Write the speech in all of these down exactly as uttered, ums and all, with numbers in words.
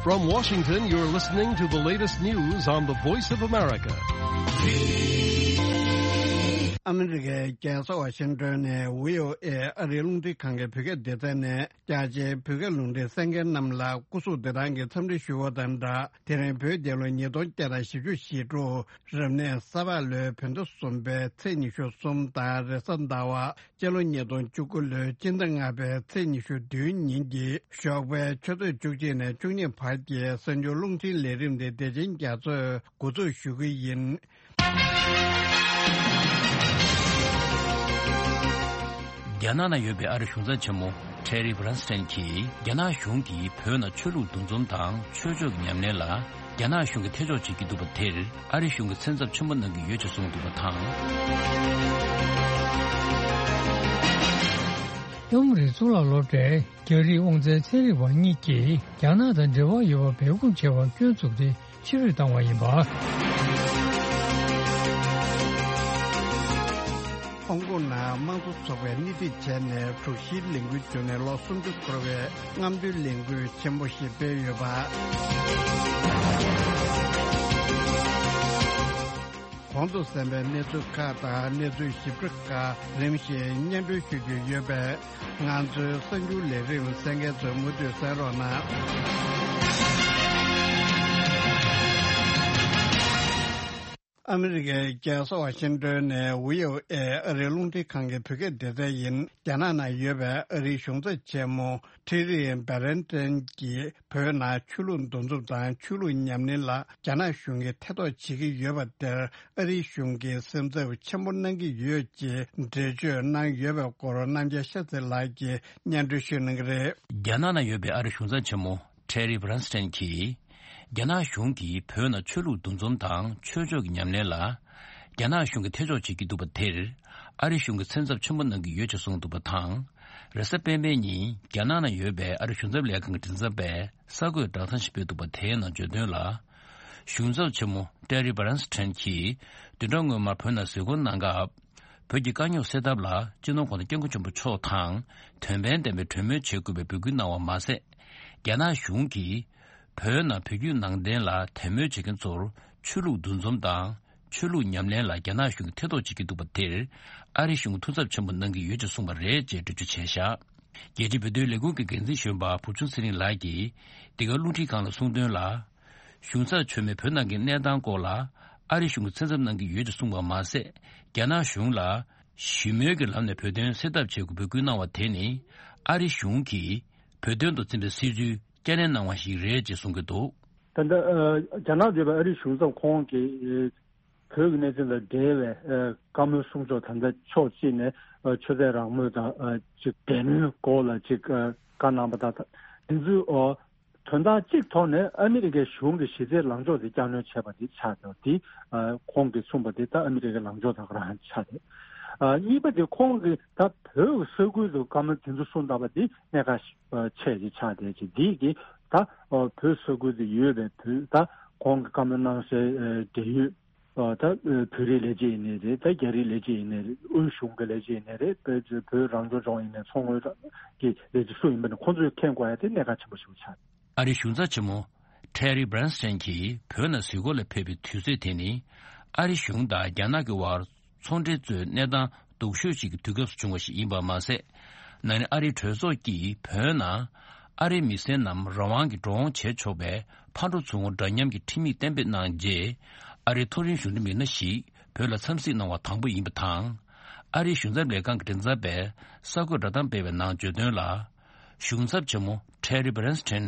From Washington, you're listening to the latest news on the Voice of America. ཨ་མི་རི་ཀའི་རྒྱལ་ས་ཝ་ཤིང་ཏོན་ནས་བྷི་ཨོ་ཨེ་ཨ་རིའི་རླུང་འཕྲིན་ཁང་གི་བོད་སྐད་སྡེ་ཚན་ནས། རྒྱ་ཆེའི་བོད་སྐད་རླུང་འཕྲིན་གསན་མཁན་རྣམས་ལ་སྐུ་གཟུགས་བདེ་ཐང་གི་འཚམས་འདྲི་ཞུ་བ་དང་སྦྲགས། དེ་རིང་བོད་རྒྱལ་ལོ་ཉིས་སྟོང་བརྒྱ་དང་བཞི་བཅུ་ཞེ་དྲུག་རབ་གནས་གཟའ་ཕག་ལོའི་བོད་ཟླ་གསུམ་པའི་ཚེས་ཉི་ཤུ་གསུམ་དང་རེས་གཟའ་ཟླ་བ། སྤྱི་ལོ་ཉིས་སྟོང་བཅུ་དགུ་ལོའི་སྤྱི་ཟླ་ལྔ་པའི་ཚེས་ཉི་ཤུ་བདུན་ཉིན་གྱི་ཞོགས་པའི་ཆུ་ཚོད་བཅུ་གཅིག་ནས་བཅུ་གཉིས་བར་གྱི་གསར་འགྱུར་རླུང་འཕྲིན་ལས་རིམ་དེ་བདེ་ཆེན་རྒྱ་མཚོས་འགོ་འཛུགས་ཞུ་གི་ཡིན། རྒྱ་ནག་ན་ཡོད་པའི་ཨ་རི་གཞུང་ཚབ་ཆེན་མོ་ཊེ་རི་བྷ་རན་སི་ཊན་གྱིས། རྒྱ་ནག་གཞུང་གིས་བོད་ནང་ཆོས་ལུགས་འདུ་འཛོམས་དང་ཆོས་ཕྱོགས་ཀྱི་ཉམས་ལེན་ལ། རྒྱ་ནག་གཞུང་གིས་ཐེ་གཏོགས་བྱེད་ཀྱི་འདུག་པ་དེར། ཨ་རི་གཞུང་གིས་སེམས་འཚབ་ཆེན་པོ་གནང་གི་ཡོད་ཅེས་གསུངས་འདུག་པ་དང་། ཨ་མི་རི་གཙུག་ལག་སློབ་གྲྭའི་རྒྱ་རིགས་དབང་འཛིན་ཚན་རིག་པ་གཉིས་ཀྱིས། རྒྱ་ནག་དང་འབྲེལ་བ་ཡོད་པ་སྦས་སྐུང་བྱས་པར་སྐྱོན་བཙུགས་ཏེ། ཕྱིར་འབུད་བཏང་བ་ཡིན་པ། ཧོང་ཀོང་ནང་དམངས་གཙོ་ཚོགས་པས་སྣེ་ཁྲིད་བྱས་ནས་དྲུག་བཞིའི་ལས་འགུལ་བརྒྱུད་ནས་ལོ་སུམ་ཅུ་འཁོར་བའི་རྔམ་སྟོན་ལས་འགུལ་ཆེན་པོ་ཞིག་སྤེལ་ཡོད་པ། གོང་དུ་གསན་པའི་གནས་ཚུལ་ཁག་དང་གནས་ཚུལ་ཞིབ་ཕྲ་ཁག་རིམ་བཞིན་སྙན་སྒྲོན་ཞུ་རྒྱུ་ཡོད་པས། ང་ཚོའི་གསར་འགྱུར་ལས་རིམ་གསན་མཁན་ཚོས་མུ་མཐུད་གསན་རོགས་གནང་། ཨ་མི་རི་ཀའི་རྒྱལ་ས་ཝ་ཤིང་ཏོན་ནས་བྷི་ཨོ་ཨེ་ཨ་རིའི་རླུང་འཕྲིན་ཁང་གི་བོད་སྐད་སྡེ་ཚན་ཡིན། རྒྱ་ནག་ནང་ཡོད་པའི་ཨ་རིའི་གཞུང་ཚབ་ཆེན་མོ་ཊེ་རི་བྷ་རན་ཊན་གྱིས། བོད་ནང་ཆོས་ལུགས་འདུ་འཛོམས་དང་ཆོས་ལུགས་ཉམས་ལེན་ལ་རྒྱ་ནག་གཞུང་གིས་ཐེ་གཏོགས་བྱེད་ཀྱི་ཡོད་པ་དེར། ཨ་རིའི་གཞུང་གིས་སེམས་འཚབ་ཆེན་པོ་གནང་གི་ཡོད་ཅེས་འགྲེལ་བརྗོད་གནང་ཡོད་པའི་སྐོར། རྣམ་རྒྱལ་ཤ་ཚ་ལགས་ཀྱིས་སྙན་སྒྲོན་ཞུ་གནང་གི་རེད། རྒྱ་ནག་ནང་ཡོད་པའི་ཨ་རིའི་གཞུང་ཚབ་ཆེན་མོ་ཊེ་རི་བྷ་རན་སི་ཊན་གྱིས། རྒྱ་ནག་གཞུང་གིས་བོད་ནང་ཆོས་ལུགས་འདུ་འཛོམས་དང་ཆོས་ཕྱོགས་ཀྱི་ཉམས་ལེན་ལ། རྒྱ་ནག་གཞུང་གིས་ཐེ་གཏོགས་བྱེད་ཀྱི་འདུག་པ་དེར། ཨ་རི་གཞུང་གིས་སེམས་འཚབ་ཆེན་པོ་གནང་གི་ཡོད་ཅེས་གསུངས་འདུག་པ་དང་། རེས་གཟའ་སྤེན་པའི་ཉིན་རྒྱ་ནག་ནང་ཡོད་པའི་ཨ་རི་གཞུང་ཚབ་ལས་ཁང་གི་མགྲིན་ཚབ་པས་གསར་འགོད་བསྒྲགས་གཏམ་ཞིག་སྤེལ་འདུག་པ། དེའི་ནང་བརྗོད་དོན་ལ། གཞུང་ཚབ་ཆེན་མོ་ཊེ་རི་བྷ་རན་སི་ཊན་གྱིས་བདུན་ཕྲག་སྔོན་མར་བོད་ནང་གཟིགས་སྐོར་གནང་སྐབས། བོད་ཀྱི་དཀའ་རྙོག་སེལ་ཐབས་ལ་སྤྱི་ནོར་༧གོང་ས་༧སྐྱབས་མགོན་ཆེན་པོ་མཆོག་དང་དོན་ཕན་ལྡན་པའི་གྲོས་མོལ་བྱེད་དགོས་པའི་འབོད་སྐུལ་གནང་བ་མ་ཟད། རྒྱ་ནག་གཞུང་གིས་བོད་ནང་བོད་བརྒྱུད་ནང་བསྟན་ལ་དད་མོས་བྱེད་མཁན་ཚོར་ཆོས་ལུགས་འདུ་འཛོམས་དང་། ཆོས་ལུགས་ཉམས་ལེན་ལ་རྒྱ་ནག་གཞུང་གིས་ཐེ་གཏོགས་བྱེད་ཀྱི་འདུག་པ་དེར། ཨ་རི་གཞུང་གིས་ཐུགས་འཚབ་ཆེན་པོ་གནང་གི་ཡོད་ཅེས་གསུངས་པ་རེད་ཅེས་འགྲེལ་བརྗོད་བྱས་བཞག་རྒྱལ་སྤྱིའི་བོད་དོན་ལས་ཁུངས་ཀྱི་འགན་འཛིན་གཞོན་པ་བུ་ཆུང་ཚེ་རིང་ལགས་ཀྱིས། འདི་ག་རླུང་འཕྲིན་ཁང་ལ་གསུངས་དོན་ལ། གཞུང་ཚབ་མཆོག་མིས་བོད་ནང་གི་གནས་སྟངས་སྐོར་ལ། ཨ་རི་གཞུང་གིས་སེམས་འཚབ་གནང་གི་ཡོད་ཅེས་གསུངས་པ་མ་ཟད། རྒྱ་ནག་གཞུང་ལ། ཞི་མོལ་གྱི་ལམ་ནས་བོད་དོན་སེལ་ཐབས་བྱེད་དགོས་འབོད་སྐུལ་གནང་བ་དེ་ནི། ཨ་རི་གཞུང་གིས། བོད་དོན་དུ་འཛིན་པའི་སྲིད་ཇུས། བསྐྱར་ནན་གནང་བ་ཞིག་རེད་ཅེས་གསུང་གི་འདུག་ད་ལྟ་ཨ་རྒྱ་ནག་འདུས་པའི་ཨ་རིའི་གཞུང་ཚབ་ཁོང་གིས་ཨ་བོད་ཀྱི་གནས་ཚུལ་དང་འབྲེལ་བའི་ཨ་བཀའ་མོལ་གསུང་ཕྱོགས། ད་ལྟ་ཕྱོགས་གཅིག་ནས་ཨ་ཆོས་དད་རང་མོས་དང་ཨ་ཅིག་དད་མོས་སྐོར་ལ་ཅིག་ཨ་བཀའ་གནང་པ་དང་། འདི་ཚོའི་ཨ་དོན་དག་གཅིག་ཐོག་ནས་ཨ་མི་རི་ཀའི་གཞུང་གིས་གཞི་རྩའི་ལངས་ཕྱོགས་དེ་བསྐྱར་སྣོན་བྱས་པ་དེ་ཆགས་ཀྱང་། དེ་ཨ་ཁོང་གིས་གསུངས་པ་དེ་ད་ཨ་མི་རི་ཀའི་ལངས་ཕྱོགས་དང་རང་ཆགས་རེད། ཨ་གཉིས་པ་དེ་ཁོང་གིས་ད་བོད་ཀྱི་ས་ཁུལ་དུ་བཀའ་མོལ་དེ་ཚོ་གསུངས་བསྡད་པ་དེ་གནད་འགག་ཆེ་ཆེ་ཆགས་བསྡད་ཀྱི། འདི་གིས་ད་བོད་ས་ཁུལ་དུ་ཡོད་པའི་བོད་ད་ཁོང་གི་བཀའ་མོལ་གནང་སའི་འབྲེལ་ཡོད་ད་བོད་རིགས་ལས་བྱེད་ཡིན་ནའི་རེད། ད་རྒྱ་རིགས་ལས་བྱེད་ཡིན་ནའི་རེད། དབུས་གཞུང་གི་ལས་བྱེད་ཡིན་ནའི་རེད། བོད་རང་སྐྱོང་ལྗོངས་ཡིན་ནའི་མཚོ་སྔོན་གྱི་ལས་བྱེད་སུ་ཡིན་པ་ནི་ཁོང་ཚོས་མཁྱེན་དགོས་ཡ་དེ་གནད་འགག་ཆེན་པོ་ཞིག་ཆགས། ཨ་རིའི་གཞུང་ཚབ་ཆེན་མོ་ཊེ་རི་བྷ་རན་སི་ཊན་གྱིས་བོད་ནང་གཟིགས་སྐོར་ལ་ཕེབས་པའི་དུས་ཚོད་དེ་ནི། ཨ་རི་གཞུང་དང་རྒྱ་ནག་གི་དབར་ཚོང་འབྲེལ་གཙོས་གནས་སྟངས་སྡུག་ཤོས་ཤིག་གི་དུས་སྐབས་སུ་བྱུང་བ་ཞིག་ཡིན་པ་མ་ཟད། ན་ནིང་ཨ་རིའི་གྲོས་ཚོགས་ཀྱིས་བོད་ནང་ཨ་རིའི་མི་སེར་རྣམས་རང་དབང་གིས་འགྲོ་འོང་བྱེད་ཆོག་པའི་ཕར་འགྲོ་ཚུར་འོང་འདྲ་མཉམ་གྱི་ཁྲིམས་ཡིག་གཏན་འབེབས་གནང་རྗེས། ཨ་རིའི་མཐོ་རིམ་གཞུང་འབྲེལ་མི་སྣ་ཞིག་བོད་ལ་འཚམས་གཟིགས་གནང་བ་དང་པོ་ཡིན་པ་དང་། ཨ་རིའི་གཞུང་ཚབ་ལས་ཁང་གི་མགྲིན་ཚབ་པས་གསར་འགོད་བསྒྲགས་གཏམ་སྤེལ་བའི་ནང་བརྗོད་དོན་ལ། གཞུང་ཚབ་ཆེན་མོ་ཊེ་རི་བྷ་རན་སི་ཊན་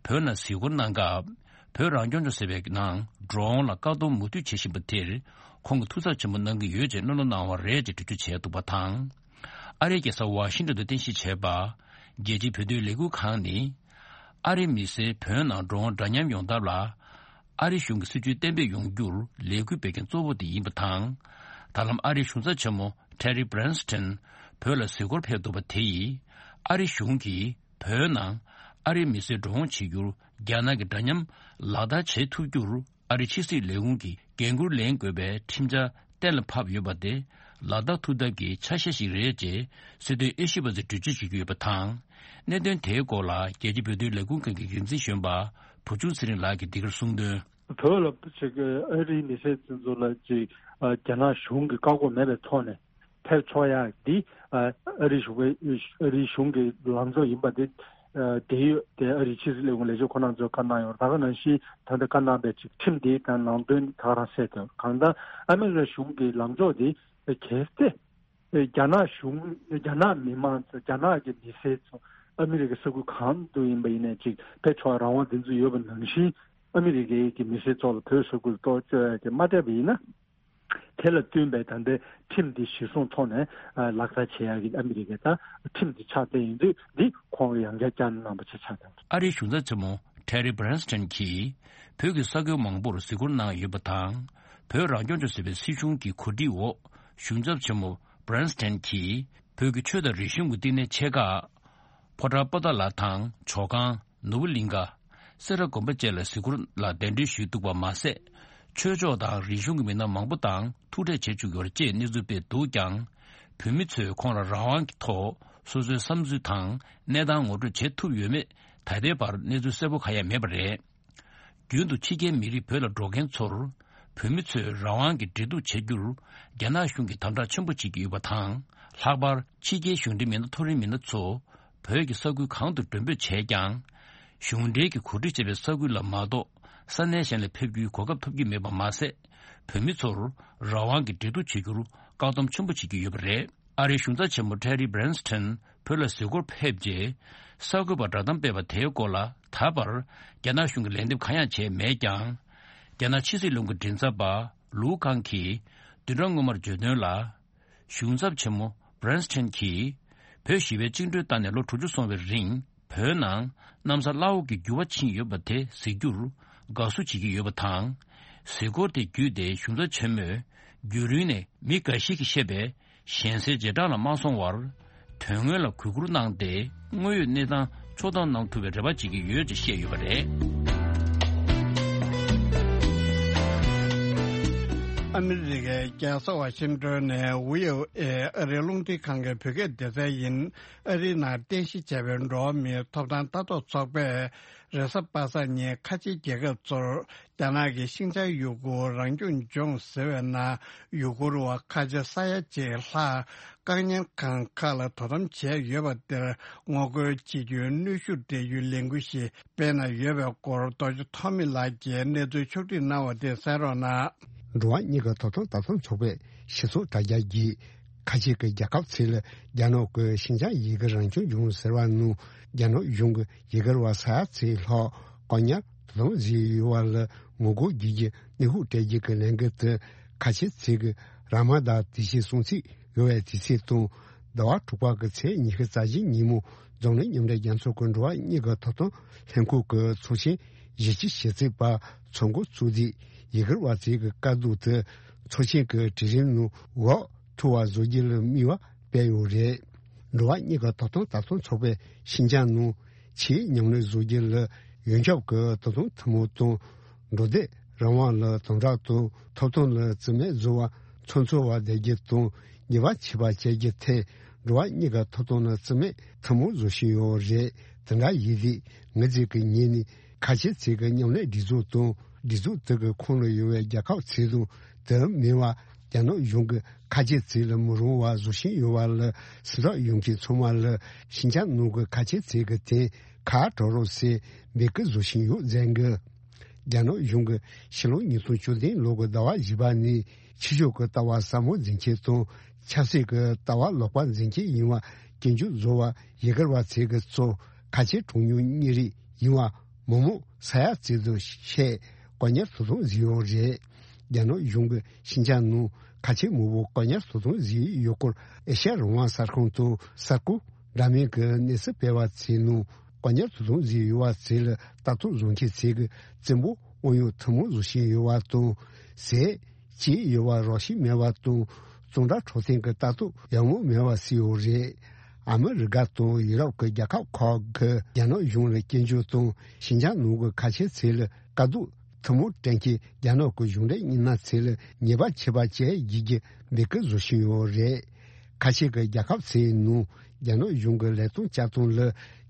བོད་ནང་གཟིགས་སྐོར་གནང་སྐབས། བོད་རང་སྐྱོང་ལྗོངས་ཟེར་བའི་ནང་འགྲོ་འོང་ལ་བཀག་སྡོམ་མུ་མཐུད་བྱེད་བཞིན་པ་དེར། ཁོང་གིས་ཐུགས་འཚབ་ཆེན་པོ་གནང་གི་ཡོད་ཅེས་གླེང་སློང་གནང་བ་རེད་ཅེས་འགྲེལ་བརྗོད་བྱས་འདུག་པ་དང་། ཨ་རིའི་རྒྱལ་ས་ཝ་ཤིང་ཏོན་དུ་རྟེན་གཞི་བྱས་པ། རྒྱལ་སྤྱིའི་བོད་དོན་ལས་འགུལ་ཁང་ནི། ཨ་རིའི་མི་སེར་བོད་ནང་འགྲོ་འོང་འདྲ་མཉམ་ཡོང་ཐབས་ལ། ཨ་རིའི་གཞུང་གི་སྲིད་ཇུས་གཏན་འབེབས་ཡོང་རྒྱུར་ལས་འགུལ་སྤེལ་མཁན་གཙོ་བོ་དེ་ཡིན་པ་དང་། ད་ལམ་ཨ་རིའི་གཞུང་ཚབ་ཆེན་མོ་ཊེ་རི་བྷ་རན་སི་ཊན་བོད་ལ་གཟིགས་སྐོར་ཕེབས་འདུག་པ་དེ་ཡིས། ཨ་རིའི་གཞུང་གིས་བོད་ནང་ཨ་རིའི་མི་སེར་འགྲོ་འོང་བྱེད་རྒྱུར་རྒྱ་ནག་གིས་འདྲ་མཉམ་ལག་བསྟར་བྱེད་ཐུབ་རྒྱུར། ཨ་རིའི་ཕྱི་སྲིད་ལས་ཁུངས་ཀྱིས་འགན་འཁུར་ལེན་དགོས་པའི་ཁྲིམས་འཆར་གཏན་ལ་ཕབ་ཡོད་པ་དེ། ལ་དྭགས་ཐུག་ཐབས་ཀྱི་ཆ་ཤས་ཤིག་རེད་ཅེས་སྲིད་དོན་དབྱེ་ཞིབ་པ་ཚོས་འགྲེལ་བརྗོད་བྱེད་ཀྱི་ཡོད་པ་དང་། གནད་དོན་དེའི་སྐོར་ལ་རྒྱལ་སྤྱིའི་བོད་དོན་ལས་ཁུངས་ཁང་གི་འགན་འཛིན་གཞོན་པ་བུ་ཆུང་ཚེ་རིང་ལགས་ཀྱིས་འདི་གར་གསུངས་དོན། བོད་ལ་ཅིག་ཨ་རིའི་མི་སེར་ཚོ་ལ་ཅིག་ཨ་རྒྱ་ནག་གཞུང་གི་བཀག་འགོག་མེད་པའི་ཐོག་ནས་ཕེབས་ཆོག་ཡག་འདི་ཨ་ཨ་རིའི་གཞུང་གི་ཨ་རིའི་གཞུང་གི་ལངས་ཕྱོགས་ཡིན་པ་འདི་ཨ་དེ་ཡོད་དེ་ཨ་རིའི་ཕྱི་སྲིད་ལས་ཁུངས་ལས་བྱེད་ཁོ་རང་ཚོས་བཀའ་གནང་ཡོད། ད་ག་ནང་བཞིན་ད་ལྟ་བཀའ་གནང་པའི་ཅིག་ཁྲིམས་འདི་དང་ནང་དོན་ད་ག་རང་གསལ་ཐོན། གང་ལྟར་ཨ་མི་རི་ཀ་གཞུང་གི་ལངས་ཕྱོགས་འདི་གལ་ཏེ་རྒྱ་ནག་གཞུང་རྒྱ་ནག་མི་མང་ཚོ་རྒྱ་ནག་གི་མི་སེར་ཚོ་ཨ་མི་རི་ཀའི་ས་ཁུལ་གང་དུ་ཡིན་པ་ཡིན་ནའི་ཅིག་ཕེབས་ཆོག་རང་དབང་དེ་ཚོ་ཡོད་པ་ནང་བཞིན་ཨ་མི་རི་ཀའི་གི་མི་སེར་ཚོ་ལ་བོད་ས་ཁུལ་གཏོགས་བཅོལ་ཡག་གི་མ་སྤྲད་པ་ཡིན་ན། དེ་ལ་བསྟུན་པའི་ད་ལྟའི་ཁྲིམས་འདི་གཞིར་བཟུང་ཐོག་ནས་ཨ་ལག་བསྟར་བྱེད་ཡག་གི་ཨ་མི་རི་ཀའི་ད་ཁྲིམས་འདི་ཆགས་བསྡད་ཡིན་དུས་འདི་ཁོང་གིས་ཡང་བསྐྱར་བསྐྱར་གནང་པ་ཆ་ཆགས་དང་། ཨ་རིའི་གཞུང་ཚབ་ཆེན་མོ་Terry Branstad གྱིས་བོད་ཀྱི་ས་ཁུལ་མང་པོར་གཟིགས་སྐོར་གནང་ཡོད་པ་དང་། བོད་རང་སྐྱོང་ལྗོངས་ཟེར་བའི་སྲིད་གཞུང་གི་གོ་སྒྲིག་འོག་གཞུང་ཚབ་ཆེན་མོ་Branstad གྱིས་བོད་ཀྱི་ཆོས་དང་རིག་གཞུང་གི་བསྟི་གནས་ཆེ་ཁག་ཕོ་བྲང་པོ་ཏཱ་ལ་དང་ཇོ་ཁང་། ནོར་བུ་གླིང་ཁ། སེ་ར་དགོན་པ་བཅས་ལ་གཟིགས་སྐོར་ལ་གདན་འདྲེན་ཞུས་འདུག་པ་མ་ཟད། ཆོས་ཕྱོགས་དང་རིག་གཞུང་གི་མི་སྣ་མང་པོ་དང་ཐུག་འཕྲད་བྱེད་བཅུག་ཡོད་ཅེས་གནས་ཚུལ་སྤེལ་འདུག་ཀྱང་། བོད་མི་ཚོས་ཁོང་ལ་རང་དབང་གི་ཐོག་སོ་སོའི་བསམ་ཚུལ་དང་གནས་སྟངས་ངོ་སྤྲོད་བྱེད་ཐུབ་ཡོད་མེད་ད་ལྟའི་བར་གནས་ཚུལ་གསལ་པོ་གང་ཡང་མེད་པ་རེད། རྒྱུན་དུ་ཕྱི་རྒྱལ་མི་རིགས་བོད་ལ་འགྲོ་མཁན་ཚོར་བོད་མི་ཚོས་རང་དབང་གི་འབྲེལ་གཏུག་བྱ་རྒྱུར་རྒྱ་ནག་གཞུང་གིས་དམ་དྲག་ཆེན་པོ་བྱེད་ཀྱི་ཡོད་པ་དང་། ལྷག་པར་ཕྱི་རྒྱལ་གཞུང་འབྲེལ་མི་སྣ་མཐོ་རིམ་མི་སྣ་ཚོ་བོད་ཀྱི་ས་ཁུལ་གང་དུ་མགྲོན་འབོད་བྱས་ཀྱང་། གཞུང་འབྲེལ་གྱི་གོ་སྒྲིག་བྱས་པའི་ས་ཁུལ་ལ་མ་གཏོགས་ས་གནས་གཞན་ལ་ཕེབས་རྒྱུའི་གོ་སྐབས་ཐོབ་ཀྱི་མེད་པ་མ་ཟད། བོད་མི་ཚོར་རང་དབང་གི་འབྲེལ་གཏུག་བྱེད་རྒྱུར་བཀག་སྡོམ་ཆེན་པོ་བྱེད་ཀྱི་ཡོད་པ་རེད། ཨ་རིའི་གཞུང་ཚབ་ཆེན་མོ་Terry Branstad བོད་ལ་གཟིགས་སྐོར་ཕེབས་རྗེས་གསར་འགོད་པར་བསྒྲགས་གཏམ་སྤེལ་བ་དེའི་སྐོར་ལ་ད་བར་རྒྱ་ནག་གཞུང་གིས་ལན་འདེབས་གང་ཡང་བྱས་མེད་ཀྱང་། རྒྱ་ནག་ཕྱི་སྲིད་བློན་ཁང་མགྲིན་ཚབ་པ་ལུའུ་ཁང་གིས་བདུན་ཕྲག་སྔོན་མར་བརྗོད་དོན་ལ། གཞུང་ཚབ་ཆེན་མོ་Branstad གྱིས་བོད་ཞི་བའི་བཅིངས་འགྲོལ་བཏང་ནས་ལོ་དྲུག་ཅུ་སོང་བའི་རིང་བོད་ནང་གནམ་ས་བླ་འོག་གི་འགྱུར་བ་ཕྱིན་ཡོད་པ་དེ་གཟིགས་རྒྱུར་དགའ་བསུ་བྱེད་ཀྱི་ཡོད་པ་དང་། གཟིགས་སྐོར་དེ་བརྒྱུད་དེ་གཞུང་ཚབ་ཆེན་མོས་རྒྱུན་རིང་ནས་མི་འགའ་ཞིག་གིས་བཤད་པའི་གཞན་སེལ་རྗེས་འབྲང་ལ་མ་སོང་བར། དོན་དངོས་ལ་གུས་བཀུར་གནང་སྟེ་དངོས་ཡོད་གནས་སྟངས་ཕྱོགས་བསྡོམས་གནང་ཐུབ་པའི་རེ་བ་བྱེད་ཀྱི་ཡོད་ཅེས་བཤད་ཡོད་པ་རེད། ཨ་མི་རི་ཀའི་རྒྱལ་ས་ཝ་ཤིང་ཏོན་ནས་ཝི་ཨོ་ཨེ་ཨ་རིའི་རླུང་འཕྲིན་ཁང་གི་བོད་སྐད་སྡེ་ཚན་ཡིན། ཨ་རིའི་ནང་རྟེན་གཞི་བྱས་པའི་འགྲོ་བ་མིའི་ཐོབ་ཐང་ལྟ་རྟོག་ཚོགས་པས་རེས་གཟའ་པ་སངས་ཉིན་ཁ་ཆེའི་རྒྱལ་ཁབ་ཚོར་རྒྱ་ནག་གིས་ཤིན་ཅང་ཡུ་གུར་རང་སྐྱོང་ལྗོངས་ཟེར་བའི་ནང་ཡུ་གུར་བ་ཁ་ཆེ་ས་ཡ་གཅིག་ལྷག་བཀག་ཉར་ཁང་ཁག་ལ་དོ་དམ་བྱས་ཡོད་པ་དེར་ངོ་རྒོལ་བྱེད་རྒྱུའི་གནོན་ཤུགས་སྤྲད་རྒྱུའི་ལས་འགུལ་ཞིག་སྤེལ་གནང་ཡོད་པའི་སྐོར་རྡོ་རྗེ་ཐོགས་མེད་ལགས་ཀྱིས་གནས་ཚུལ་ཕྱོགས་བསྒྲིགས་གནང་བ་དེ་གསན་རོགས་གནང་། འགྲོ་བ་མིའི་ཐོབ་ཐང་ལྟ་རྟོག་ཚོགས་པས་སྤྱི་ཚོགས་དྲ་རྒྱ་བརྒྱུད། ཁ་ཆེ་གི་རྒྱལ་ཁབ་ཚོས་རྒྱ་ནག་གི་ཤིན་ཅང་ཡུ་གུར་རང་སྐྱོང་ལྗོངས་ཟེར་བ་ནང་རྒྱ་ནག་གཞུང་གི་ཡུ་གུར་བ་ས་ཡ་གཅིག་ལྷག་བཀག་ཉར་དོ་དམ་བཟོས་ཡོད་པ་ལ་ངོ་རྒོལ་བརྒྱུད་ཀྱི་གནོན་ཤུགས་སྤྲད་རྒྱུ་གི་ལས་འགུལ་དེ་ཁ་ཆེ་ཚོས་ཀྱི་ར་མ་དཱན་དུས་ཆེན་སྲུང་བརྩི་ཡོད་པའི་དུས་ཚིགས་དང་། ཟླ་བ་དྲུག་པ་གི་ཚེས་ཉི་ཤུ་རྩ་བཞི་ཉིན་མོ་འཛམ་གླིང་མཉམ་འབྲེལ་རྒྱལ་ཚོགས་ཀྱི་འགྲོ་བ་མིའི་ཐོབ་ཐང་ལྷན་ཁང་གི་ཚོགས་ཆེན་བཞི་བཅུ་ཞེ་གཅིག་པ་ཚོགས་འགོ་བཙུགས་ཏེ། ཡུ་གུར་བ་ཚོའི་དཀའ་སྡུག་དེ་ཚོགས་ཆེན་གྱི་གྲལ་རིམ་ནང་འགོ་ཐོན་པ་བཟོ་རྒྱུ་ལ་དམིགས་པ་སྤེལ་ཡོད་རེད། འགྲོ་བ་མིའི་ཐོབ་ཐང་ལྟ་རྟོག་ཚོགས་པས་ཤིན་ཅང་ནང་ཆེས་མཉམ་ལས་བཟོ་རྒྱུ་ལ་ཡོངས་ཁྱབ་ཀྱི་དོ་དམ་ཐུན་མོང་དང་། འགྲོ་སྡོད་རང་དབང་ལ་དམ་དྲག་དང་། ཐོབ་ཐང་ལ་བརྩི་མེད་བཟོ་བ་ཚོ་འཚོལ་བ་བསྡད་རྒྱུ་དང་། ཉེས་པ་ཆད་པ་བཅད་རྒྱུ་ཐད་འགྲོ་བ་མིའི་ཐོབ་ཐང་ལ་བརྩི་མེད་ཐུན་མོང་བཟོ་བཞིན་ཡོད་རེད། དེ་འདྲ་ཡིན་དུས་ངེད་ཚོས་ཀྱི་ཉིན་ནས་ཁ་ཆེ་ཚོས་ཀྱི་མཉམ་ལས་སྒྲིག་འཛུགས་དང་། སྒྲིག་འཛུགས་དེ་གི་ཁོངས་ལ་ཡོད་པའི་རྒྱལ་ཁབ་ཚོ་དང་། དེ་མིན་པ་རྒྱ་ནག་གཞུང་གི་ཁ་ཆེ་ཚོ་ལ་མི་རུང་བ་བཟོ་བཞིན་ཡོད་པ་ལ་སེམས་ཐག་ཡོད་མཁན་ཚང་མ་ལ་ཤིན་ཅང་ནང་གི་ཁ་ཆེ་ཚོ་གི་དོན་ཁ་གྲག་རོགས་ཟེར་འབོད་སྐུལ་བཟོ་བཞིན་ཡོད་ཟེར་གི། རྒྱ་ནག་གཞུང་གིས་ཕྱི་ལོ་ཉིས་སྟོང་བཅུ་བདུན་ལོ་གི་ཟླ་བ་བཞི་པ་ནས་ཕྱི་ཕྱོགས་ཀྱི་ལྟ་བ་ཟབ་མོ་འཛིན་མཁན་དང་། ཆབ་སྲིད་ཀྱི་ལྟ་བ་ལོག་པ་འཛིན་མཁན་ཡིན་པ་སྐྱོན་བརྗོད་བཟོ་བ་ཡུ་གུར་བ་ཚོ་གི་གཙོ་ཁ་ཆེ་གྲངས་ཉུང་མི་རིགས་ཡིན་པ་མི་མང་ས་ཡ་གཅིག་ཙམ་ཞིག་བཀག་ཉར་དོ་དམ་བཟོས་ཡོད་རེད། རྒྱ་ནག་གཞུང་གིས་ཤིན་ཅང་ནང་ཁ་ཆེ་མང་པོ་བཀག་ཉར་དོ་དམ་བཟོས་ཡོད་སྐོར་ཨེ་ཤ་ཡ་རང་དབང་གསར་ཁང་དང་གསར་འགོད་འདྲ་མིན་གྱི་གནས་ཚུལ་སྤེལ་བ་ཚོའི་ནང་བཀག་ཉར་དོ་དམ་བཟོས་ཡོད་པ་ཚོ་ལ་ལྟ་རྟོག་བཟོ་མཁན་ཚོས་ཀྱི་བཙན་པོ་དབང་ཡོད་ཐུན་མོང་བཟོ་བཞིན་ཡོད་པ་དང་། ཟས་བཅད་ཡོད་པ་རོགས་ཞུ་མེད་པ་དང་། གཙང་སྦྲ་འཕྲོད་བསྟེན་གྱི་ལྟ་རྟོག་ཡང་མོ་མེད་པ་བཟོས་ཡོད་རེད། ཨ་མི་རི་ཀ་དང་ཡུ་རོབ་ཀྱི་རྒྱལ་ཁབ་ཁག་གིས་རྒྱ་ནག་གཞུང་ལ་སྐྱོན་བརྗོད་དང་། ཤིན་ཅང་ནང་གི་ཁ་ཆེ་ཚོ་ལ་དཀའ་སྡུག་ ཐུན་མོང་གཏན་འཁེལ་རྒྱ་ནག་གི་གཞུང་འབྲེལ་མི་སྣ་ཚོ་ལ་ཉེས་པ་ཆད་པ་བཅད་ཡོད་ཅེས་འབོད་སྐུལ་བཟོ་བཞིན་ཡོད་རེད། ཁ་ཆེ་གི་རྒྱལ་ཁབ་ཚོའི་ནང་རྒྱ་ནག་གཞུང་གི་ལས་དོན་བསྐྱར་གཏོང་ལ་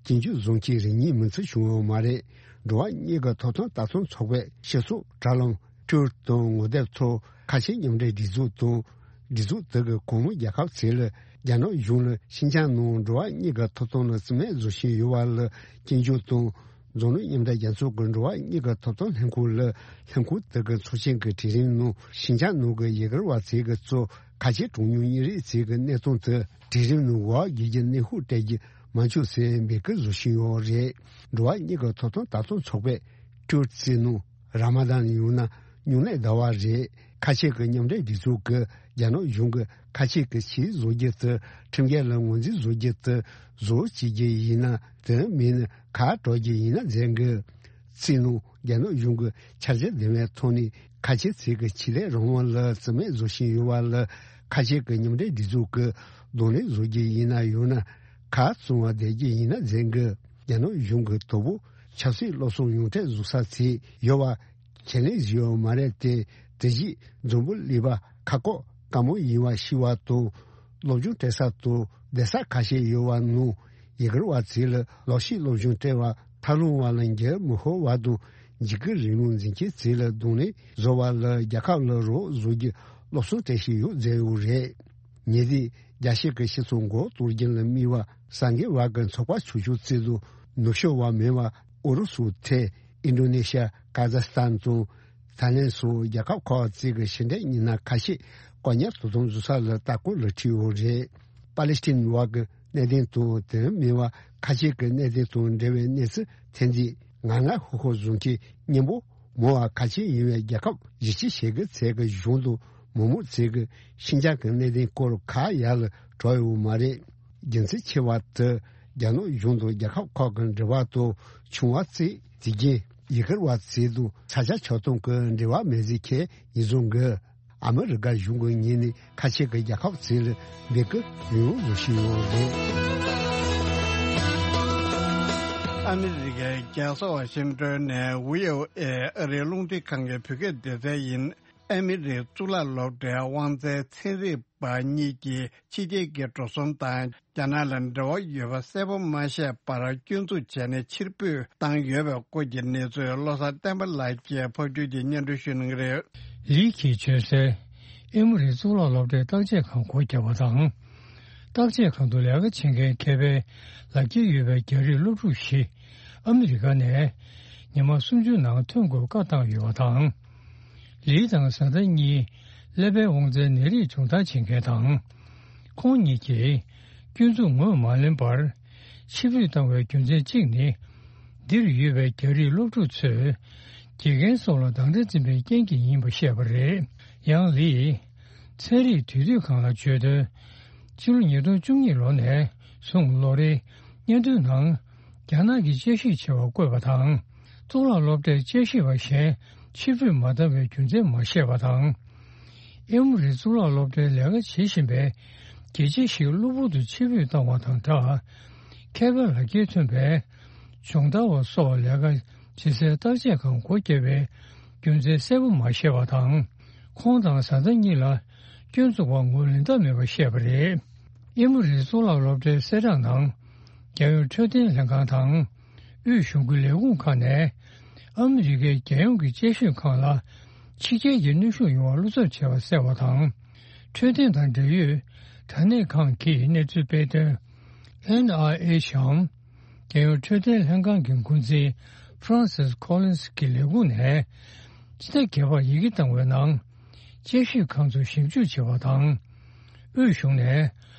སྐྱོན་བརྗོད་བཟོ་མཁན་རེ་གཉིས་མིན་ཚུལ་བྱུང་ཡོད་མ་རེད། འགྲོ་བ་མིའི་གི་ཐོབ་ཐང་ལྟ་སྟངས་ཚོགས་པའི་སྤྱི་ཚོགས་དྲ་ལམ་ཊུ་ཝིཊ་དང་ངོ་དེབ་ཐོག་ཁ་ཆེ་མཉམ་འབྲེལ་སྒྲིག་འཛུགས་དང་སྒྲིག་འཛུགས་དེ་གི་གོང་མའི་རྒྱལ་ཁབ་ཚོས་ལ་རྒྱ་ནག་གཞུང་ལ་ཤིན་ཅང་ནང་འགྲོ་བ་མིའི་གི་ཐོབ་ཐང་ལ་བརྩི་མེད་བཟོ་བཞིན་ཡོད་པ་ལ་སྐྱོན་བརྗོད་དང་། འཛམ་གླིང་མཉམ་འབྲེལ་རྒྱལ་ཚོགས་ཀྱི་འགྲོ་བ་མིའི་གི་ཐོབ་ཐང་ལྷན་ཁང་ལ་ལྷན་ཁང་དེ་གི་ཚོགས་ཆེན་གྱི་གྲོས་རིམ་ནང་ཤིན་ཅང་ནང་གི་ཡུ་གུར་བ་ཚོའི་གི་གཙོས་ཁ་ཆེ་གྲངས་ཉུང་མི་རིགས་ཚོའི་གི་གནས་སྟངས་དེ་གྲོས་རིམ་ནང་འོག་བརྒྱུད་ཀྱི་གནོན་ཤུགས་སྤྲད་རྒྱུ་མ་བཅུག་ཟེར་འབོད་སྐུལ་བཟོ་བཞིན་ཡོད་རེད། འགྲོ་བ་མིའི་གི་ཐོབ་ཐང་ལྟ་སྟངས་ཚོགས་པས་ཊུ་ཝིཊ་ཚོའི་ནང་ར་མ་དཱན་ཡང་ན་སྨྱུང་གནས་ཟླ་བ་རེད། ཁ་ཆེ་གི་མཉམ་འབྲེལ་སྒྲིག་འཛུགས་ཀྱིས་རྒྱ་ནག་གཞུང་གིས་ཁ་ཆེ་གི་ཆེད་བཟོ་རྒྱུ་དེ་ཁྲིམས་འགལ་ལ་ངོས་འཛིན་བཟོ་རྒྱུ་དེ་བཟོ་བྱེད་རྒྱུ་ཡིན་ན་དེ་མིན་ན་ཁ་གྲག་རྒྱུ་ཡིན་ན་མཛད་དགོས། ཚིག་ནང་རྒྱ་ནག་གཞུང་གི་འཆར་གཞི་ལྡན་པའི་ཐོག་ནས་ཁ་ཆེ་ཚོས་ཀྱི་ཆེད་ལས་རང་དབང་ལ་བརྩི་མེད་བཟོ་བཞིན་ཡོད་པ་ལ་ཁ་ཆེ་གི་མཉམ་འབྲེལ་སྒྲིག་འཛུགས་ཀྱིས་གདོང་ལེན་བཟོ་རྒྱུ་ཡིན་ན་ཡང་ན་ཁ་བཙུམ་པ་བསྡད་རྒྱུ་ཡིན་ན་མཛད་དགོས། རྒྱ་ནག་གཞུང་གི་དོ་པོ་ཆབ་སྲིད་སློབ་གསོ་ཡོངས་གྲགས་བཟོ་ས་ཚོ་ཡོད་པ་ཁས་ལེན་བཟོས་ཡོད་མ་རེད་དེ། དེ་བཞིན་འཛམ་བུ་གླིང་པ་ཁ་ཁོག་དཀའ་མོ་ཡིན་པ་ཤེས་པ་དང་། སློབ་སྦྱོང་སྤྲད་ས་དང་བསྡད་ས་ཁ་ཤས་ཡོད་པ་ནང་ཡུ་གུར་བ་ཚོ་ལ་ལག་ཤེས་སློབ་སྦྱོང་སྤྲད་པ་ཐབས་ལམ་བ་ལ་འགྱུར་མི་ཤོར་བ་དང་འཇིགས་སྐུལ་རིང་ལུགས་འཛིན་མཁན་ཚོ་ལ་གདོང་ལེན་བཟོ་བ་ལ་རྒྱལ་ཁབ་ལ་རོགས་བཟོ་རྒྱུ་སློབ་གསོ་སྤྲད་བཞིན་ཡོད་མཛད་ཡོད་རེད། ཉེ་དུས་རྒྱལ་སྤྱི་གི་སྤྱི་ཚོགས་མགོ་གཏོར་རྒྱུ་ལ་དམིགས་པ་གསར་འགོད་པ་གི་ཚོགས་པ་ཆོས་ཕྱོགས་གཙོས་དང་ནུབ་ཕྱོགས་པ་མིན་པ་ཨུ་རུ་སུ་ཐེ་ཨིན་ཌོ་ནེ་ཤི་ཡ་ཀ་ཛ་སི་ཐན་དང་། ཐའི་ལེན་སོགས་རྒྱལ་ཁབ་ཁག་ཅིག་གི་ཕྱི་འབྲེལ་མི་སྣ་ཁ་ཤས་བཀག་ཉར་དོ་དམ་བཟོ་ས་ལ་ལྟ་སྐོར་ལ་ཁྲིད་ཡོད་རེད། པ་ལི་སི་ཐན་བར་གྱི་གནད་དོན་དང་དེ་མིན་པ་ཁ་ཤས་ཀྱི་གནད་དོན་དང་འབྲེལ་བའི་གནས་ཚུལ་ཐོན་རྗེས་ང་ང་ཧུ་ཧུ་བཟོ་མཁན་སྙན་པོ་མང་བ་ཁ་ཆེ་ཡིན་པའི་རྒྱལ་ཁབ་བཞི་བཅུ་ཞེ་དགུ་ཚོས་ཀྱི་གཞུང་དང་མི་མང་ཚོས་ཀྱི་ཤིན་ཅང་གི་གནད་དོན་སྐོར་ཁ་ཡར་ལ་གྲགས་ཡོད་མ་རེད། རྒྱུ་མཚན་ཆེ་བ་དེ་རྒྱ་ནག་གཞུང་དང་རྒྱལ་ཁབ་ཁག་གི་འབྲེལ་བ་དང་བྱུང་བ་བརྩིས། དེ་རྐྱེན་ཡུ་གུར་བ་ཚོ་དང་ས་ཆ་ཆགས་སྟངས་ཀྱི་འབྲེལ་བ་མེད་ཟེར་མཁན་ཡིན་ཙང་གི། ཨ་མི་རི་ཀ་གཞུང་གི་ངོས་ནས་ཁ་ཆེ་གི་རྒྱལ་ཁབ་ཚོ་ལ་འབོད་སྐུལ་ཡང་ཡང་བཟོ་བཞིན་ཡོད་རེད། ཨ་མི་རི་ཀའི་རྒྱལ་ས་ཝ་ཤིང་ཏོན་ནས་བྷི་ཨོ་ཨེ་ཨ་རིའི་རླུང་འཕྲིན་ཁང་གི་བོད་སྐད་སྡེ་ཚན་ཡིན། ཨ་མི་རིའི་གཙུག་ལག་སློབ་གྲྭའི་དབང་འཛིན་ཚན་རིག་པ་གཉིས་ཀྱིས་ཕྱི་རྒྱལ་གྱི་འགྲོ་སོང་དང་རྒྱ་ནག་ལ་འབྲེལ་བ་ཡོད་པ་གསལ་པོ་མ་ཤེས་པར་སྐྱོན་འཛུགས་བྱས་ནས་ཕྱིར་འབུད་བཏང་ཡོད་པའི་སྐོར་གྱི་གནས་ཚུལ་བློ་བཟང་བསྟན་པ་ལགས་ཀྱིས་ཕབ་སྒྱུར་གྱིས་སྙན་སྒྲོན་ཞུ་གནང་གི་རེད། ལི་གིས་བརྗོད་གསལ། ཨེ་མོ་རི་གཙུག་ལག་སློབ་གྲྭའི་བརྟག་དཔྱད་ཁང་སྒོ་བརྒྱབ་པ་དང་། བརྟག་དཔྱད་ཁང་དུ་ལས་ཀ་བྱེད་མཁན་མཁས་པའི་ལག་འཁྱེར་ཡོད་པའི་རྒྱ་རིགས་སློབ་ཕྲུག་བཞི་ཨ་མི་རི་ཀ་ནས་ཉི་མ་སུམ་ཅུ་ནང་ཐོན་དགོས་བཀའ་བཏང་ཡོད་པ་དང་། ལི་དང་བཟའ་ཟླ་གཉིས་ཀླད་པའི་དབང་རྩའི་ནད་རིགས་སྦྱོང་བརྡར་བྱེད་མཁན་དང་། ཁོང་གཉིས་ཀྱིས་སྐྱོན་འཛུགས་ངོས་མ་ལེན་པར་ཕྱིར་འབུད་བཏང་བའི་རྒྱུ་མཚན་གཅིག་ནི། འདིར་ཡོད་པའི་རྒྱ་རིགས་སློབ་ཕྲུག་ཚོས་དགེ་རྒན་སོགས་ལ་སྡང་དགྲ་འཛིན་པའི་རྐྱེན་གྱིས་ཡིན་པ་བཤད་པ་རེད། ཡང་ལིས། ཚན་རིག་དུས་དེབ་ཁང་ལ་བརྗོད་དོན། ཕྱི་ལོ་ཉིས་སྟོང་བཅུ་གཉིས་ལོ་ནས་བཟུང་ལོ་རེའི་སྙན་ཐོའི་ནང་རྒྱ་ནག་གི་དཔྱད་ཞིབ་བྱ་བ་བཀོད་པ་དང་། གཙུག་ལག་སློབ་གྲྭའི་དཔྱད་ཞིབ་པ་གཞན་ཕྱིར་འབུད་མ་བཏང་བའི་རྒྱུ་མཚན་མ་བཤད་པ་དང་། ཨེ་མོ་རི་གཙུག་ལག་སློབ་གྲྭའི་ལས་ཀ་བྱེད་བཞིན་པའི་དགེ་ཆེ་ཞིག་གློ་བུར་དུ་ཕྱིར་འབུད་བཏང་བ་དང་སྦྲགས། མཁས་པའི་ལག་འཁྱེར་ཐོན་པའི་སྦྱོང་བརྡར་བ་སོགས་ལས་ཀ་བྱེད་སའི་བརྟག་དཔྱད་ཁང་སྒོ་བརྒྱབ་པའི་རྒྱུ་མཚན་གསལ་པོ་མ་ཤེས་པ་དང་། ཁོང་དང་བཟའ་ཟླ་གཉིས་ལ་སྐྱོན་འཛུགས་པར་ངོས་ལེན་ཐབས་མེད་པ་བཤད་པ་རེད། ཨེ་མོ་རི་གཙུག་ལག་སློབ་གྲྭའི་གསལ་བསྒྲགས་ནང་། རྒྱལ་ཡོངས་འཕྲོད་བསྟེན་ལྷན་ཁང་དང་། དབུས་གཞུང་གི་ལས་ཁུངས་ཁག་ནས། ཨ་མི་རི་ཀའི་རྒྱལ་ཡོངས་ཀྱི་དཔྱད་ཞིབ་ཁང་ལ། ཕྱི་རྒྱལ་གྱི་གནོན་ཤུགས་ཡོང་བར་བློ་འཚབ་བྱས་པ་གསལ་བ་དང་། འཕྲོད་བསྟེན་དང་འབྲེལ་ཡོད་དྲ་གནས་ཁང་གིས་གནས་ཚུལ་སྤེལ་དོན། ཨེན་ཨའི་ཨེཆ་འམ། རྒྱལ་ཡོངས་འཕྲོད་བསྟེན་ལྷན་ཁང་གི་འགོ་འཛིན་Francis Collins་གྱི་ལས་ཁུངས་ནས། སྤྱི་ཟླ་བརྒྱད་པར་ཡི་གེ་བཏང་བའི་ནང་། དཔྱད་ཞིབ་ཁང་ཚོས་ཞིབ་འཇུག་བྱས་པ་དང་། དབུས་གཞུང་ནས།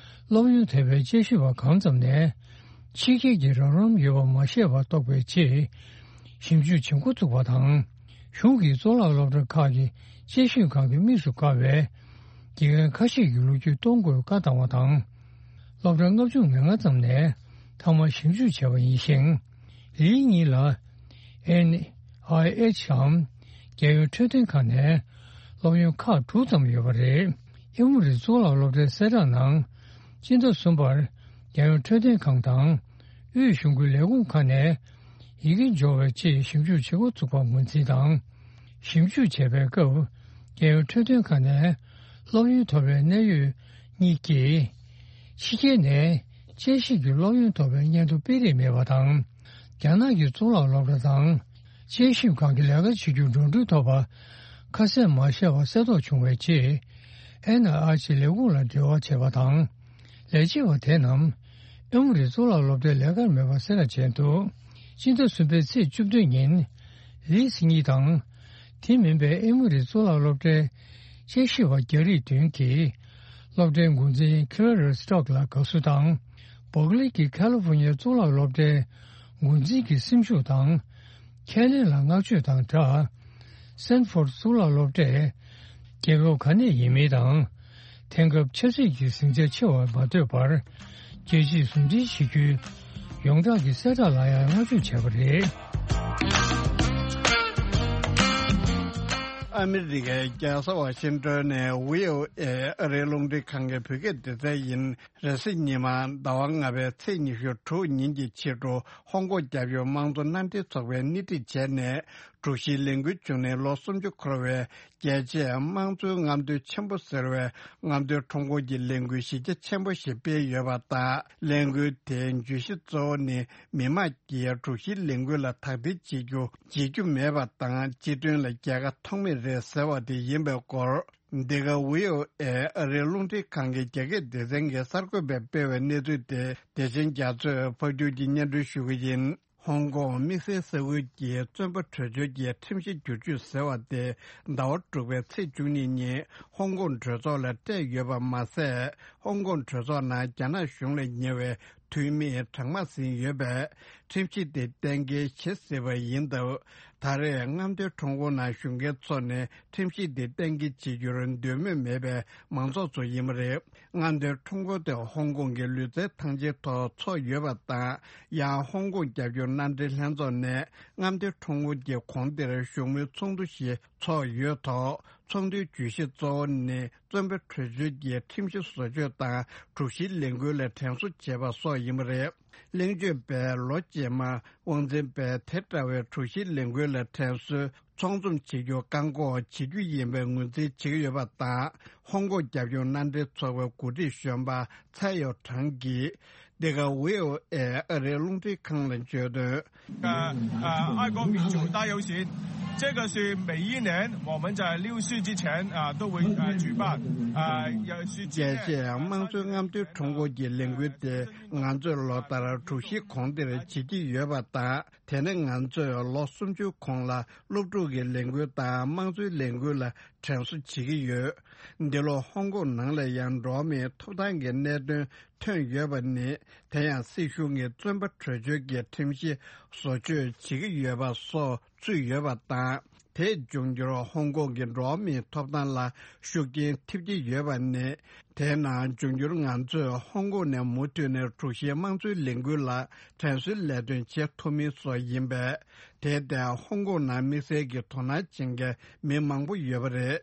སློབ་ཡོན་ཐེབས་པའི་དཔྱད་ཞིབ་པ་གང་ཙམ་ནས། ཕྱི་རྒྱལ་གྱི་རོགས་རམ་ཡོད་པ་མ་ཤེས་པ་རྟོགས་པའི་རྗེས། ཞིབ་འཇུག་བྱེད་འགོ་བཙུགས་པ་དང་། གཞུང་གིས་གཙུག་ལག་སློབ་གྲྭ་ཁག་གི་དཔྱད་ཞིབ་ཁང་གི་དམིགས་སུ་བཀར་བའི་དགེ་རྒན་ཁ་ཤས་ཀྱི་ལོ་རྒྱུས་གཏོང་དགོས་བཀའ་བཏང་བ་དང་། སློབ་གྲྭ་ལྔ་བཅུ་ང་ལྔ་ཙམ་ནས་ཐོག་མར་ཞིབ་འཇུག་བྱས་པ་ཡིན་ཞིང་། ལིའི་གཉིས་ལ་ཨེན་ཨའི་ཨེཆ་འམ། རྒྱལ་ཡོངས་འཕྲོད་བསྟེན་ཁང་ནས་སློབ་ཡོན་ཁག་དྲུག་ཙམ་ཡོད་པ་རེད། ཨེ་མོ་རི་གཙུག་ལག་སློབ་གྲྭའི་གསལ་བསྒྲགས་ནང་། སྤྱི་ཟླ་གསུམ་པར་རྒྱལ་ཡོངས་འཕྲོད་བསྟེན་ཁང་དང་། དབུས་གཞུང་གི་ལས་ཁུངས་ཁག་ནས་ཡི་གེ་འབྱོར་བའི་ཆེད་ཞིབ་འཇུག་བྱེད་འགོ་ཚུགས་པར་ངོས་འཛིན་དང་། ཞིབ་འཇུག་བྱས་པའི་སྐབས། རྒྱལ་ཡོངས་འཕྲོད་བསྟེན་ཁང་ནས་སློབ་ཡོན་ཐོབ་པའི་གནད་ཡོད་གཉིས་ཀྱིས། ཕྱི་རྒྱལ་ནས་དཔྱད་ཞིབ་ཀྱི་སློབ་ཡོན་ཐོབ་པའི་སྙན་ཐོ་སྤེལ་རེས་མེད་པ་དང་། རྒྱ་ནག་གི་གཙུག་ལག་སློབ་གྲྭ་དང་། དཔྱད་ཞིབ་ཁང་གི་ལས་ཀ་བྱེད་རྒྱུར་འགྲོ་གྲོན་ཐོབ་པ། ཁ་གསལ་མ་བཤད་པ་གསལ་རྟོགས་བྱུང་བའི་རྗེས། ཨེན་ཨའི་ཨེཆ་ལས་ཁུངས་ལ་འབྲེལ་བ་བྱས་པ་དང་། ལས་བྱེད་པ་དེ་རྣམས་ཨེ་མོ་རི་གཙུག་ལག་སློབ་གྲྭའི་ལས་ཀར་མེད་པ་གསལ་བསྒྲགས་བྱས་འདུག་སྤྱི་ཟླ་གསུམ་པའི་ཚེས་བཅུ་བདུན་ཉིན། ལིས་གཉིས་དང་། དེ་མིན་པའི་ཨེ་མོ་རི་གཙུག་ལག་སློབ་གྲྭའི་དཔྱད་ཞིབ་པ་རྒྱ་རིགས་བདུན་གྱིས། སློབ་གྲྭའི་འགོ་འཛིན་ཁི་ལ་ར་སི་ཊོག་ལ་དགའ་བསུ་དང་། བོག་ལི་གི་ཁ་ལི་ཧྥོ་ནི་ཡའི་གཙུག་ལག་སློབ་གྲྭའི་འགོ་འཛིན་གྱི་སེམས་ཤུགས་དང་། ཁས་ལེན་ལ་བསྔགས་བརྗོད་དང་སྦྲགས། སེན་ཧྥོར་གཙུག་ལག་སློབ་གྲྭས། རྒྱལ་ཁབ་ག་ནས་ཡིན་མིན་དང་། དེང་སྐབས་ཆབ་སྲིད་ཀྱི་ཟིང་ཆ་ཆེ་བར་མ་ལྟོས་པར། རྒྱལ་སྤྱིས་ཟུང་འབྲེལ་བྱེད་རྒྱུའི་ཡོངས་གྲགས་ཀྱི་གསལ་བསྒྲགས་ལ་ཡང་བསྔགས་བརྗོད་བྱས་པ་རེད། ཨ་མི་རི་ཀའི་རྒྱལ་ས་ཝ་ཤིང་ཏོན་ནས་བྷི་ཨོ་ཨེ་ཨ་རིའི་རླུང་འཕྲིན་ཁང་གི་བོད་སྐད་སྡེ་ཚན་ཡིན། རེས་གཟའ་ཉི་མ་ཟླ་བ་ལྔ་པའི་ཚེས་ཉི་ཤུ་དྲུག་ཉིན་གྱི་ཕྱི་དྲོ་ཧོང་ཀོང་རྒྱལ་ཡོངས་དམངས་གཙོ་མནའ་འབྲེལ་ཚོགས་པས་སྣེ་ཁྲིད་བྱས་ནས་དྲུག་བཞིའི་ལས་འགུལ་བྱུང་ནས་ལོ་སུམ་ཅུ་འཁོར་བའི་རྒྱལ་གཅེས་དམངས་གཙོའི་རྔམ་སྟོན་ཆེན་པོ་ཟེར་བའི་རྔམ་སྟོན་ཁྲོམ་སྐོར་གྱི་ལས་འགུལ་གཞི་རྒྱ་ཆེན་པོ་ཞིག་སྤེལ་ཡོད་པ་དང་། ལས་འགུལ་དེའི་བརྗོད་གཞི་གཙོ་བོ་ནི་མི་དམངས་ཀྱིས་དྲུག་བཞིའི་ལས་འགུལ་ལ་དག་ཐེར་བྱེད་རྒྱུ་བརྗེད་རྒྱུ་མེད་པ་དང་། སྤྱི་དོན་ལ་རྒྱལ་ཁ་ཐོགས་མེད་རེད་ཟེར་བ་དེ་ཡིན་པའི་སྐོར། འདི་ག་བྷི་ཨོ་ཨེ་ཨ་རིའི་རླུང་འཕྲིན་ཁང་གི་རྒྱ་སྐད་སྡེ་ཚན་གྱི་གསར་འགོད་པས་སྤེལ་བའི་གནས་ཚུལ་དེ་བདེ་ཆེན་རྒྱ་མཚོས་ཕབ་སྒྱུར་གྱིས་སྙན་སྒྲོན་ཞུ་གི་ཡིན། ཧོང་ཀོང་དམིགས་བསལ་ས་ཁུལ་གྱི་བཙོན་པ་བྲོས་བྱོལ་གྱི་ཁྲིམས་གཞི་བསྒྱུར་བཅོས་ཟེར་བ་དེ་ཟླ་བ་དྲུག་པའི་ཚེས་བཅུ་གཉིས་ཉིན་ཧོང་ཀོང་གྲོས་ཚོགས་ལ་སྤྲད་ཡོད་པ་མ་ཟད། ཧོང་ཀོང་གྲོས་ཚོགས་ནང་རྒྱ་ནག་གཞུང་ལ་ཉེ་བའི་འཐུས་མི་གྲངས་མང་ཟིན་ཡོད་པས། ཁྲིམས་གཞི་དེ་གཏན་འཁེལ་བྱེད་སྲིད་པ་ཡིན་སྟབས། ད་རེས་རྔམ་སྟོན་ཁྲོམ་སྐོར་ནང་ཞུགས་མཁན་ཚོ་ནི་ཁྲིམས་གཞི་དེ་གཏན་འཁེལ་བྱེད་རྒྱུར་འདོད་མོས་མེད་པའི་མང་ཚོགས་ཚོ་ཡིན་པ་རེད། རྔམ་སྟོན་ཁྲོམ་སྐོར་དེ་ཧོང་ཀོང་གི་ལུས་རྩལ་ཐང་ཆེན་ཐོག་འཚོགས་ཡོད་པ་དང་། ཡང་ཧོང་ཀོང་རྒྱབ་སྐྱོར་མནའ་འབྲེལ་ལྷན་ཚོགས་ནས་རྔམ་སྟོན་ཁྲོམ་སྐོར་གྱི་གོང་དེར་བཞུགས་མོལ་ཚོགས་འདུ་ཞིག་འཚོགས་ཡོད་ཐོག་ཚོགས་འདུའི་བརྗོད་གཞི་གཙོ་བོ་ནི། བཙོན་པ་བྲོས་བྱོལ་གྱི་ཁྲིམས་གཞི་བཟོ་བཅོས་དང་དྲུག་བཞིའི་ལས་འགུལ་ལ་དྲན་གསོ་བྱེད་པ་སོགས་ཡིན་པ་རེད། གླེང་བརྗོད་པས་ལོ་རྗེས་མར་དབང་འཛིན་པས་དེ་འདྲ་བའི་དྲུག་བཞིའི་ལས་འགུལ་ལ་དྲན་གསོའི་ཚོགས་འཛོམས་བྱེད་རྒྱུ་བཀག་འགོག་བྱེད་རྒྱུ་ཡིན་པའི་ངོས་འཛིན་བྱེད་ཀྱི་ཡོད་པ་དང་། ཧོང་ཀོང་རྒྱབ་སྐྱོར་མནའ་འབྲེལ་ཚོགས་པའི་འགོ་ཁྲིད་གཞོན་པ་ཚའེ་ཡོ་ཁྲང་གིས། འདི་ག་བྷི་ཨོ་ཨེ་ཨ་རིའི་རླུང་འཕྲིན་ཁང་ལ་བརྗོད་དོན། 呃，呃，爱国民主大游行，这个是每一年我们在六四之前啊都会啊举办啊，也是纪念。 རྒྱལ་གཅེས་དམངས་གཙོའི་རྔམ་སྟོན་ཁྲོམ་སྐོར་གྱི་ལས་འགུལ་དེ་ང་ཚོས་ལོ་ལྟར་དྲུག་བཞི་གོང་དེར་བྱེད་ཀྱི་ཡོད་པ་དང་། དེ་ནི་ང་ཚོས་ལོ་སུམ་ཅུ་གོང་ལ་སློབ་ཕྲུག་གི་ལས་འགུལ་དང་དམངས་གཙོའི་ལས་འགུལ་ལ་དྲན་གསོ་བྱེད་ཀྱི་ཡོད། འདི་ལོ་ཧོང་ཀོང་ནང་ལ་ཡང་འགྲོ་བ་མིའི་ཐོབ་ཐང་གི་གནད་དོན་ཐོན་ཡོད་པ་ནི། དེ་ཡང་སྲིད་གཞུང་གིས་བཙོན་པ་བྲོས་བྱོལ་གྱི་ཁྲིམས་གཞི་བཟོ་བཅོས་བྱེད་ཀྱི་ཡོད་པ་སོགས་ཚུད་ཡོད་པ་དང་། དེས་འབྱུང་འགྱུར་ཧོང་ཀོང་གི་འགྲོ་བ་མིའི་ཐོབ་ཐང་ལ་ཤུགས་རྐྱེན་ཐེབས་ཀྱི་ཡོད་པ་ནི། དེས་ན་འབྱུང་འགྱུར་ང་ཚོས་ཧོང་ཀོང་ནས་མུ་མཐུད་ནས་དྲུག་བཞིའི་དམངས་གཙོའི་ལས་འགུལ་ལ་དྲན་གསོའི་ལས་དོན་བྱེད་ཐུབ་མིན་སོགས་ཡིན་པས། དེ་ལྟར་ཧོང་ཀོང་ནང་དམིགས་བསལ་གྱི་དོ་སྣང་བྱེད་མཁན་མི་མང་པོ་ཡོད་པ་རེད།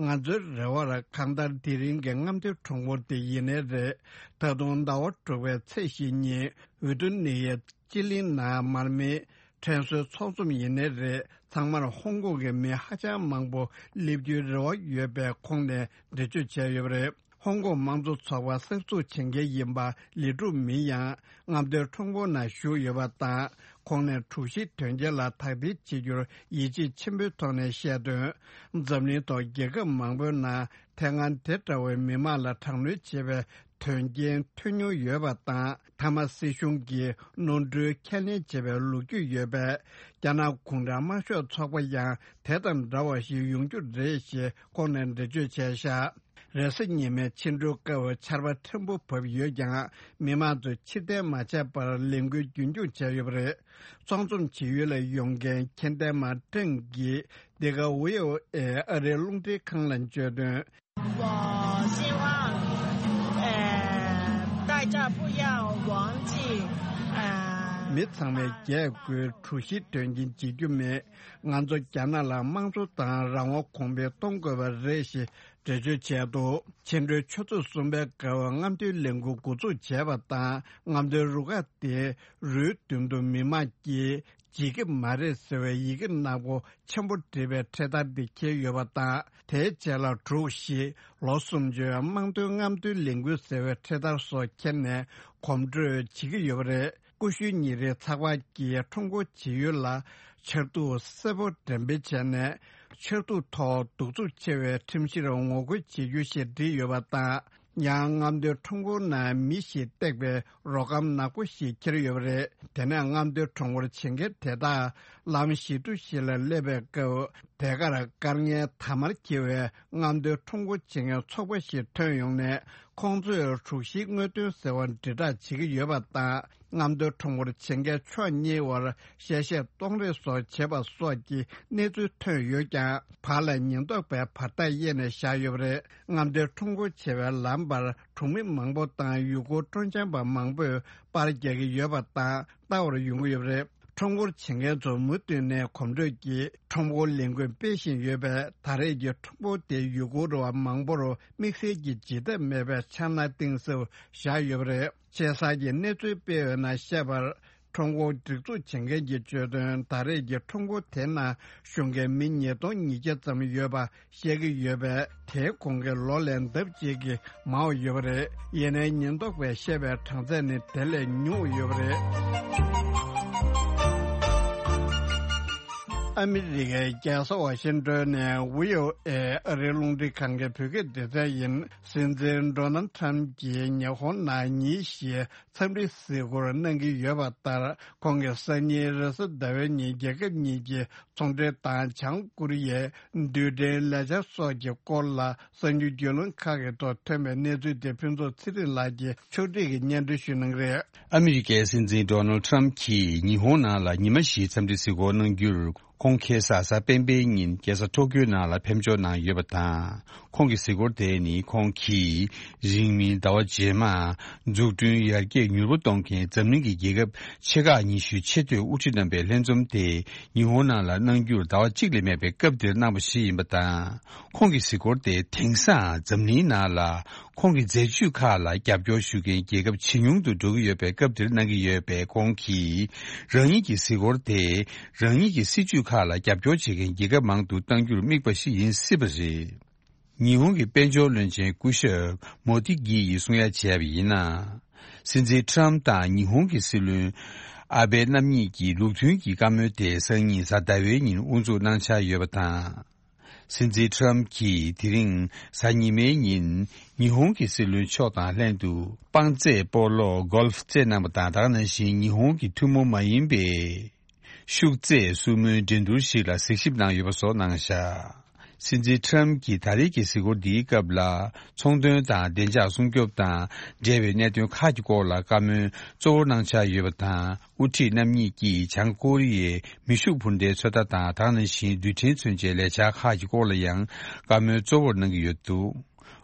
ང་ཚོའི་རེ་བར་གང་ལྟར་དེ་རིང་གི་རྔམ་སྟོན་ཁྲོམ་སྐོར་དེ་ཡིན་ནའི་རེད། ད་དུང་ཟླ་བ་དྲུག་པའི་ཚེས་བཞི་ཉིན་ཝི་ཏུ་ནི་ཡའི་སྤྱི་གླིང་ནང་མར་མེའི་དྲན་གསོའི་ཚོགས་འཛོམས་ཡིན་ནའི་རེད། ཚང་མར་ཧོང་ཀོང་གི་མི་ཧ་ཅང་མང་པོ་སླེབས་རྒྱུའི་རེ་བ་ཡོད་པའི་ཁོངས་ནས་འགྲེལ་བརྗོད་བྱས་ཡོད་པ་རེད། ཧོང་ཀོང་དམངས་གཙོ་ཚོགས་པ་གསར་འཛུགས་བྱེད་མཁན་ཡིན་པ་ལི་ཀྲུའུ་མིང་ཡང་རྔམ་སྟོན་ཁྲོམ་སྐོར་ནང་ཞུགས་ཡོད་པ་དང་། ཁོང་ནས་དྲུག་བཞི་དོན་རྐྱེན་ལ་དག་ཐེར་བྱེད་རྒྱུར་ཡིད་ཆེས་ཆེན་པོའི་ཐོག་ནས་བཤད་དོན། འཛམ་གླིང་ཐོག་རྒྱལ་ཁབ་མང་པོའི་ནང་དེ་སྔ་དེ་འདྲ་བའི་མི་མང་ལ་དྲག་གནོན་བྱས་པའི་དོན་རྐྱེན་ཐོན་མྱོང་ཡོད་པ་དང་། མཐའ་མ་སྲིད་གཞུང་གིས་ནོར་འཁྲུལ་ཁས་ལེན་བྱས་པའི་ལོ་རྒྱུས་ཡོད་པས། རྒྱ་ནག་གུང་ཁྲན་དམར་ཤོག་ཚོགས་པ་ཡང་དེ་དང་འདྲ་བ་ཞིག་ཡོང་རྒྱུ་རེད་ཞེས་ཁོང་ནས་འགྲེལ་བརྗོད་བྱས་བཞག་རེས་གཟའ་ཉི་མའི་ཕྱི་དྲོའི་སྐབས་ཆར་པ་ཕྲན་བུ་བབས་ཡོད་ཀྱང་། མི་མང་ཚོས་ཕྱིར་འཐེན་མ་བྱས་པར་ལས་འགུལ་རྒྱུན་འཁྱོངས་བྱས་ཡོད་པ་རེད། ཚོགས་འཛོམས་བྱེད་ཡུལ་ལ་ཡོང་མཁན་མཁྱེན་ལྡན་མ་ཀྲེང་གིས་འདི་ག་བྷི་ཨོ་ཨེ་ཨ་རིའི་རླུང་འཕྲིན་ཁང་ལ་བརྗོད་དོན། 我希望，呃，大家不要忘记，呃， མི་ཚང་མས་རྒྱས་དགོས། དྲུག་བཞི་དོན་རྐྱེན་བརྗེད་རྒྱུ་མེད། ང་ཚོ་རྒྱ་ནག་ལ་དམངས་གཙོ་དང་རང་དབང་གོང་འཕེལ་གཏོང་དགོས་པ་རེད་ཞེས་ འགྲེལ་བརྗོད་བྱས་འདུག་ཕྱི་དྲོའི་ཆུ་ཚོད་གསུམ་པའི་སྐབས་རྔམ་སྟོན་ལས་འགུལ་འགོ་འཛུགས་བྱས་པ་དང་། རྔམ་སྟོན་རུ་ཁག་དེ་རུའི་མདུན་དུ་མི་མང་གིས་བརྗེད་ཀྱི་མ་རེད་ཟེར་བའི་ཡི་གེ་ནག་པོ་ཆེན་པོ་བྲིས་པའི་འཕྲེད་དར་འདི་འཁྱེར་ཡོད་པ་དང་། དེའི་རྗེས་ལ་འབྲུག་བཞི། ལོ་སུམ་ཅུའི་དམངས་དོན་རྔམ་སྟོན་ལས་འགུལ་ཟེར་བའི་འཕྲེད་དར་སོགས་འཁྱེར་ནས་གོམ་བགྲོད་བྱེད་ཀྱི་ཡོད་པ་རེད། ཀུ་ཤུ་ཉིན་རེའི་ཚགས་པར་གྱིས་ཁྲོམ་སྐོར་བྱེད་ཡུལ་ལ་ཆར་གདུགས་སེར་པོ་འགྲེམས་སྤེལ་བྱས་ནས། ཆར་གདུགས་ཐོག་གདུག་རྩུབ་ཆེ་བའི་ཁྲིམས་གཞིར་ངོ་རྒོལ་བྱེད་རྒྱུ་ཞེས་བྲིས་ཡོད་པ་དང་། ཡང་རྔམ་སྟོན་ཁྲོམ་སྐོར་ནང་མི་ཞིག་བཏེགས་པའི་རོ་སྒམ་ནག་པོ་ཞིག་འཁྱེར་ཡོད་པ་རེད། དེ་ནས་རྔམ་སྟོན་ཁྲོམ་སྐོར་བྱེད་མཁན་དེ་དག་ལམ་བཞི་མདོ་ཞིག་ལ་སླེབས་པའི་སྐབས། དེ་གར་སྐར་ལྔའི་དར་དམར་འཁྱེར་བའི་རྔམ་སྟོན་ཁྲོམ་སྐོར་བྱེད་མཁན་ཚོགས་པ་ཞིག་ཐོན་ཡོང་ནས། ཁོང་ཚོས་དྲུག་བཞིའི་དངོས་དོན་ཟེར་བ་དྲིལ་བསྒྲགས་བྱེད་ཀྱི་ཡོད་པ་དང་། རྔམ་སྟོན་ཁྲོམ་སྐོར་བྱེད་མཁན་ཕྱོགས་གཉིས་བར་གཤེ་གཤེ་གཏོང་རེས་སོགས་བྱས་པ་སོགས་ཀྱི་གནས་ཚུལ་ཐོན་ཡོད་ཀྱང་། བར་ལ་ཉེན་རྟོག་པས་བར་ཐག་དབྱེ་ནས་བཞག་ཡོད་པ་རེད། རྔམ་སྟོན་ཁྲོམ་སྐོར་བྱེད་པའི་ལམ་བར་གྲོང་མི་མང་པོ་དང་ཡུལ་སྐོར་སྤྲོ་འཆམ་པ་མང་པོས་པར་རྒྱག་གི་ཡོད་པ་དང་ལྟ་བར་ཡོང་གི་ཡོད་པ་རེད། ཁྲོམ་སྐོར་བྱེད་མཁན་ཚོ་མུ་མཐུད་ནས་གོམ་བགྲོད་ཀྱིས་ཁྲོམ་སྐོར་ལས་འགུལ་སྤེལ་བཞིན་ཡོད་པས། ད་རེས་ཀྱི་ཁྲོམ་སྐོར་དེ་ཡུལ་སྐོར་བ་མང་པོར་དམིགས་བསལ་གྱི་བརྗེད་ཐབས་མེད་པའི་འཆར་སྣང་གཏིང་ཟབ་བཞག་ཡོད་པ་རེད། ཆེ་སར་གྱི་གནས་ཚུལ་སྤེལ་བའི་ནང་བཤད་པར། ཁྲོམ་སྐོར་སྒྲིག་འཛུགས་བྱེད་མཁན་གྱིས་བརྗོད་དོན། ད་རེས་ཀྱི་ཁྲོམ་སྐོར་དེ་ནང་ཞུགས་མཁན་མི་ཉིས་སྟོང་ཉིས་བརྒྱ་ཙམ་ཡོད་པ་བཤད་ཀྱི་ཡོད་པས། དེའི་གོང་གི་ལོ་ལས་ལྡབ་གཅིག་གིས་མང་བ་ཡོད་པ་རེད། ཡིན་ནའི་ཉེན་རྟོག་པས་བཤད་པའི་གྲངས་ཚད་ནི་དེ་ལས་ཉུང་བ་ཡོད་པ་རེད། ཨ་མི་རི་ཀའི་རྒྱལ་ས་ཝ་ཤིང་ཏོན་ནས་བྷི་ཨོ་ཨེ་ཨ་རིའི་རླུང་འཕྲིན་ཁང་གི་བོད་སྐད་སྡེ་ཚན་ཡིན། སྲིད་འཛིན་ཌོ་ནལ་ཊམ་གྱིས་ཉི་ཧོང་ནང་ཉིན་བཞིའི་འཚམས་འདྲི་གཟིགས་སྐོར་གནང་གི་ཡོད་པ་ལྟར། ཁོང་གིས་སང་ཉིན་རེས་གཟའ་ཟླ་བའི་ཉིན་རྒྱལ་ཁབ་གཉིས་ཀྱི་ཚོང་འབྲེལ་དང་། བྱང་ཀོ་རི་ཡའི་རྡུལ་ཕྲན་ལས་འཆར་སོགས་ཀྱི་སྐོར་ལ་གསར་འགྱུར་བརྒྱུད་ལམ་ཁག་གི་ཐོག་ཐོན་པའི་གནས་ཚུལ་དེ་ཕུན་ཚོགས་ཚེ་རིང་ལགས་ཀྱིས་ཕྱོགས་སྒྲིག་གིས་སྙན་སྒྲོན་ཞུ་གནང་གི་རེད། ཨ་མི་རི་ཀའི་སྲིད་འཛིན་ཌོ་ནལ་ཊམ་གྱིས་ཉི་ཧོང་ནང་ལ་ཉི་མ་བཞིའི་འཚམས་འདྲི་གཟིགས་སྐོར་གནང་རྒྱུར། ཁོང་ཁ་སང་གཟའ་སྤེན་པའི་ཉིན་རྒྱལ་ས་ཊོ་ཀིའོ་ནང་ལ་ཕེབས་འབྱོར་གནང་ཡོད་པ་དང་། ཁོང་གི་གཟིགས་སྐོར་དེ་ནི་ཁོང་གིས་རིང་མིན་ཟླ་བ་རྗེས་མ་འཛུགས་སྐྲུན་ཡར་རྒྱས་མྱུར་པོ་གཏོང་མཁན་འཛམ་གླིང་གི་རྒྱལ་ཁབ་ཆེ་ཁག་ཉི་ཤུའི་ཆེས་མཐོའི་དབུ་ཁྲིད་རྣམ་པའི་ལྷན་འཛོམས་དེ་ཉི་ཧོང་ནང་ལ་གནང་རྒྱུར་ཟླ་བ་གཅིག་ལས་མེད་པའི་སྐབས་འདིར་གནང་བ་ཞིག་ཡིན་པ་དང་། ཁོང་གི་གཟིགས་སྐོར་དེ་དེང་སང་འཛམ་གླིང་ནང་ལ་ཁོང་གི་མཛད་ཇུས་ཁག་ལ་རྒྱབ་སྐྱོར་ཞུ་མཁན་རྒྱལ་ཁབ་ཇེ་ཉུང་དུ་འགྲོ་གི་ཡོད་པའི་སྐབས་འདིར་གནང་གི་ཡོད་པས། ཁོང་གིས་རང་ཉིད་ཀྱི་གཟིགས་སྐོར་དེ་རང་ཉིད་ཀྱི་སྲིད་ཇུས་ཁག་ལ་རྒྱབ་སྐྱོར་བྱེད་མཁན་རྒྱལ་ཁབ་མང་དུ་གཏང་རྒྱུར་དམིགས་པ་ཞིག་ཡིན་སྲིད་པ་རེད། ཉི་ཧོང་གི་དཔལ་འབྱོར་བློན་ཆེན་སྐུ་ཞབས་མོ་དི་གི་ཡིས་གསུང་ཡ་བྱས་པ་ཡིན་ན། སྲིད་འཛིན་ཊམ་དང་ཉི་ཧོང་གི་སྲིད་བློན་ཨ་བྷེ་རྣམ་གཉིས་ཀྱིས་ལུགས་མཐུན་གྱི་བཀའ་མོལ་དེ་སང་ཉིན་གཟའ་ཟླ་བའི་ཉིན་དབུ་འཛུགས་གནང་འཆར་ཡོད་པ་དང་། སྲིད་འཛིན་ཊམ་གྱིས་དེ་རིང་གཟའ་ཉི་མའི་ཉིན་ཉི་ཧོང་གི་སྲིད་བློན་མཆོག་དང་ལྷན་དུ་དཔང་རྩེད་སྤོ་ལོ་གོལ་ཕ་རྩེད་གནང་བ་དང་། ད་ག་ནང་བཞིན་ཉི་ཧོང་གི་ཐུན་མོང་མ་ཡིན་པའི་ཤུགས་རྩེད་སྲུ་མོའི་འགྲན་བསྡུར་ཞིག་ལ་གཟིགས་ཞིབ་གནང་ཡོད་པ་སོགས་གནང་བཞག་སྲིད་འཛིན་ཊམ་གྱིས་ད་རེས་ཀྱི་གཟིགས་སྐོར་འདིའི་སྐབས་ལ་ཚོང་དོན་དང་བདེ་འཇགས་སྲུང་སྐྱོབ་དང་འབྲེལ་བའི་གནད་དོན་ཁག་གི་སྐོར་ལ་བཀའ་མོལ་གཙོ་བོར་གནང་འཆར་ཡོད་པ་དང་། དབུ་ཁྲིད་རྣམ་གཉིས་ཀྱིས་བྱང་ཀོ་རི་ཡའི་མེ་ཤུགས་འཕུར་མདའི་ཚོད་ལྟ་དང་། ད་ག་ནང་བཞིན་རྡུལ་ཕྲན་མཚོན་ཆའི་ལས་འཆར་ཁག་གི་སྐོར་ལ་ཡང་བཀའ་མོལ་གཙོ་བོར་གནང་གི་ཡོད་འདུག་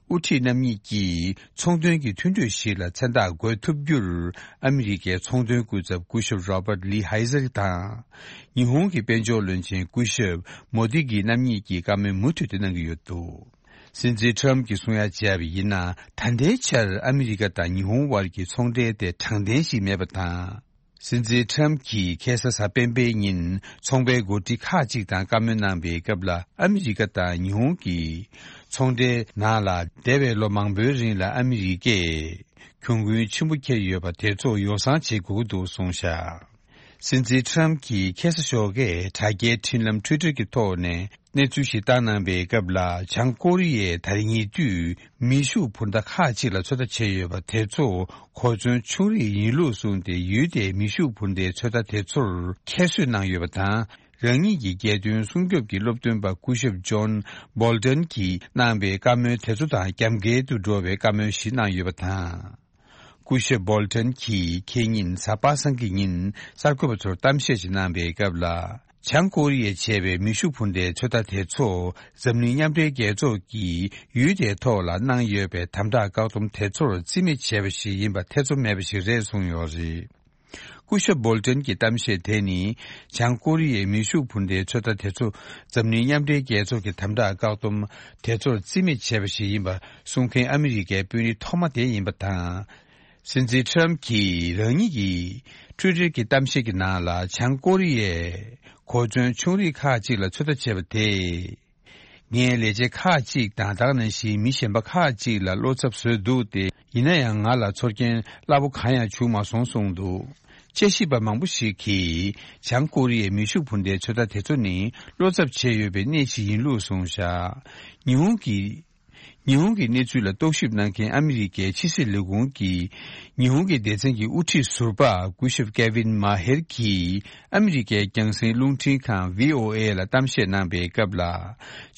དབུ་ཁྲིད་རྣམ་གཉིས་ཀྱིས་ཚོང་དོན་གྱི་མཐུན་གྲོས་ཤིག་ལ་མཚན་རྟགས་འགོད་ཐུབ་རྒྱུར། ཨ་མི་རི་ཀའི་ཚོང་དོན་སྐུ་ཚབ་སྐུ་ཞབས་Robert Lighthizer དང་། ཉི་ཧོང་གི་དཔལ་འབྱོར་བློན་ཆེན་སྐུ་ཞབས་མོ་དི་གི་རྣམ་གཉིས་ཀྱིས་བཀའ་མོལ་མུ་མཐུད་དུ་གནང་གི་ཡོད་འདུག་སྲིད་འཛིན་ཊམ་གྱིས་གསུང་ཡ་བྱས་པ་ཡིན་ན། ད་ལྟའི་ཆར་ཨ་མི་རི་ཀ་དང་ཉི་ཧོང་དབར་གྱི་ཚོང་འབྲེལ་དེ་དྲང་བདེན་ཞིག་མེད་པ་དང་། སྲིད་འཛིན་ཊམ་གྱིས་ཁ་སང་གཟའ་སྤེན་པའི་ཉིན་ཚོང་པའི་འགོ་ཁྲིད་ཁག་ཅིག་དང་བཀའ་མོལ་གནང་བའི་སྐབས་ལ། ཨ་མི་རི་ཀ་དང་ཉི་ཧོང་གི་ཚོང་འབྲེལ་ནང་ལ་འདས་པའི་ལོ་མང་པོའི་རིང་ལ་ཨ་མི་རི་ཀས་གྱོང་གུན་ཆེན་པོ་འཁྱེར་ཡོད་པ་དེ་ཚོ་ཡོ་བསྲང་བྱེད་དགོས་ཀྱི་འདུག་གསུངས་བཞག་སྲིད་འཛིན་ཊམ་གྱིས་ཁ་སང་ཞོགས་ཀས་དྲ་རྒྱའི་འཕྲིན་ལམ་ཊུའི་ཊར་གྱི་ཐོག་ནས་གནས་ཚུལ་ཞིག་བཏང་གནང་བའི་སྐབས་ལ། བྱང་ཀོ་རི་ཡས་ད་རེས་ཉེ་དུས་མེ་ཤུགས་འཕུར་མདའ་ཁག་ཅིག་ལ་ཚོད་ལྟ་བྱས་ཡོད་པ་དེ་ཚོ་གོ་མཚོན་ཆུང་རིགས་ཡིན་ལུགས་གསུངས་ཏེ། ཡུལ་དེའི་མེ་ཤུགས་འཕུར་མདའི་ཚོད་ལྟ་དེ་ཚོར་ཁྱད་གསོད་གནང་ཡོད་པ་དང་། རང་ཉིད་ཀྱི་རྒྱལ་དོན་སྲུང་སྐྱོབ་ཀྱི་སློབ་སྟོན་པ་སྐུ་ཞབས་ཇོན་སྦོལ་ཏན་གྱིས་གནང་བའི་བཀའ་མོལ་དེ་ཚོ་དང་རྒྱབ་འགལ་དུ་འགྲོ་བའི་བཀའ་མོལ་ཞིག་གནང་ཡོད་པ་དང་། སྐུ་ཞབས་སྦོལ་ཏན་གྱིས་ཁེ་ཉིན་གཟའ་པ་སངས་ཀྱི་ཉིན་གསར་འགོད་པ་ཚོར་གཏམ་བཤད་ཅིག་གནང་བའི་སྐབས་ལ། བྱང་ཀོ་རི་ཡས་བྱས་པའི་མེ་ཤུགས་འཕུར་མདའི་ཚོད་ལྟ་དེ་ཚོ་འཛམ་གླིང་མཉམ་འབྲེལ་རྒྱལ་ཚོགས་ཀྱིས་ཡུལ་དེའི་ཐོག་ལ་གནང་ཡོད་པའི་དམ་དྲག་བཀག་སྡོམ་དེ་ཚོར་རྩིས་མེད་བྱས་པ་ཞིག་ཡིན་པ་ཐེ་ཚོམ་མེད་པ་ཞིག་རེད་གསུངས་ཡོད་རེད། སྐུ་ཞབས་སྦོལ་ཏན་གྱི་གཏམ་བཤད་དེ་ནི། བྱང་ཀོ་རི་ཡའི་མེ་ཤུགས་འཕུར་མདའི་ཚོད་ལྟ་དེ་ཚོ་འཛམ་གླིང་མཉམ་འབྲེལ་རྒྱལ་ཚོགས་ཀྱི་དམ་དྲག་བཀག་སྡོམ་དེ་ཚོར་རྩིས་མེད་བྱས་པ་ཞིག་ཡིན་པ་གསུང་མཁན་ཨ་མི་རི་ཀའི་དཔོན་རིགས་ཐོག་མ་དེ་ཡིན་པ་དང་། སྲིད་འཛིན་ཊམ་གྱིས་རང་ཉིད་ཀྱི་ཊུའི་ཊར་གྱི་གཏམ་བཤད་ཀྱི་ནང་ལ། བྱང་ཀོ་རི་ཡས་གོ་མཚོན་ཆུང་རིགས་ཁག་ཅིག་ལ་ཚོད་ལྟ་བྱས་པ་དེས། ངའི་ལས་བྱེད་ཁག་ཅིག་དང་། ད་ག་ནང་བཞིན་མི་གཞན་པ་ཁག་ཅིག་ལ་བློ་འཚབ་བཟོས་འདུག་སྟེ། ཡིན་ན་ཡང་ང་ལ་ཚོར་སྐྱེན་སླ་པོ་གང་ཡང་བྱུང་མ་སོང་གསུངས་འདུག་དཔྱད་ཞིབ་པ་མང་པོ་ཞིག་གིས། བྱང་ཀོ་རི་ཡའི་མེ་ཤུགས་འཕུར་མདའི་ཚོད་ལྟ་དེ་ཚོ་ནི། བློ་འཚབ་བྱས་ཡོད་པའི་གནས་ཤིག་ཡིན་ལུགས་གསུངས་བཞག་ཉི་ཧོང་གི་ཉི་ཧོང་གི་གནས་ཚུལ་ལ་རྟོག་ཞིབ་གནང་མཁན་ཨ་མི་རི་ཀའི་ཕྱི་སྲིད་ལས་ཁུངས་ཀྱི་ཉི་ཧོང་གི་སྡེ་ཚན་གྱི་དབུ་ཁྲིད་ཟུར་པ་སྐུ་ཞབས་ཀེ་ཝིན་མ་ཧེར་གྱིས་ཨ་མི་རི་ཀའི་རྒྱང་སྲིང་རླུང་འཕྲིན་ཁང་བྷི་ཨོ་ཨེ་ལ་གཏམ་བཤད་གནང་པའི་སྐབས་ལ།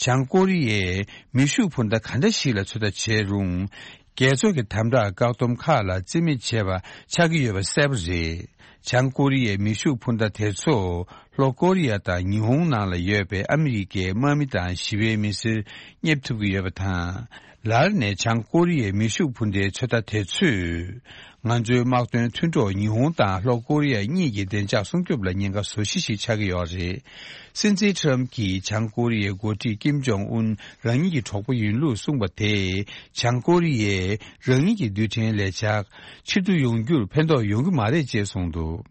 བྱང་ཀོ་རི་ཡས་མེ་ཤུགས་འཕུར་མདའ་ག་འདྲ་ཞིག་ལ་ཚོད་ལྟ་བྱས་རུང་། རྒྱལ་ཚོགས་ཀྱི་དམ་དྲག་བཀག་སྡོམ་ཁག་ལ་རྩིས་མེད་བྱས་པ་ཆགས་ཀྱི་ཡོད་པ་གསལ་པོ་རེད། བྱང་ཀོ་རི་ཡའི་མེ་ཤུགས་འཕུར་མདའ་དེ་ཚོ་ལྷོ་ཀོ་རི་ཡ་དང་ཉི་ཧོང་ནང་ལ་ཡོད་པའི་ཨ་མི་རི་ཀའི་དམག་མི་དང་ཞི་བའི་མི་སེར་རྙེད་ཐུབ་ཀྱི་ཡོད་པ་དང་། ལར་ནས་བྱང་ཀོ་རི་ཡའི་མེ་ཤུགས་འཕུར་མདའི་ཚོད་ལྟ་དེ་ཚོས། ང་ཚོའི་དམག་དོན་མཐུན་གྲོགས་ཉི་ཧོང་དང་ལྷོ་ཀོ་རི་ཡ་གཉིས་ཀྱི་བདེ་འཇགས་སྲུང་སྐྱོབ་ལ་ཉེན་ཁ་བཟོ་གཞི་ཞིག་ཆགས་ཀྱི་ཡོད་རེད། སྲིད་འཛིན་ཊམ་གྱིས་བྱང་ཀོ་རི་ཡའི་འགོ་ཁྲིད་ཀིམ་ཇོང་ཨུན་རང་ཉིད་ཀྱི་གྲོགས་པོ་ཡིན་ལུགས་གསུངས་པ་དེས། བྱང་ཀོ་རི་ཡས་རང་ཉིད་ཀྱི་རྡུལ་ཕྲན་ལས་འཆར་ཕྱིར་བསྡུ་ཡོང་རྒྱུར་ཕན་ཐོགས་ཡོང་གི་མ་རེད་ཅེས་གསུངས་འདུག་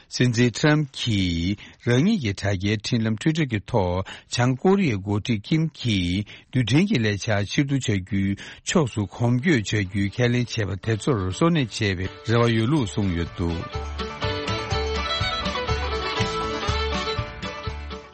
སྲིད་འཛིན་ཊམ་གྱིས་རང་ཉིད་ཀྱི་དྲ་རྒྱའི་འཕྲིན་ལམ་ཊུའི་ཊར་གྱི་ཐོག་བྱང་ཀོ་རི་ཡའི་འགོ་ཁྲིད་ཀིམ་གྱིས་རྡུལ་ཕྲན་གྱི་ལས་འཆར་ཕྱིར་བསྡུ་བྱ་རྒྱུའི་ཕྱོགས་སུ་གོམ་བགྲོད་བྱ་རྒྱུའི་ཁས་ལེན་བྱས་པ་དེ་ཚོར་སོར་གནས་བྱེད་པའི་རེ་བ་ཡོད་ལུགས་གསུངས་ཡོད་འདུག་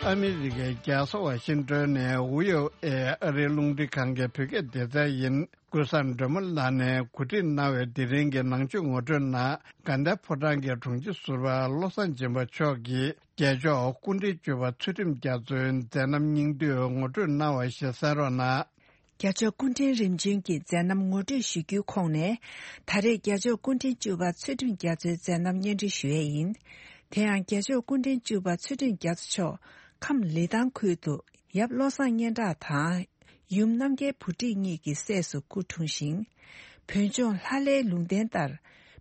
ཨ་མི་རི་ཀའི་རྒྱལ་ས་ཝ་ཤིང་ཏོན་ནས་ཝི་ཨོ་ཨེ་ཨ་རིའི་རླུང་འཕྲིན་ཁང་གི་བོད་སྐད་སྡེ་ཚན་ཡིན། ཀུན་བཟང་སྒྲོལ་མ་ལགས་ནས་གོ་སྒྲིག་གནང་བའི་དེ་རིང་གི་ནང་ཆོས་ངོ་སྤྲོད་ནང་དགའ་ལྡན་ཕོ་བྲང་གི་དྲུང་ཆེ་ཟུར་པ་བློ་བཟང་སྦྱིན་པ་མཆོག་གིས་རྒྱལ་མཆོག་སྐུ་ཕྲེང་བཅུ་པ་ཚུལ་ཁྲིམས་རྒྱ་མཚོའི་མཛད་རྣམ་སྙིང་བསྡུས་ངོ་སྤྲོད་གནང་བ་ཞིག་གསན་རོགས་གནང་། རྒྱལ་མཆོག་སྐུ་ཕྲེང་རིམ་བྱོན་གྱི་མཛད་རྣམ་ངོ་སྤྲོད་ཞུ་རྒྱུའི་ཁོངས་ནས། ད་རེས་རྒྱལ་མཆོག་སྐུ་ཕྲེང་བཅུ་པ་ཚུལ་ཁྲིམས་རྒྱ་མཚོའི་མཛད་རྣམ་སྙན་སྒྲོན་ཞུ་ཡས་ཡིན། དེ་ཡང་རྒྱལ་མཆོག་སྐུ་ཕྲེང་བཅུ་པ་ཚུལ་ཁྲིམས་རྒྱ་མཚོ་མཆོག་ཁམས་ལི་ཐང་ཁུལ་དུ་ཡབ་བློ་བཟང་སྙན་གྲགས་དང་། ཡུམ་རྣམ་རྒྱལ་བུ་ཁྲིད་གཉིས་ཀྱི་སྲས་སུ་སྐུ་འཁྲུངས་ཤིང་། བོད་ལྗོངས་ལྷ་ལྷའི་ལུང་བསྟན་ལྟར་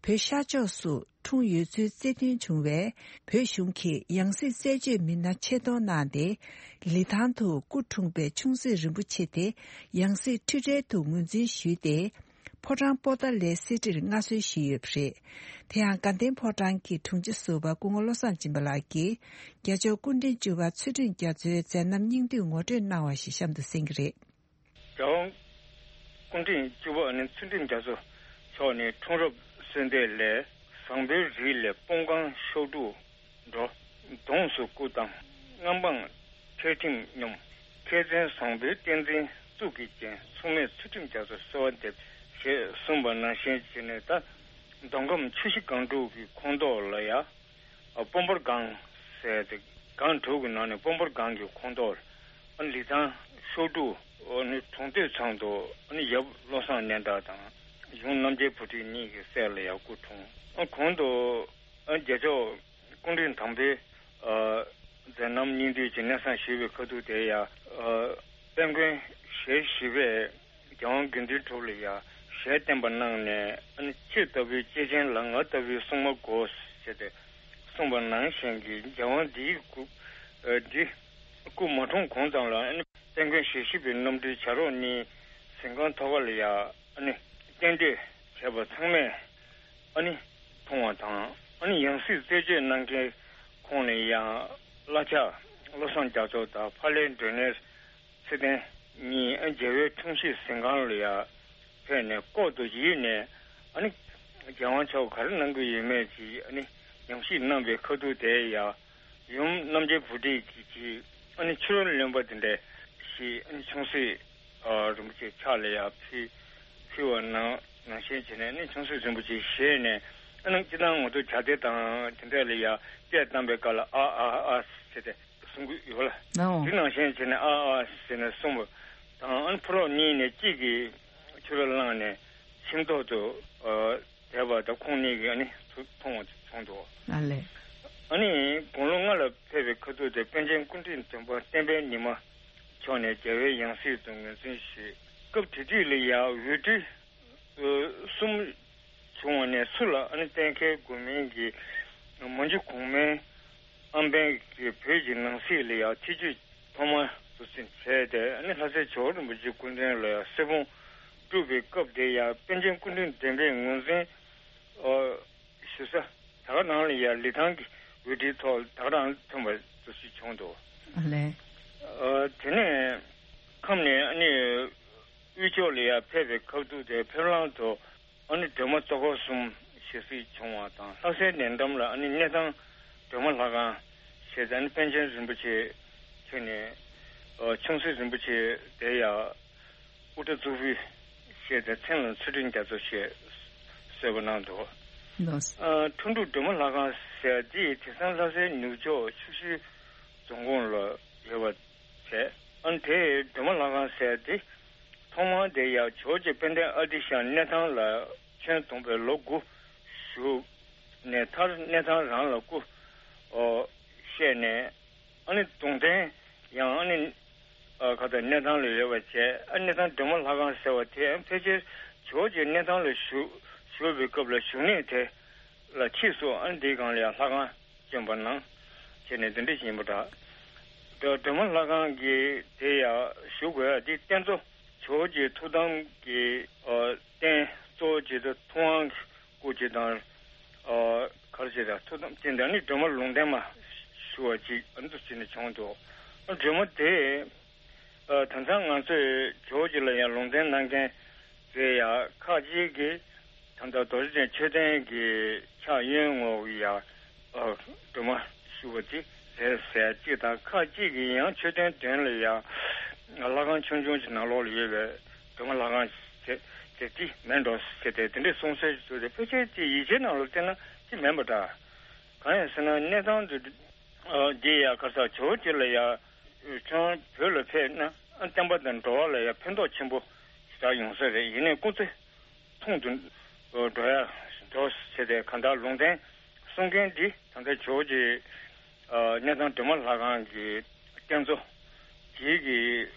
བོད་ཤར་ཕྱོགས་སུ་འཁྲུངས་ཡོད་ཚུལ་རྩིས་མཐུན་བྱུང་བས། བོད་གཞུང་གིས་ཡང་སྲིད་རྩད་གཅོད་མི་སྣ་ཆེད་གཏོང་གནང་སྟེ། ལི་ཐང་དུ་སྐུ་འཁྲུངས་པའི་ཆུང་སྲིད་རིན་པོ་ཆེ་དེ་ཡང་སྲིད་འཁྲུལ་བྲལ་དུ་ངོས་འཛིན་ཞུས་ཏེ། ཕོ་བྲང་པོ་ཏཱ་ལའི་གསེར་ཁྲིར་མངའ་གསོལ་ཞུས་ཡོད་པ་རེད། དེ་ཡང་དགའ་ལྡན་ཕོ་བྲང་གི་དྲུང་ཆེ་ཟུར་པ་སྐུ་ངོ་བློ་བཟང་སྦྱིན་པ་ལགས་ཀྱིས། རྒྱལ་མཆོག་སྐུ་ཕྲེང་བཅུ་པ་ཚུལ་ཁྲིམས་རྒྱ་མཚོའི་མཛད་རྣམ་སྙིང་བསྡུས་ངོ་སྤྲོད་གནང་བ་ཞིག་གཤམ་དུ་གསན་གྱི་རེད། རྒྱལ་དབང་སྐུ་ཕྲེང་བཅུ་པ་ནི་ཚུལ་ཁྲིམས་རྒྱ་མཚོ་མཆོག་ནི་འཁྲུངས་རབས་གསོལ་འདེབས་ལས། བཟང་པོའི་རིགས་ལས་སྤོང་གང་གཤོག་དྲུག་འགྲོ། གདོང་བསུ་སྐུ་བལྟམས་མངའ་འབངས་ཁྲལ་ཁྲིམས་སྙོམས། མཁས་བཙུན་བཟང་པོའི་བསྟན་འཛིན་གཙུག་གི་རྒྱན། མཚུངས་མེད་ཚུལ་ཁྲིམས་རྒྱ་མཚོ་གསོལ་བ་འདེབས་ཞེས་གསུངས་པ་ནང་བཞིན་བྱས་ནས། ད་མདོ་ཁམས་ཆུ་བཞི་སྒང་དྲུག་གི་ཁོངས་གཏོགས་ལ་ཡ། ཨ་སྤོམ་པོར་སྒང་ཟེར་ཏེ། སྒང་དྲུག་གི་ནང་ནས་སྤོམ་པོར་སྒང་གི་ཁོངས་གཏོགས་ཨ་ལི་ཐང་ཤོག་དྲུག་ཨ་ནི་གྲོང་སྟོད་ཚང་དུ་ཨ་ནི་ཡབ་བློ་བཟང་སྙན་གྲགས་དང་ཡུམ་རྣམ་རྒྱལ་བུ་ཁྲིད་གཉིས་ཀྱི་སྲས་ལ་ཡ་སྐུ་འཁྲུངས། ཨ་གོང་དུ་ཨ་རྒྱལ་མཆོག་སྐུ་ཕྲེང་དང་པོའི་ཨ་མཛད་རྣམ་སྙིང་བསྡུས་ཀྱི་གནས་སྟངས་ཞུས་པའི་ཁ་ཐུག་དེ་ཡ། ཨ་དཔལ་མགོན་ཞེ་བཞི་པས་རྒྱལ་དབང་དགེ་འདུན་གྲུབ་ལ་ཡ་ཞལ་བསྟན་པ་གནང་ནས། ཨ་ནི་ཁྱེད་ལྟ་བུའི་སྐྱེས་ཆེན་ལ་ང་ལྟ་བུའི་སྲུང་མ་དགོས་ཟེར་ཏེ་གསུངས་པ་ནང་བཞིན་གྱི་རྒྱལ་དབང་འདིའི་སྐུ་ཨ་འདི་སྐུ་མ་འཁྲུངས་གོང་ཙམ་ལ། ཨ་ནི་དཔལ་མགོན་ཞེ་བཞི་པའི་རྣམ་སྤྲུལ་བྱ་རོག་གཉིས་གཟིམ་ཁང་ཐོག་ཁ་ལ་ཡ་ཨ་ནི་རྟེན་འབྲེལ་བྱས་པ་ཚང་མས་ཨ་ནི་མཐོང་བ་དང་། ཨ་ནི་ཡང་སྲིད་རྩད་གཅོད་གནང་མཁན་ཁོང་ནས་ཡང་བླ་ཕྱག་བློ་བཟང་རྒྱ་མཚོ་དང་ཕ་ལྷའི་མགྲོན་གཉེར་ཚེ་བརྟན་གཉིས་ཨ་རྒྱལ་བའི་འཁྲུངས་གཞིས་གཟིམ་ཁང་ལ་ཡ་ཕེབས་ནས་ལྐོག་ཏུ་ཡིབ་ནས། ཨ་ནི་རྒྱལ་དབང་མཆོག་ག་རེ་གནང་གི་ཡོད་མེད་ཀྱི་ཨ་ནི་ཉམས་ཞིབ་གནང་བའི་ཁ་ཐུག་དེ་ཡ། ཡུམ་རྣམ་རྒྱལ་བུ་ཁྲིད་ཀྱིས་ཀྱིས་ཨ་ནི་ཕྱི་རོལ་གླེན་པ་དེ་འདྲ་ཞིག་ཨ་ནི་ཆུང་སྲིད་ཨ་རིན་པོ་ཆེ་ཕྱག་ལ་ཡ་ཕུལ་ཕུལ་བ་ནང་ནང་བཞིན་བྱས་ནས། ཨ་ནི་ཆུང་སྲིད་རིན་པོ་ཆེ་ཞལ་ནས། ཨ་ནི་སྤྱིར་བཏང་ང་ཚོ་ཇ་སྡེ་དང་དེ་འདྲ་ལ་ཡ་སྐད་བཏང་པའི་སྐབས་ལ་ཨ་ཨ་ཨ་ཟེར་ཏེ་གསུང་གི་ཡོད་ལ། ཨོ། དེ་ནང་བཞིན་བྱས་ནས་ཨ་ཨ་ཟེར་ནས་གསུངས་པ་དང་། ཨ་ནི་ཕོ་རོག་གཉིས་ནས་གཅིག་གིས་ཕྱི་རོལ་བླངས་ནས་ཁྱིམ་ཐོག་ཏུ་ཨ་བསྡད་པ་དང་ཁོང་གཉིས་ཀྱིས་ཨ་ནི་ཚུར་མཐོང་བ་བྱུང་འདུག། ཨ་ལས། ཨ་ནི་དགུང་ལོ་ལྔ་ལ་ཕེབས་པའི་ཁ་ཐུག་དེ་པཎ་ཆེན་སྐུ་ཕྲེང་བདུན་པ་བསྟན་པའི་ཉི་མ་མཆོག་ནས་རྒྱལ་བའི་ཡང་སྲིད་དུ་ངོས་འཛིན་ཞུས། སྐབས་དེ་དུས་ལ་ཡང་འོས་སྤྲུལ་གསུམ་བྱུང་བ་ནས་ཚུར་ལ་ཨ་ནི་གཏན་འཁེལ་དགོས་མིན་གྱི་ མ་འཇུ་གོང་མའི་ཨམ་བན་གྱིས་བོད་ཀྱི་ནང་སྲིད་ལ་ཡང་ཐེ་བྱུས་ཐོག་མར་དུ་ཕྱིན་བྱས་ཏེ། ཨ་ནི་ལྷ་སའི་ཇོ་བོ་རིན་པོ་ཆེའི་སྐུ་མདུན་ལ་ཡང་གསེར་བུམ་སྒྲུབ་པའི་སྐབས་དེ་ཡང་པཎ་ཆེན་སྐུ་ཕྲེང་བདུན་པས་ངོས་འཛིན་ཨ་ཞུ་ས་ད་ག་ནང་ལ་ཡང་ལི་ཐང་གི་འོས་བསྡུའི་ཐོག་ད་ག་རང་ཐོན་པ་དུ་ཞིག་བྱུང་འདུག་ཨ་ལས། ཨ་དེ་ནས་ཁམས་ནས་ཨ་ནི་དབུས་ཕྱོགས་ལ་ཡང་ཕེབས་པའི་སྐབས་དུས་དེ་ཕེབས་ལམ་དུ་ཨ་ནི་སྒྲོལ་མ་ལྟོ་ཁོག་གསུམ་ཞེས་སྲིད་བྱུང་བ་དང་། ལྷ་སའི་ནས་འགྲམ་ལ་ཨ་ནི་གནས་ཐང་སྒྲོལ་མ་ལྷ་ཁང་ཞེས་ཨ་ནི་པཎ་ཆེན་རིན་པོ་ཆེ་ཁྱོད་ནས་ཨ་ཆུང་སྲིད་རིན་པོ་ཆེ་དེ་ཡང་དབུ་སྐྲ་གཙུག་ཕུད་ཞེས་ཏེ་མཚན་ལ་ཚུལ་ཁྲིམས་རྒྱ་མཚོ་ཞེས་གསོལ་བ་གནང་འདུག་ལགས། ཨ་ཁྲོ་འབྲུག་སྒྲོལ་མ་ལྷ་ཁང་ཟེར་འདི་དེང་སང་ལྷ་སའི་ནུབ་ཕྱོགས་ཆུ་ཤུར་རྫོང་ཁོངས་ལ་ཡོད་པ་བྱས། ཨ་ནི་དེའི་སྒྲོལ་མ་ལྷ་ཁང་ཟེར་འདི་ཐོག་མར་དེ་ཡང་ཇོ་བོ་རྗེ་དཔལ་ལྡན་ཨ་ཏི་ཤ་གནས་ཐང་ལ་ཆོས་དུང་པའི་ལོ་དགུ་བཞུགས་ནས་མཐར་གནས་ཐང་རང་ལ་སྐུ་ཨོ་གཤེགས་ནས། ཨ་ནི་གདུང་རྟེན་ཡང་ཨ་ནི་ཨ་ཁ་ད་གནས་ཐང་ལ་ཡོད་པ་བྱས། ཨ་གནས་ཐང་སྒྲོལ་མ་ལྷ་ཁང་ཟེར་བ་དེ་ཕལ་ཆེར་ཇོ་བོ་རྗེ་གནས་ཐང་ལ་བཞུགས་བཞུགས་པའི་སྐབས་ལ་བཞུགས་གནས་དེ་ལ་ཕྱིས་སུ་ཨ་ནི་འདིའི་སྒང་ལ་ཡང་ལྷ་ཁང་བསྐྱོན་པ་གནང་བྱས་ནས་འདི་འདྲ་ཞིག་ཡིན་པ་འདྲ། ད་སྒྲོལ་མ་ལྷ་ཁང་གི་དེ་ཡང་ཞུ་དགོས་ཡ་འདི་རྟེན་གཙོ་ཇོ་བོ་རྗེ་ཐུགས་དམ་གྱི་ཨ་རྟེན་གཙོ་བོ་ཇི་ལྟར་ཐུབ་དབང་སྐུ་ཇི་དང་། ཨ་གར་ཞེས་དང་ཐུགས་དམ་བསྟན་ཏེ་ཨ་ནི་སྒྲོལ་མ་ལུང་བསྟན་མ་ཞུ་བ་ཅིག་ཨ་ནི་འདུག་ཅེས་ནས་བྱུང་འདུག་སྒྲོལ་མ་དེ་ཨ་ད་ལྟ་ང་ཚོས་ཇོ་བོ་རྗེ་ལ་ཡང་ལུང་བསྟན་གནང་མཁན་དེ་ཡང་ཁ་ཅིག་གིས་ད་ལྟ་རྡོ་རྗེ་གདན་མཆོད་རྟེན་གྱི་ཕྱག་གཡོན་ངོས་ཀྱི་ཡང་ཨ་སྒྲོལ་མ་ཞུ་བ་དེ་རེད་ཟེར་ཅིག་དང་། ཁ་ཅིག་གིས་ཡང་མཆོད་རྟེན་མདུན་ལ་ཡང་ལྷ་ཁང་ཆུང་ཆུང་ཞིག་ནང་ལོགས་ལ་ཡོད་པའི་སྒྲོལ་མ་ལྷ་ཁང་ཞིག་དེ་དེ་མིན་འགྲོ་ཟེར་ཏེ་དེ་འདྲའི་གསུང་སྲོལ་ཞིག་འདུག་སྟེ། ཕལ་ཆེར་དེ་ཡིག་ཆའི་ནང་ལ་བལྟས་ན་དེ་མིན་པ་འདྲ། གང་ཡིན་ཟེར་ན་གནས་སྟངས་དེ་འདི་ཡང་ག་ས་ཇོ་བོ་རྗེ་ལ་ཡང་ཁྱོད་བོད་ལ་ཕེབས་ན་བསྟན་པ་དང་འགྲོ་བ་ལ་ཡང་ཕན་ཐོགས་ཆེན་པོ་ཞེ་དྲག་ཡོང་ས་རེད། ཡིན་ནའི་སྐུ་ཚེ་ཐུང་དུ་འགྲོ་ཡ་འགྲོ་ཟེར་ཏེ་གང་ལྟར་ལུང་བསྟན་གསུང་མཁན་འདི་ད་ལྟ་ཇོ་བོ་རྗེ་གནས་ཐང་སྒྲོལ་མ་ལྷ་ཁང་གི་རྟེན་གཙོ་དེའི་གི་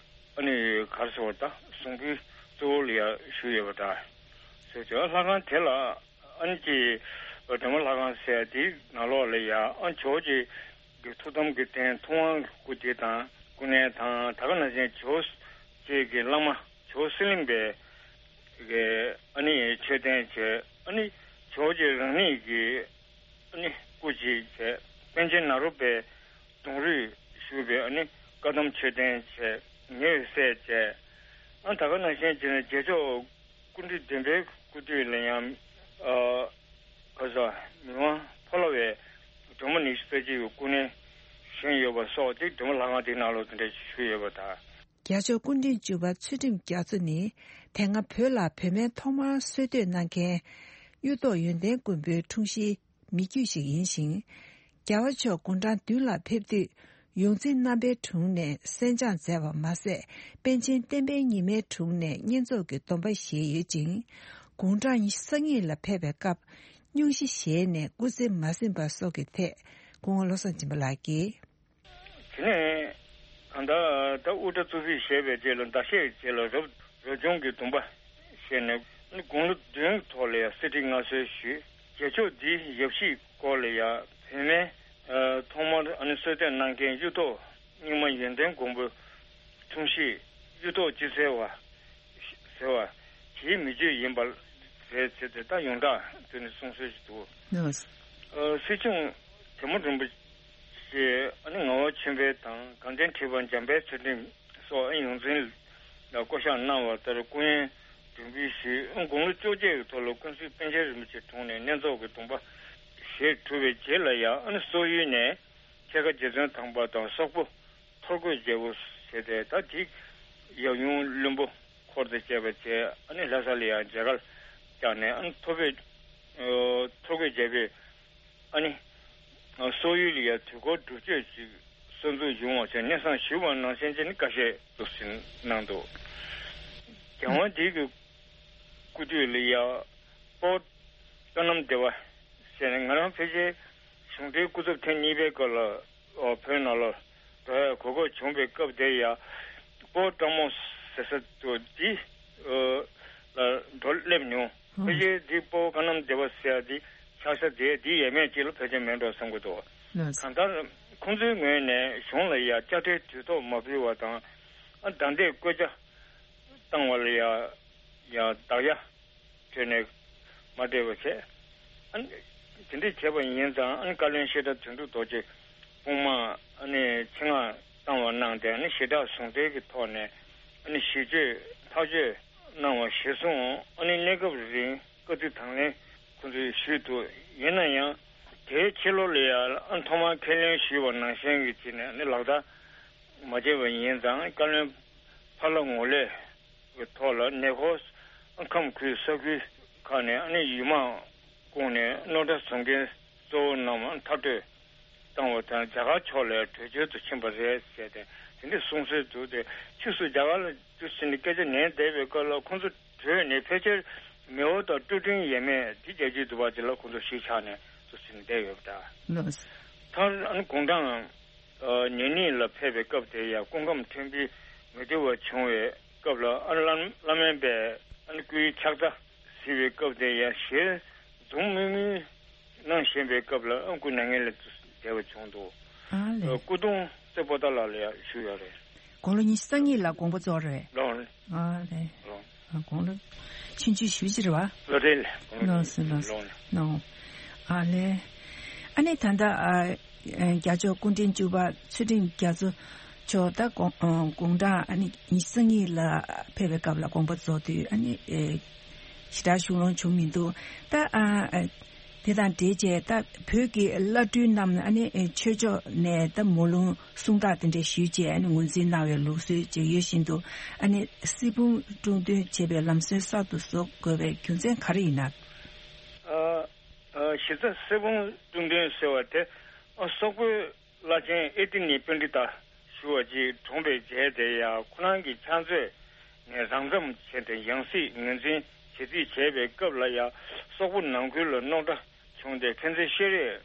ཨ་ནི་ག་རེ་ཟེར་བ་ད་གསུང་འབུལ་གཙོ་བོ་ལ་ཡང་ཞུས་ཡོད་པ་འདྲ། ཟེར་ཏེ་ལྷ་ཁང་དེ་ལ་ཨ་ནི་ཀྱི་སྒྲོལ་མ་ལྷ་ཁང་ཟེར་དེའི་ནང་ལོགས་ལ་ཡང་ཨ་ཇོ་བོ་རྗེ་གི་ཐུགས་དམ་གྱི་རྟེན་ཐུབ་དབང་གི་སྐུ་དེ་དང་སྐུ་གནས་དང་ད་ག་ནང་བཞིན་ཇོ་བོ་རྗེ་གི་བླ་མ་ཇོ་བོ་གསེར་གླིང་པའི་གི་ཨ་ནི་མཆོད་རྟེན་བྱས། ཨ་ནི་ཇོ་བོ་རྗེ་རང་ཉིད་ཀྱི་ཨ་ནི་སྐུ་ཅིག་བྱས། པཎ་ཆེན་ནཱ་རོ་པའི་གདུང་རུས་ཞུས་པའི་ཨ་ནི་བཀའ་གདམས་མཆོད་རྟེན་བྱས། ཉེ་བའི་སྲས་བྱས། ཨ་ད་ག་ནང་བཞིན་བྱས་ནས་རྗེས་ཕྱོགས་སྐུ་ཕྲེང་བདུན་པའི་སྐུ་དུས་ལ་ཡང་ཨ་ག་ས་མི་དབང་ཕོ་ལྷ་བའི་སྒྲོལ་མ་ཉི་ཤུ་རྩ་གཅིག་གི་སྐུ་གནས་བཞེངས་ཡོད་པ་སོགས་དེ་སྒྲོལ་མ་ལྷ་ཁང་དེའི་ནང་ལོགས་དེ་འདྲ་ཞུས་ཡོད་པ་དང་། རྒྱལ་མཆོག་སྐུ་ཕྲེང་བཅུ་པ་ཚུལ་ཁྲིམས་རྒྱ་མཚོ་ནི་དེ་སྔ་བོད་ལ་བོད་སྨན་ཐོག་མར་སྲོལ་གཏོད་གནང་མཁན་གཡུ་ཐོག་ཡོན་ཏན་མགོན་པོའི་འཁྲུངས་གཞིའི་མི་རྒྱུད་ཞིག་ཡིན་ཞིང་། རྒྱལ་བ་མཆོག་དགུང་གྲངས་བདུན་ལ་ཕེབས་དུས་ཡོངས་འཛིན་རྣམ་པའི་དྲུང་ནས་གསན་སྦྱོང་མཛད་པ་མ་ཟད། པཎ་ཆེན་བསྟན་པའི་ཉི་མའི་དྲུང་ནས་བསྙེན་རྫོགས་ཀྱི་སྡོམ་པ་བཞེས་ཡོད་ཅིང་། དགུང་གྲངས་ཉི་ཤུ་རྩ་གཉིས་ལ་ཕེབས་པའི་སྐབས་སྙུང་གཞི་བཞེས་ནས་སྐུ་ཚེ་མ་ཟིན་པ་སོགས་ཀྱི་ཐད་སྐུ་ངོ་བློ་བཟང་སྦྱིན་པ་ལགས་ཀྱིས། དེ་ནས་གང་ལྟར་ད་དབུ་སྐྲ་གཙུག་ཕུད་བཞེས་པའི་རྗེས་ལ་ཟླ་ཤས་རྗེས་ལ་རབ་རབ་བྱུང་གི་སྡོམ་པ་བཞེས་ནས་ནི་དགུང་ལོ་བདུན་ཐོག་ལ་ཡང་གསེར་ཁྲི་མངའ་གསོལ་ཞུས། རྗེས་ཕྱོགས་འདིའི་ཡབ་གཞིས་སྐོར་ལ་ཡང་བོད་སྨན་ཐོག་མར་ཨ་ནི་སྲོལ་གཏོད་གནང་མཁན་གཡུ་ཐོག་རྙིང་མ་ཡོན་ཏན་མགོན་པོ་འཁྲུངས་གཞིས་གཡུ་ཐོག་སྤྱི་ཚེ་བ་ཟེར་བ་དེའི་མི་རྒྱུད་ཡིན་པ་རེད་ཟེར་ཏེ་ད་ཡོངས་གྲགས་དུ་ནས་གསུང་སྲོལ་ཞིག་འདུག་ཨ་སྲིད་སྐྱོང་དེ་མོ་རིན་པོ་ཆེ་ཨ་ནི་ངག་དབང་ཆོས་འཕེལ་དང་དགའ་ལྡན་ཁྲི་པ་འཇམ་དཔལ་ཚུལ་ཁྲིམས་སོགས་ཨ་ཡོངས་འཛིན་ལ་བསྐོ་གཞག་གནང་བ་ལྟར་སྐུ་ཡོན་སྒྲུབ་འབུལ་ཞུས། ཨ་དགུང་ལོ་བཅོ་བརྒྱད་ཀྱི་ཐོག་ལ་ཀུན་གཟིགས་པཎ་ཆེན་རིན་པོ་ཆེའི་དྲུང་ནས་བསྙེན་རྫོགས་ཀྱི་སྡོམ་པ་བཞེས་གྲུབ་པའི་རྗེས་ལ་ཡང་ཨ་ནི་སོག་ཡུལ་ནས་ཁལ་ཁ་རྗེ་བཙུན་དམ་པ་དང་སོག་པོ་ཐོར་གོས་རྒྱལ་པོ་ཟེར་ཏེ་ད་དེ་ཡབ་ཡུམ་བློན་པོ་འཁོར་དང་བཅས་པ་བྱས། ཨ་ནི་ལྷ་ས་ལ་ཡང་མཇལ་ཁ་བཅར་ནས་ཨ་ནི་ཐོར་བུ་ཨ་ཐོར་གོས་རྒྱལ་པོས་ཨ་ནི་ཨ་སོག་ཡུལ་ལ་ཡང་དུས་འཁོར་སྒྲུབ་མཆོད་ཅིག་གསར་འཛུགས་ཡོང་བ་བྱས་སྙན་སེང་ཞུས་པ་ནང་བཞིན་བྱས་ནས་བཀའ་བཞེས་འདུག་ཟིན་གནང་འདུག་རྒྱལ་དབང་འདི་གི་སྐུ་དུས་ལ་ཡང་དཔའ་བོ་བསོད་ནམས་བདེ་བ་ཟེར་ནས་ང་རང་ཕལ་ཆེར་གཞུང་འབྲེལ་སྐུ་ཚབ་ཐེངས་གཉིས་པའི་སྐབས་ལ་ཨོ་བོད་ནང་ལ་འགྲོ་ཡ་གོ་སྐབས་བྱུང་བའི་སྐབས་དེ་ཡ་དཔའ་བོ་སྤྲང་མོ་ཟེར་ས་དུ་འདི་ཨོ་ལ་འགྲོ་སླེབས་མྱོང་། ཕལ་ཆེར་འདི་དཔའ་བོ་བསོད་ནམས་བདེ་བ་ཟེར་ཡ་འདི་ ཆགས་ས་དེ་འདི་ཡས་མས་ཅིག་ལ་ཕལ་ཆེར་མེད་འགྲོ་བསམ་གྱི་འདུག་ལགས་སོ། གང་ལྟར་ཁོང་ཚོའི་ངོས་ནས་གཞུང་ལ་ཡ་དཔྱ་ཁྲལ་དུས་ཐོག་མ་ཕུལ་བ་དང་། ཨ་བདའ་འདེད་བཀོད་ཆ་བཏང་བ་ལ་ཡ་ཡ་བདག་ཡ་སྤྲོད་ནས་མ་སྤྲད་པ་བྱས། ཨ་ནི་དེ་འདྲས་བྱས་པ་ཡིན་ཙང་། ཨ་ནི་བཀའ་བློན་བཤད་གྲྭ་དོན་གྲུབ་རྡོ་རྗེ་དཔུང་དམག་ཨ་ནི་ཆེད་མངགས་བཏང་བ་གནང་སྟེ། ཨ་ནི་ཞེ་དྲག་ཟུང་འབྲེལ་གྱི་ཐོག་ནས་ཨ་ནི་ཞི་བྱེད་ཐག་གཅོད་གནང་བ་གཞིར་བཟུང་། ཨ་ནི་གནས་སྐབས་རིང་བཀའ་ཁྲི་དང་ལེན་ཁོང་ཚོས་ཞུས་འདུག་ཡིན་ན་ཡང་དེའི་ཕྱི་ལོགས་ལ་ཡང་ཨ་ཐོག་མར་ཁས་ལེན་ཞུས་པ་ནང་བཞིན་གྱི་བྱས་ནས་ཨ་ནི་ལག་བསྟར་མ་བྱས་པ་ཡིན་ཙང་། བཀའ་བློན་ཕ་ལྷ་ངོ་ལས་ཀྱི་ཐོག་ལ་ནེ་ཁོ་ཁམས་ཁུལ་ས་ཁུལ་ཁག་ནས་ཨ་ནི་ཡུལ་དམག་བསྐོངས་ནས་རྣོ་གྲ་བཟོ་མཁན་གཙོ་བོ་རྣམས་མཐར་སྐྲོད་བཏང་བ་དང་། རྒྱ་གར་ཕྱོགས་ལ་བྲོས་བྱོལ་དུ་ཕྱིན་པ་རེད་ཟེར་ཏེ་དེ་འདྲའི་གསུང་སྲོལ་འདུག་སྟེ། ཕྱིས་སུ་རྒྱ་གར་ལ་དུ་ཕྱིན་ནས་སྐད་ཆ་ཉན་བསྡད་པའི་སྐབས་ལ་ཁོང་ཚོ་བྲོས་ནས་ཕལ་ཆེར་མེའོ་དང་ཀྲུའུ་ཀྲིན་ཡས་མས་དེ་རྒྱལ་རྒྱུད་འདུག་པ་དེ་ལ་ཁོང་ཚོ་གཞིས་ཆགས་ནས་དུ་ཕྱིན་ནས་བསྡད་ཡོད་པ་འདྲ། ལགས་སོ། མཐར་ཨ་ནི་དགུང་གྲངས་ཨ་ཉེར་གཉིས་ལ་ཕེབས་པའི་སྐབས་དེ་ཡང་སྐུ་ཁམས་མཐོན་པོའི་མི་བདེ་བ་བྱུང་བའི་སྐབས་ལ། ཨ་བླ་བླ་སྨན་པས་ཨ་ནི་སྐུའི་ཕྱག་རྩ་གཟིགས་པའི་སྐབས་དེ་ཡང་ཞལ་འཛུམ་དམུལ་དམུལ་གནང་བཞིན་པའི་སྐབས་ལ་ཨ་སྐུ་མྱ་ངན་ལས་འདས་པ་བྱུང་འདུག་ཨ་ལས། སྐུ་གདུང་རྩེ་པོ་ཏཱ་ལ་ལ་ཡང་བཞུགས་ཡོད་རེད། དགུང་ལོ་ཉི་ཤུ་རྩ་གཉིས་ལ་དགོངས་པ་རྫོགས་རེད། ལོ། ཨ་ལས། ལོ། ཨ་དགུང་ལོ་ཆུང་ཆུང་ཞེ་པོ་ཅིག་རེད་བ། ལོ་རེད་ལ། དགུང་ལོ། ལགས་སོ་ལགས་སོ། ལོ། ནོ། ཨ་ལས། ཨ་ནི་ད་ལྟ་ཨ་རྒྱལ་མཆོག་སྐུ་ཕྲེང་བཅུ་པ་ཚུལ་ཁྲིམས་རྒྱ་མཚོ་མཆོག་ད་དགུང་ཨ་དགུང་གྲངས་ཨ་ནི་ཉི་ཤུ་རྩ་གཉིས་ལ་ཕེབས་པའི་སྐབས་ལ་དགོངས་པ་རྫོགས་དུས་ཨ་ནི་ཨེ་ཞེ་དྲག་ཤུགས་སློང་བྱུང་མི་འདུག་ད་ཨ་ཨ་དེ་དང་འབྲེལ་བྱས་ད་བོད་ཀྱི་བླ་སྤྲུལ་རྣམས་ཨ་ནི་ཨེ་ཆོས་ཕྱོགས་ནས་ད་མོ་ལུང་གསུང་སྟག་དེ་འདྲ་ཞུས་བྱས་ཨ་ནི་ངོས་འཛིན་གནང་བའི་ལུགས་སྲོལ་ཅིག་ཡོད་བཞིན་དུ། ཨ་ནི་གསེར་བུམ་དཀྲུག་འདོན་བྱེད་པའི་ལམ་སྲོལ་གསར་དུ་བཟོ་དགོས་པའི་རྒྱུ་མཚན་ག་རེ་ཡིན་ན། ཨ་ཨ་གཞི་རྩ་གསེར་བུམ་དཀྲུག་འདོན་ཟེར་བ་དེ་ཨ་སོག་པོའི་བླ་ཆེན་ཨེ་ཏི་ནི་པཎྜི་ཏ་ཞུ་བ་ཅིག་གྲོངས་པའི་རྗེས་དེ་ཡང་ཁོ་རང་གི་ཕྱག་མཛོད་ནས་རང་མཚམས་བྱས་ཏེ་ཡང་སྲིད་ངོས་འཛིན་བྱེད་རྩིས་བྱས་པའི་སྐབས་ལ་ཡང་སོག་པོ་ནང་ཁུལ་ལ་རྙོག་དྲ་བྱུང་སྟེ་ཕན་ཚུན་བཤེར་རེས་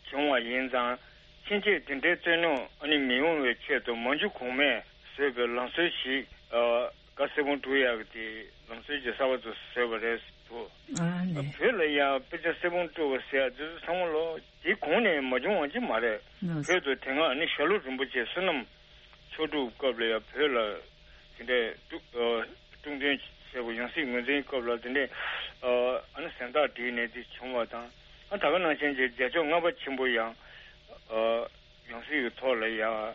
བྱུང་བ་ཡིན་ཙང་། ཕྱིན་ཆད་དེ་འདྲའི་རྩོད་རྙོག་ཨ་ནི་མི་ཡོང་བའི་ཆེད་དུ་མ་འཇུ་གོང་མས་བཟོས་པའི་ལམ་སྲོལ་ཞིག་ཨ་གསེར་བུམ་དཀྲུག་ཡག་གི་དེ་ལམ་སྲོལ་ཅིག་གསར་པ་ཚོ་བཟོས་པ་རེད་འདུག་ཨ་ལས། བོད་ལ་ཡང་དཔེ་ཆ་གསེར་བུམ་དཀྲུག་པ་ཟེར་ཡག་དེ་ཚོ་ཚང་མ་ལོ་དེའི་གོང་ནས་མ་བྱུང་བ་ཅིག་མ་རེད། ལགས་སོ། བོད་དུ་དེ་སྔ་ཨ་ནི་ཞྭ་ལུ་རིན་པོ་ཆེ་བསོད་ནམས་ཆོས་དྲུག་སྐབས་ལ་ཡང་བོད་ལ་དེ་འདྲའི་དཀྲུག་ཨ་དཀྲུག་འདོན་བྱས་པ་ཡང་སྲིད་ངོས་འཛིན་སྐབས་ལ་དེ་འདྲའི་ཨ་ཨ་ནི་གཟེངས་རྟགས་བསྒྲིགས་ནས་དེ་བྱུང་བ་དང་། ཨ་ད་ག་ནང་བཞིན་གྱི་རྒྱལ་མཆོག་ལྔ་པ་ཆེན་པོ་ཡང་ཨ་ཡང་སྲིད་ཀྱི་ཐོག་ལ་ཡང་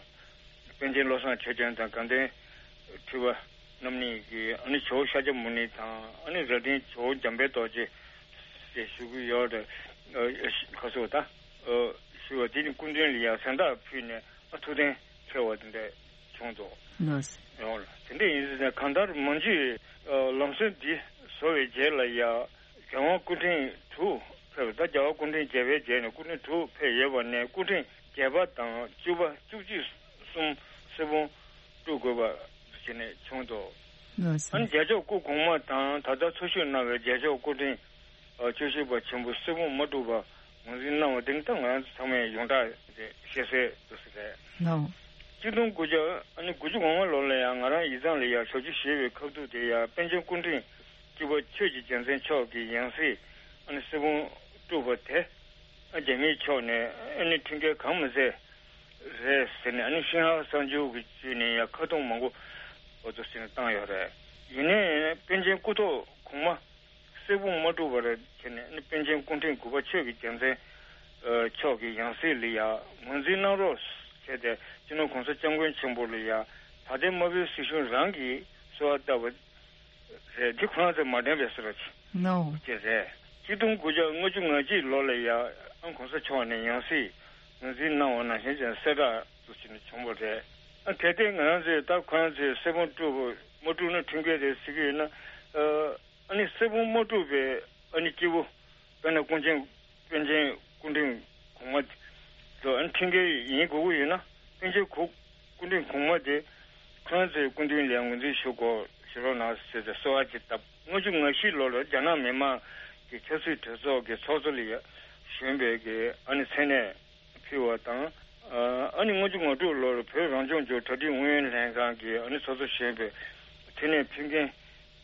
པཎ་ཆེན་བློ་བཟང་ཆོས་སྐྱོང་དང་དགའ་ལྡན་ཁྲི་པ་རྣམ་གཉིས་ཀྱིས་ཨ་ནི་ཇོ་བོ་ཤཱཀྱ་མུ་ནེ་དང་། ཨ་ནི་རྭ་སྒྲེང་ཇོ་བོ་འཇམ་དཔལ་རྡོ་རྗེ་ཞེས་ཞུ་གི་ཡོད་རེད། ཨ་ཁ་སོ་ད་ཨ་ཞུ་བ་དེ་ནི་སྐུ་མདུན་ལ་ཡང་གཟེངས་རྟགས་ཕུལ་ནས་ཨ་ཐུགས་གཏན་འཁེལ་བ་དེ་འདྲ་བྱུང་འདུག་ལགས་སོ། ཡོང་ལ་དེ་འདྲ་ཡིན་ཟེར་ནས་གང་ལྟར་མང་ཆེ་ཨ་ལམ་སྲོལ་འདི་བཟོ་བའི་རྗེས་ལ་ཡང་རྒྱལ་དབང་སྐུ་ཕྲེང་དྲུག་ཕེབས། ད་རྒྱལ་བ་སྐུ་ཕྲེང་བརྒྱད་པའི་རྗེས་ནས་སྐུ་ཕྲེང་དྲུག་ཕེབས་ཡོད་པ་ནས་སྐུ་ཕྲེང་བརྒྱད་པ་དང་བཅུ་པ་བཅུ་གཅིག་གསུམ་གསེར་བུམ་དཀྲུག་དགོས་པ་བྱས་ནས་བྱུང་འདུག་ལགས་སོ། ཨ་ནི་རྒྱལ་མཆོག་སྐུ་གོང་མ་དང་ད་ལྟ་འཚོ་བཞུགས་གནང་བའི་རྒྱལ་མཆོག་སྐུ་ཕྲེང་ཨ་བཅུ་བཞི་པ་ཆེན་པོ་གསེར་བུམ་མ་དཀྲུག་པ་ངོས་འཛིན་གནང་བ་དེ་ནི་ད་ང་རང་ཚོ་ཚང་མས་ཡོངས་གྲགས་ཤེས་གསལ་དུ་ཟེར་རེད། ལགས། གཅིག་སྟོང་དགུ་བརྒྱ་ཨ་ནི་དགུ་བཅུ་གོ་ལྔ་ལོ་ལ་ཡང་ང་རང་ཡིག་ཚང་ལ་ཡང་ཞབས་ཕྱི་ཞུས་པའི་ཁ་ཐུག་དེ་ཡང་པཎ་ཆེན་སྐུ་ཕྲེང་བཅུ་པ་ཆོས་ཀྱི་རྒྱལ་མཚན་མཆོག་གི་ཡང་སྲིད་ཨ་ནི་གསེར་བུམ་དཀྲུག་པ་དེ་ཨ་རྒྱ་མིའི་ཕྱོགས་ནས་ཨ་ནི་ཁྲིམས་འགལ་གང་མི་མཛད་རེད་ཟེར་ནས། ཨ་ནི་ཤིན་ཧྭ་གསར་འགྱུར་གྱི་བརྒྱུད་ནས་ཡང་ཁ་རྡུང་མང་པོ་འོ་ཚོ་ཟེར་ནས་བཏང་ཡོད་རེད། ཡིན་ནའི་པཎ་ཆེན་སྐུ་ཐོག་གོང་མ་གསེར་བུམ་མ་དཀྲུག་པར་བྱས་ནས་ཨ་ནི་པཎ་ཆེན་སྐུ་ཕྲེང་དགུ་པ་ཆོས་ཀྱི་རྒྱལ་མཚན་མཆོག་གི་ཡང་སྲིད་ལ་ཡང་ངོས་འཛིན་གནང་རོགས་བྱས་ཏེ། སྤྱི་ནོར་༸གོང་ས་༸སྐྱབས་མགོན་ཆེན་པོ་ལ་ཡང་ད་ལྟའི་དམར་པོའི་སྲིད་གཞུང་རང་གིས་གསོལ་བ་བཏབ་པ་རེད། འདི་ཁོ་རང་ཚོས་མ་དྲན་པའི་བཟོ་འདྲ་ཅིག་ནོ་ཅིག་རེད། གཅིག་སྟོང་དགུ་བརྒྱ་ལྔ་བཅུ་ང་གཅིག་ལོ་ལ་ཡང་༸གོང་ས་མཆོག་ནས་ཡང་སྲིད་ངོས་འཛིན་གནང་བ་ནང་བཞིན་བྱས་གསལ་བསྒྲགས་འདུག་ཟེར་ནས་བྱུང་བ་རེད། ཨ་གལ་ཏེ་ང་རང་ཚོས་ད་ཁོ་རང་ཚོས་གསེར་བུམ་དཀྲུག་མ་དཀྲུག་ན་ཁྲིམས་འགལ་རེད་ཟེར་གྱི་ཡོད་ན། ཨ་ཨ་ནི་གསེར་བུམ་མ་དཀྲུག་པའི་ཨ་ནི་སྐྱེས་བུ་དཔེར་ན་ཀུན་མཁྱེན་པཎ་ཆེན་སྐུ་ཕྲེང་གོང་མ་དེ་ཚོ་ཨ་ནི་ཁྲིམས་འགལ་ཡིན་དགོས་ཀྱི་ཡོད་ན། པཎ་ཆེན་སྐུ་སྐུ་ཕྲེང་གོང་མ་དེ་ཁོ་རང་ཚོའི་སྐུ་མདུན་ལ་ངོས་འཛིན་ཞུ་དགོས་ཞུ་རོགས་གནང་ཟེར་ཏེ་གསོལ་བ་ཅིག་བཏབ། ལྔ་བཅུ་ང་བཞི་ལོ་ལ་རྒྱ་ནག་མི་དམངས་ཀྱི་ཆབ་སྲིད་གྲོས་ཚོགས་ཀྱི་ཚོགས་གཙོ་ལ་ཡ་གཞོན་པའི་གི་ཨ་ནི་མཚན་གནས་ཕུལ་བ་དང་། ཨ་ནི་ལྔ་བཅུ་ང་དྲུག་ལོར་བོད་རང་སྐྱོང་ལྗོངས་གྲ་སྒྲིག་ཨུ་ཡོན་ལྷན་ཁང་གི་ཨ་ནི་ཚོགས་གཙོ་གཞོན་པའི་མཚན་གནས་ཕུལ་མཁན་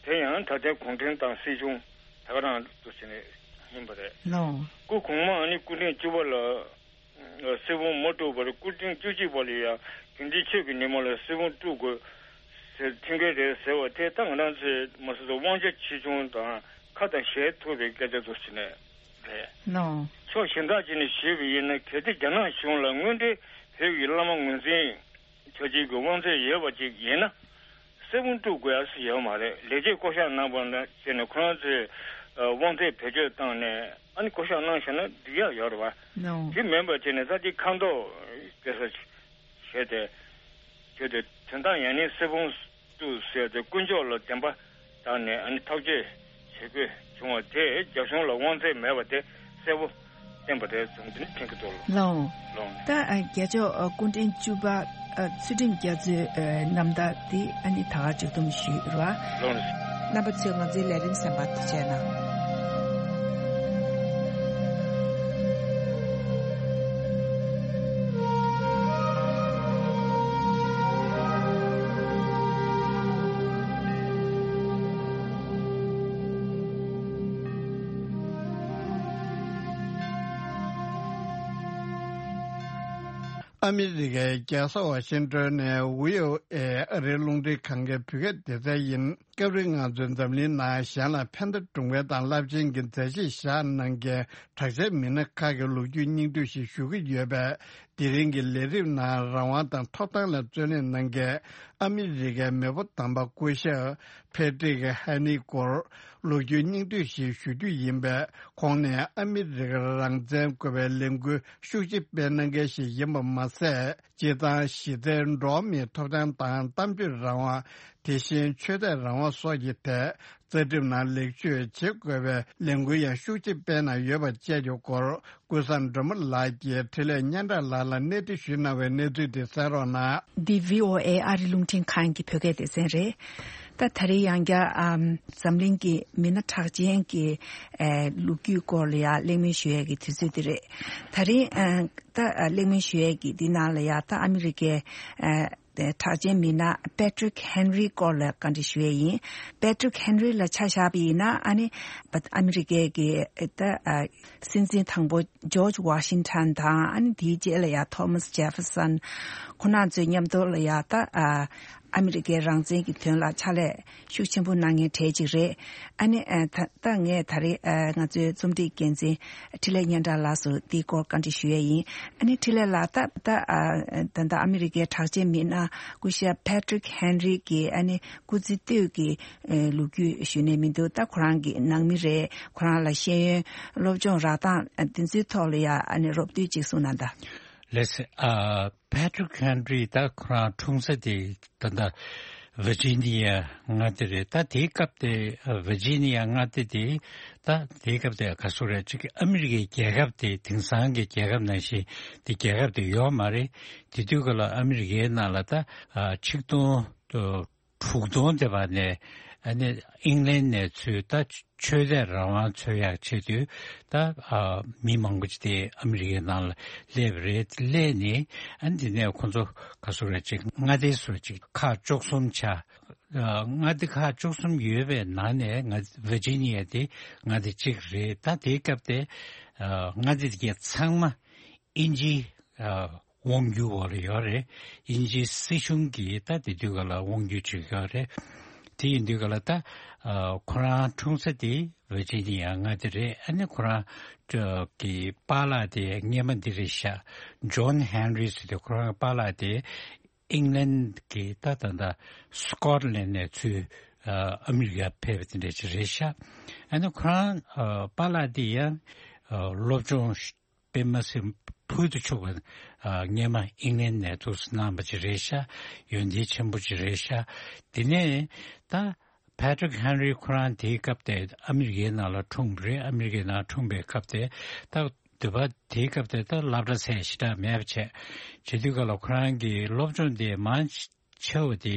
དེ་ཡང་ད་ལྟའི་གུང་ཁྲན་ཏང་སྲིད་གཞུང་ད་ག་རང་དུ་ཕྱིན་ནས་ ཡིན་པ་རེད། ལོ། སྐུ་གོང་མ་ཨ་ནི་སྐུ་ཕྲེང་བཅུ་པ་ལ་གསེར་བུམ་མ་དཀྲུགས་པར་སྐུ་ཕྲེང་བཅུ་གཅིག་པ་ལ་ཡང་དགེ་འདུན་ཆོས་ཀྱི་ཉི་མ་ལ་གསེར་བུམ་དཀྲུག་དགོས་ཟེར་ཐོན་གྱི་རེད་ཟེར་བ་དེ་ད་ང་རང་ཚོའི་མ་སོ་སོ་དབང་ཆ་ཆེ་ཆུང་དང་ཁ་དང་ཞལ་ཐུག་པའི་སྐད་ཆ་ཚོ་ཞིག་ནས་རེད། ལོ། ཕྱོགས་གཞན་དག་ཅིག་ནས་ཞུས་པ་ཡིན་ན། གལ་ཏེ་རྒྱ་ནག་གཞུང་ལ་དངོས་འབྲེལ་བོད་ཀྱི་བླ་མ་ངོས་འཛིན་བྱ་བྱེད་ཀྱི་དབང་ཚད་ཡོད་པ་ཅིག་ཡིན་ན། གསེར་བུམ་དཀྲུག་དགོས་ཡ་ཡོད་མ་རེད། ལས་བྱེད་བསྐོ་གཞག་གནང་བ་ན་བྱས་ནས་ཁོ་རང་ཚོས་དབང་ཚད་བེད་སྤྱོད་བཏང་ནས་ཨ་ནི་བསྐོ་གཞག་གནང་བཞག་ན་འགྲིག་ཡ་ཡོད་རེད་བ། ལོ། དེ་མིན་པ་བྱས་ནས་ས་དེ་ཁ་མདོག་སྐྱེ་ས་བྱས་ཏེ་བྱས་ཏེ་དོན་དག་ཡང་ནི་གསེར་བུམ་དཀྲུག་ཟེར་ཏེ་དཀོན་མཆོག་ལ་བདེན་པ་བཏང་ནས་ཨ་ནི་ཐག་གཅོད་བྱེད་དགོས་བྱུང་བ་དེ་རྒྱ་གཞུང་ལ་དབང་ཚད་མེད་པ་དེ་གསལ་པོ་བསྟན་པ་རེད་བསམ་དེ་ནི་དྲན་གྱི་འདུག་ལགས། ལགས། ད་ཨ་རྒྱལ་མཆོག་ཨ་སྐུ་ཕྲེང་བཅུ་པ་ཨ་ཚུལ་ཁྲིམས་རྒྱ་མཚོའི་ཨ་རྣམ་ཐར་འདི་ཨ་ནི་ད་ག་མཇུག་བསྡོམས་ཞུས་རེད་བ། ལགས། རྣམ་པ་ཚོས་ང་ཚོའི་ལས་རིམ་གསན་པར་ཐུགས་རྗེ་གནང་། ཨ་མི་རི་ཀའི་རྒྱལ་ས་ཝ་ཤིང་ཏོན་ནས་ཝི་ཨོ་ཨེ་ཨ་རིའི་རླུང་འཕྲིན་ཁང་གི་བོད་སྐད་སྡེ་ཚན་ཡིན། སྐབས་རེ་ང་ཚོའི་འཛམ་གླིང་ནང་གཞན་ལ་ཕན་བདེ་སྒྲུབ་མཁན་དང་རླབས་ཆེན་གྱི་མཛད་རྗེས་བཞག་གནང་མཁན་གྲགས་ཅན་མི་སྣ་ཁག་གི་ལོ་རྒྱུས་སྙིང་བསྡུས་ཤིག་ཞུ་གི་ཡོད་པས། དེ་རིང་གི་ལས་རིམ་ནང་རང་དབང་དང་ཐོབ་ཐང་ལ་བརྩོན་ལེན་གནང་མཁན་ཨ་མི་རི་ཀའི་མེས་པོ་དམ་པ་སྐུ་ཞབས་ཕེ་ཏྲིག་ཧེ་ནི་སྐོར་ལོ་རྒྱུས་སྙིང་བསྡུས་ཤིག་ཞུ་རྒྱུ་ཡིན་པས། ཁོང་ནས་ཨ་མི་རི་ཀར་རང་བཙན་དགོས་པའི་ལས་འགུལ་ཤུགས་ཆེ་སྤེལ་གནང་མཁན་ཞིག་ཡིན་པ་མ་ཟད། སྤྱིར་བཏང་གཞི་རྩའི་འགྲོ་བ་མིའི་ཐོབ་ཐང་དང་གཏམ་བརྗོད་རང་དབང་། དེ་བཞིན་ཆོས་དད་རང་དབང་སོགས་ཀྱི་ཐད་རྩ་ཁྲིམས་ནང་ལེགས་བཅོས་བྱེད་དགོས་པའི་ལས་འགུལ་ཡང་ཤུགས་ཆེ་སྤེལ་གནང་ཡོད་པ་བཅས་ཀྱི་སྐོར། ཀུན་བཟང་སྒྲོལ་མ་ལགས་ཀྱིས་འཕྲིན་ལས་སྙན་གྲགས་ལགས་ལ་གནས་འདྲི་ཞུས་གནང་བའི་གནས་ཚུལ་དེ་གསན་རོགས་གནང་། འདི་ཝི་ཨོ་ཨེ་ཨ་རི་རླུང་འཕྲིན་ཁང་གི་བོད་སྐད་སྡེ་ཚན་རེད། ད་ད་རེས་ཡང་བསྐྱར་ཨམ་འཛམ་གླིང་གི་མི་སྣ་གྲགས་ཅན་གྱི་ཨེ་ལོ་རྒྱུས་སྐོར་ལ་ཡང་གླེང་མོལ་ཞུ་ཡས་ཀྱི་དུས་ཚོད་འདི་རེད། ད་རེས་ཨ་ད་ཨ་གླེང་མོལ་ཞུ་ཡས་ཀྱི་འདི་ནང་ལ་ཡང་ད་ཨ་མི་རི་ཀའི་ཨ་གྲགས་ཅན་མི་སྣ་Patrick Henry སྐོར་ལ་བཀའ་འདྲི་ཞུ་ཡས་ཡིན། Patrick Henry ལ་ཆ་བཞག་པ་ཡིན་ན་ཨ་ནི་ཨ་མི་རི་ཀའི་གི་ད་ཨ་སྲིད་འཛིན་དང་པོ་George Washington དང་ཨ་ནི་དེའི་རྗེས་ལ་ཡང་Thomas Jefferson ཁོ་རང་ཚོའི་མཉམ་དུ་ལ་ཡང་ད་ཨ་ཨ་མི་རི་ཀའི་རང་བཙན་གྱི་དོན་ལ་ཕྱག་ལས་ཤུགས་ཆེན་པོ་གནང་མཁན་གྲས་ཅིག་རེད། ཨ་ནི་ཨ་ད་ད་ངས་ད་རེས་ཨ་ང་ཚོའི་རྩོམ་སྒྲིག་འགན་འཛིན་འཕྲིན་ལས་སྙན་གྲགས་ལགས་སུ་འདིའི་སྐོར་བཀའ་འདྲི་ཞུ་ཡས་ཡིན། ཨ་ནི་འཕྲིན་ལས་ལགས་ད་ད་ཨ་ད་ད་ཨ་མི་རི་ཀའི་གྲགས་ཅན་མི་སྣ་སྐུ་ཞབས་Patrick Henry གི་ཨ་ནི་སྐུ་ཚེ་སྟོད་ཀྱི་ཨ་ལོ་རྒྱུས་ཞུས་ནས་མི་འདུག་ད་ཁོ་རང་གི་ནང་མི་རེད། ཁོ་རང་ལ་ཤེས་ཡོན་སློབ་སྦྱོང་རག་སྟངས་འདི་ཚོའི་ཐོག་ལ་ཡ་ཨ་ནི་རོབ་བསྡུས་ཅིག་གསུངས་གནང་དང་། ལགས་སེ། ཨ་Patrick Henry ད་ཁོ་རང་འཁྲུངས་ས་དེ་ད་ལྟ་Virginia མངའ་སྡེ་རེད། ད་དེའི་སྐབས་དེ་Virginia མངའ་སྡེ་དེ་ད་དེའི་སྐབས་དེ་ག་ཚོད་རེད། ཅིག་ཨ་མི་རི་ཀའི་རྒྱལ་ཁབ་དེ་དེང་སང་གི་རྒྱལ་ཁབ་ནང་བཞིན་དེ་རྒྱལ་ཁབ་དེ་ཡོད་མ་རེད། དེ་དུས་སྐབས་ལ་ཨ་མི་རི་ཀའི་ནང་ལ་ད་ཨ་ཆིག་སྟོང་དྲུག་སྟོང་དེ་བར་ནས་ཨ་ནི་ཨིང་ལན་ནས་ཚུར་ད་ཆོས་དད་རང་དབང་འཚོལ་ཡག་ཆེད་དུ་ད་ཨ་མི་མང་པོ་ཅིག་དེ་ཨ་མི་རི་ཀའི་ནང་ལ་སླེབས་རེད། སླེབས་ནས་ཨ་ནི་དེ་ནས་ཁོ་ཚོ་ག་ཚོད་རེད། ཅིག་མངའ་སྡེ་སུ་ཅིག་ཁག་བཅུ་གསུམ་ཆགས། ཨ་མངའ་སྡེ་ཁག་བཅུ་གསུམ་ཡོད་པའི་ནང་ནས་ང་Virginia དེ་མངའ་སྡེ་གཅིག་རེད། ད་དེའི་སྐབས་དེ་ཨ་མངའ་སྡེ་དེ་གའི་ཚང་མ་དབྱིན་ཇི་ཨ་དབང་སྒྱུར་འོག་ལ་ཡོད་རེད། དབྱིན་ཇིའི་སྲིད་གཞུང་གིས་ད་དེ་དུས་སྐབས་ལ་དབང་སྒྱུར་བྱེད་ཀྱི་ཡོད་རེད། དེ་ཡིན་དུས་སྐབས་ལ་ད་ཨ་ཁོ་རང་འཁྲུངས་ས་དེ་Virginia མངའ་སྡེ་རེད། ཨ་ནི་ཁོ་རང་གི་པཱ་ལགས་དེ་སྔས་མ་འདི་རེད་ཤག John Henry ཟེར་དུས་ཁོ་རང་པཱ་ལགས་དེ་ཨིང་ལན་གྱི་ད་ད་ད་སི་ཀོཊ་ལན་ནས་ཚུར་ཨ་མི་རི་ཀ་ཕེབས་པ་དེ་འདྲ་ཅིག་རེད་ཤག་ཨ་ནི་ཁོ་རང་ཨ་པཱ་ལགས་དེ་ཡང་ཨ་སློབ་སྦྱོང་དཔེ་མ་སྲིད་ཕུལ་དུ་ཕྱུག་པ་ཨ་སྔས་མ་ཨིང་ལན་ནས་འདུག་སེ་གནང་བ་ཅིག་རེད་ཤག་ཡོན་ཏན་ཆེན་པོ་ཅིག་རེད་ཤག་དེ་ནས་ད་Patrick Henry ཁོ་རང་དེའི་སྐབས་དེ་ཨ་མི་རི་ཀའི་ནང་ལ་འཁྲུངས་པ་རེད། ཨ་མི་རི་ཀའི་ནང་འཁྲུངས་པའི་སྐབས་དེ་ད་འདོད་པ་དེའི་སྐབས་དེ་ད་སློབ་གྲྭ་ཟེར་ཞེ་དྲག་མེད་པ་བྱས། བྱེད་དུས་སྐབས་ལ་ཁོ་རང་གི་སློབ་སྦྱོང་དེ་མང་ཆེ་བ་དེ་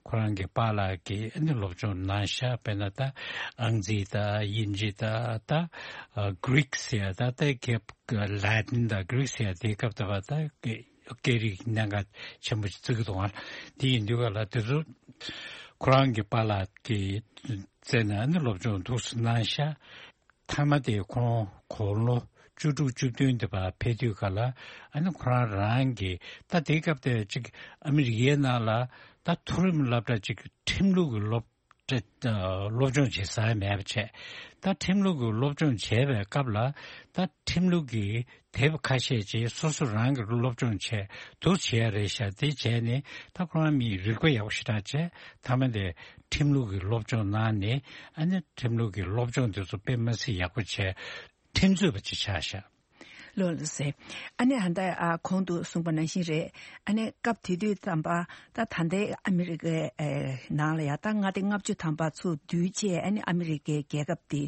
ཁོ་རང་གི་པཱ་ལགས་ཀྱིས་ཨ་ནི་སློབ་སྦྱོང་གནང་ཤག་དཔེར་ན་ད་ཨང་རྩིས་དང་དབྱིན་ཇི་དང་ད་Greek ཟེར་ཡ་ད་ད་རྒྱབ་Latin དང་Greek ཟེར་ཡ་དེའི་སྐབས་དེ་བ་ད་སྐད་རིགས་གནད་འགག་ཆེན་པོ་ཞིག་བརྩི་གི་འདུག་ཨ། དེ་ཡིན་དུས་སྐབས་ལ་དེ་ཚོ་ཁོ་རང་གི་པཱ་ལགས་ཀྱི་རྩ་ནས་ཨ་ནི་སློབ་སྦྱོང་འདུག་སེ་གནང་ཤག་མཐའ་མ་དེ་ཁོང་དགུང་ལོ་བཅུ་དྲུག་བཅུ་བདུན་དེ་བར་ཕེབས་དུས་ག་ལ། ཨ་ནི་ཁོ་རང་རང་གི་ད་དེའི་སྐབས་དེ་ཅིག་ཨ་མི་རི་ཀའི་ནང་ལ་ད་མཐོ་རིམ་སློབ་གྲྭ་ཅིག་ཁྲིམས་ལུགས་ཀྱི་སློབ་གྲྭ་སློབ་སྦྱོང་བྱེད་ས་མེད་པ་བྱས། ད་ཁྲིམས་ལུགས་ཀྱི་སློབ་སྦྱོང་བྱས་པའི་སྐབས་ལ་ད་ཁྲིམས་ལུགས་ཀྱི་དེབ་ཁ་ཤས་ཅིག་སོ་སོ་རང་གི་སློབ་སྦྱོང་བྱས་འདུག་བྱས་ཡ་རེད་ཤག་དེ་བྱས་ནས་ད་ཁོ་རང་མིས་རིག་པ་ཡག་པོ་ཞེ་དྲག་བྱས། མཐའ་མ་དེ་ཁྲིམས་ལུགས་ཀྱི་སློབ་སྦྱོང་གནང་ནས། ཨ་ནི་ཁྲིམས་ལུགས་ཀྱི་སློབ་སྦྱོང་དེ་ཚོ་དཔེ་མ་སྲིད་ཡག་པོ་བྱས། ཁྲིམས་རྩོད་པ་ཅིག་ཆགས་ཤག་ལགས་ལགས་སེ། ཨ་ནི་ད་ལྟ་ཨ་གོང་དུ་གསུངས་པ་ནང་བཞིན་རེད། ཨ་ནི་སྐབས་དེ་དུས་ཙམ་པ་ད་ད་ལྟའི་ཨ་མི་རི་ཀའི་ཨེ་ནང་ལ་ཡ་ད་མངའ་སྡེ་ལྔ་བཅུ་ཐམ་པ་ཚུར་བསྡུས་བྱས། ཨ་ནི་ཨ་མི་རི་ཀའི་རྒྱལ་ཁབ་དེ་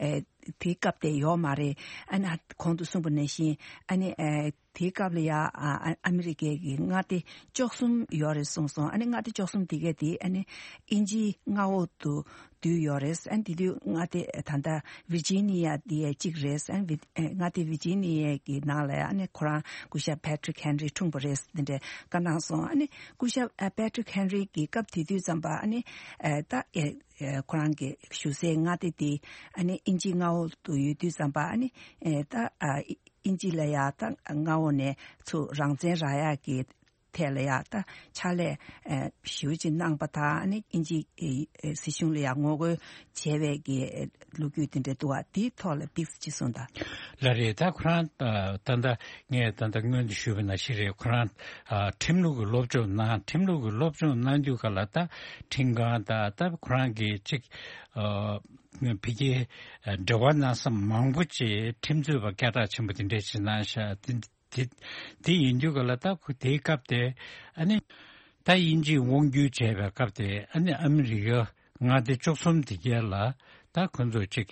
ཨེ་དེའི་སྐབས་དེ་ཡོད་མ་རེད། ཨ་ནི་གོང་དུ་གསུངས་པ་ནང་བཞིན། ཨ་ནི་ཨེ་དེའི་སྐབས་ལ་ཡ་ཨ་ཨ་ཨ་མི་རི་ཀའི་གི་མངའ་སྡེ་བཅུ་གསུམ་ཡོད་རེད་གསུངས་སོང་། ཨ་ནི་མངའ་སྡེ་བཅུ་གསུམ་དེ་གས་དེ་ཨ་ནི་དབྱིན་ཇིའི་མངའ་འོག་ཏུ་བསྡུས་ཡོད་རེད། ཨ་ནི་དེ་དུས་མངའ་སྡེ་ད་ལྟ་ཝི་ཇི་ནི་ཡ་དེ་གཅིག་རེད། ཨ་ནི་ཝི་ཨེ་མངའ་སྡེ་ཝི་ཇི་ནི་ཡ་གི་ནང་ལ་ཨ་ནི་ཁོ་རང་སྐུ་ཞབས་པེ་ཊི་རིག་ཧེན་རི་འཁྲུངས་པ་རེད། འདི་འདྲའི་བཀའ་གནང་སོང་། ཨ་ནི་སྐུ་ཞབས་ཨ་པེ་ཊི་རིག་ཧེན་རི་གི་སྐབས་དེ་དུས་ཙམ་པ་ཨ་ནི་ཨེ་ད་ཨེ་ཨེ་ཁོ་རང་གི་བཞུགས་སའི་མངའ་སྡེ་དེ་ཨ་ནི་དབྱིན་ཇིའི་མངའ་འོག་ཏུ་ཡོད་དུས་ཙམ་པ་ཨ་ནི་ཨེ་ད་ཨ་དབྱིན་ཇི་ལ་ཡ་ད་མངའ་འོག་ནས་ཚུར་རང་བཙན་རག་ཡག་གི་ཐད་ལ་ཡ་ད་ཕྱག་ལས་ཨེ་ཞེ་པོ་ཅིག་གནང་པ་དང་། ཨ་ནི་དབྱིན་ཇི་ཨེ་ཨེ་སྲིད་གཞུང་ལ་ཡ་ངོ་རྒོལ་བྱས་པའི་གི་ལོ་རྒྱུས་དེ་འདྲ་འདུག་བ། དེའི་ཐོག་ལ་ཏོག་ཙམ་ཅིག་གསུངས་དང་། ལགས་རེད། ད་ཁོ་རང་ད་ད་ལྟ་ངས་ད་ལྟ་སྔོན་དུ་ཞུས་པ་ནང་བཞིན་རེད། ཁོ་རང་ཨ་ཁྲིམས་ལུགས་ཀྱི་སློབ་སྦྱོང་གནང་། ཁྲིམས་ལུགས་ཀྱི་སློབ་སྦྱོང་གནང་དུས་ག་ལ་ད་ཁྲིམས་ཁང་དང་ད་ཁོ་རང་གི་ཅིག་ཨ་ཕ་གིའི་འབྲེལ་བ་གནང་ས་མང་པོ་ཅིག་ཁྲིམས་རྩོད་པ་སྐད་གྲགས་ཆེན་པོ་དེ་འདྲས་ཅིག་གནང་ཤག་དེ་དེ་དེ་ཡིན་དུས་ག་ལ་ད་ཁོ་དེའི་སྐབས་དེ་ཨ་ནི་ད་དབྱིན་ཇིས་དབང་བསྒྱུར་བྱས་པའི་སྐབས་དེ་ཨ་ནི་ཨ་མི་རི་ཀ་མངའ་སྡེ་བཅུ་གསུམ་དེ་གས་ལ་ད་ཁོ་ཚོ་ཅིག་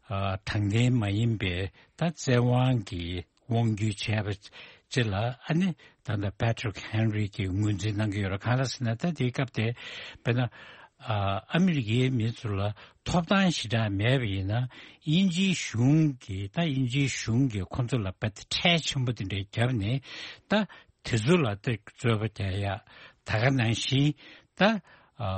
ཨ་དྲང་བདེན་མ་ཡིན་པའི་ད་བཙན་དབང་གི་དབང་བསྒྱུར་བྱས་པ་ཅིག་ལ་ཨ་ནི་ད་ལྟ་པེ་ཊི་རིག་ཧེན་རི་གིས་ངོས་འཛིན་གནང་གི་ཡོད་རེད། གང་ལ་ཟེར་ན་ད་དེའི་སྐབས་དེ་དཔེར་ན་ཨ་ཨ་མི་རི་ཀའི་མི་ཚོ་ལ་ཐོབ་ཐང་ཞེ་དྲག་མེད་པ་ཡིན་ན། དབྱིན་ཇིའི་གཞུང་གིས་ད་དབྱིན་ཇིའི་གཞུང་གིས་ཁོ་ཚོ་ལ་དཔེ་ཁྲལ་ཆེན་པོ་དེ་འདྲ་བརྒྱབ་ནས་ད་དེ་ཚོ་ལ་ད་རྩོད་པ་རྒྱག་ཡ། ད་ག་ནང་བཞིན་ད་ཨ་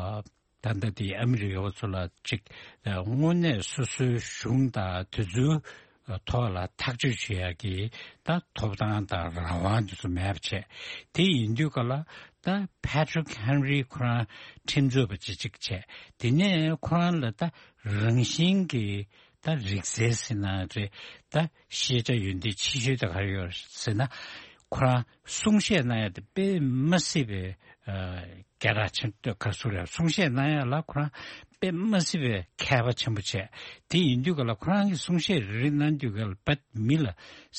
ད་ལྟ་དེ་ཨ་མི་རི་ཀ་བ་ཚོ་ལ་ཅིག་དངོས་གནས་སོ་སོའི་གཞུང་དང་དེ་ཚོའི་ཐོག་ལ་ཐག་གཅོད་བྱེད་ཡག་གི་ད་ཐོབ་ཐང་དང་རང་དབང་དེ་ཚོ་མེད་པ་བྱས། དེ་ཡིན་དུས་ག་ལ་ད་པེ་ཊི་རིག་ཧེན་རི་ཁོ་རང་ཁྲིམས་རྩོད་པ་ཅིག་ཅིག་བྱས། དེ་ནས་ཁོ་རང་ལ་ད་རང་བཞིན་གྱི་ད་རིག་རྩལ་ཟེར་ན་རེད། ད་ཤེས་བྱ་ཡོན་ཏན་ཆེ་ཤོས་ད་ག་རེ་ཡོད་ཟེར་ན། ཁོ་རང་གསུང་བཤད་གནང་ཡ་དེ་དཔེ་མ་སྲིད་པའི་ཨ་སྐད་གྲགས་ཆེན་པོ། ག་ཟེར་རེད། གསུང་བཤད་གནང་ཡ་ལ་ཁོ་རང་དཔེ་མ་སྲིད་པའི་མཁས་པ་ཆེན་པོ་བྱས། དེ་ཡིན་དུས་ག་ལ་ཁོ་རང་གི་གསུང་བཤད་རེ་རེ་གནང་དུས་ག་ལ་དཔེ་མི་ལ་